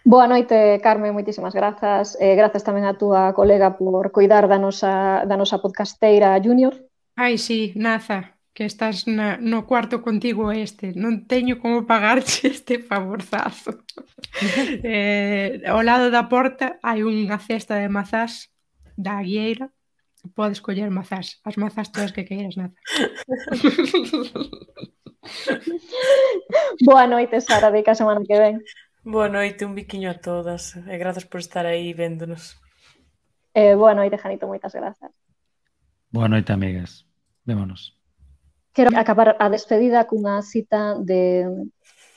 [SPEAKER 4] Boa noite, Carmen, moitísimas grazas. Eh, grazas tamén a túa colega por coidar da nosa, da nosa podcasteira Junior.
[SPEAKER 2] Ai, sí, Naza, que estás na, no cuarto contigo este. Non teño como pagarte este favorzazo. eh, ao lado da porta hai unha cesta de mazás da Aguieira. Podes coller mazás, as mazás todas que queiras, Naza.
[SPEAKER 4] Boa noite, Sara, de que a semana que ven.
[SPEAKER 3] Boa noite, un biquiño a todas e grazas por estar aí véndonos.
[SPEAKER 4] Eh, boa noite, Janito, moitas grazas.
[SPEAKER 5] Boa noite, amigas. Vémonos.
[SPEAKER 4] Quero acabar a despedida cunha cita de,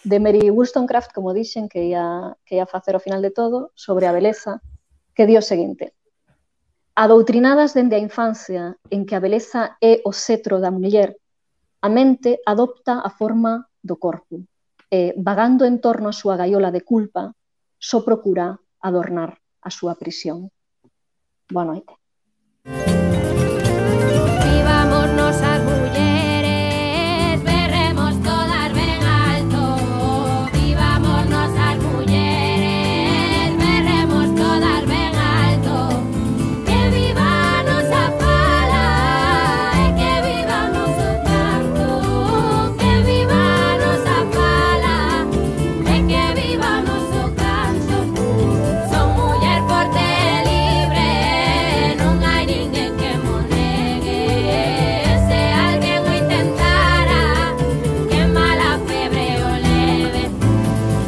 [SPEAKER 4] de Mary Wollstonecraft, como dixen, que ia, que ia facer ao final de todo, sobre a beleza, que di o seguinte: adoutrinadas dende a infancia en que a beleza é o cetro da muller, a mente adopta a forma do corpo e, vagando en torno a súa gaiola de culpa, só procura adornar a súa prisión. Boa noite.
[SPEAKER 7] Vivámonos as mulleres, berremos todas ben alto. Vivámonos as mulleres, berremos todas ben alto. Que viva a nosa fala e que viva o noso canto. Que viva a nosa fala e que viva o noso canto. Son muller forte e libre, non hai ninguén que mo negue. Se alguén o intentara, que mala febre o leve,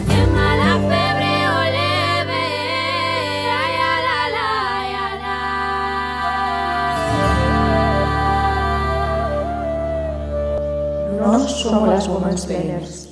[SPEAKER 7] que mala febre o leve. Ai, ala, ala, ai, ala.
[SPEAKER 1] Nós somos as Women's Planers.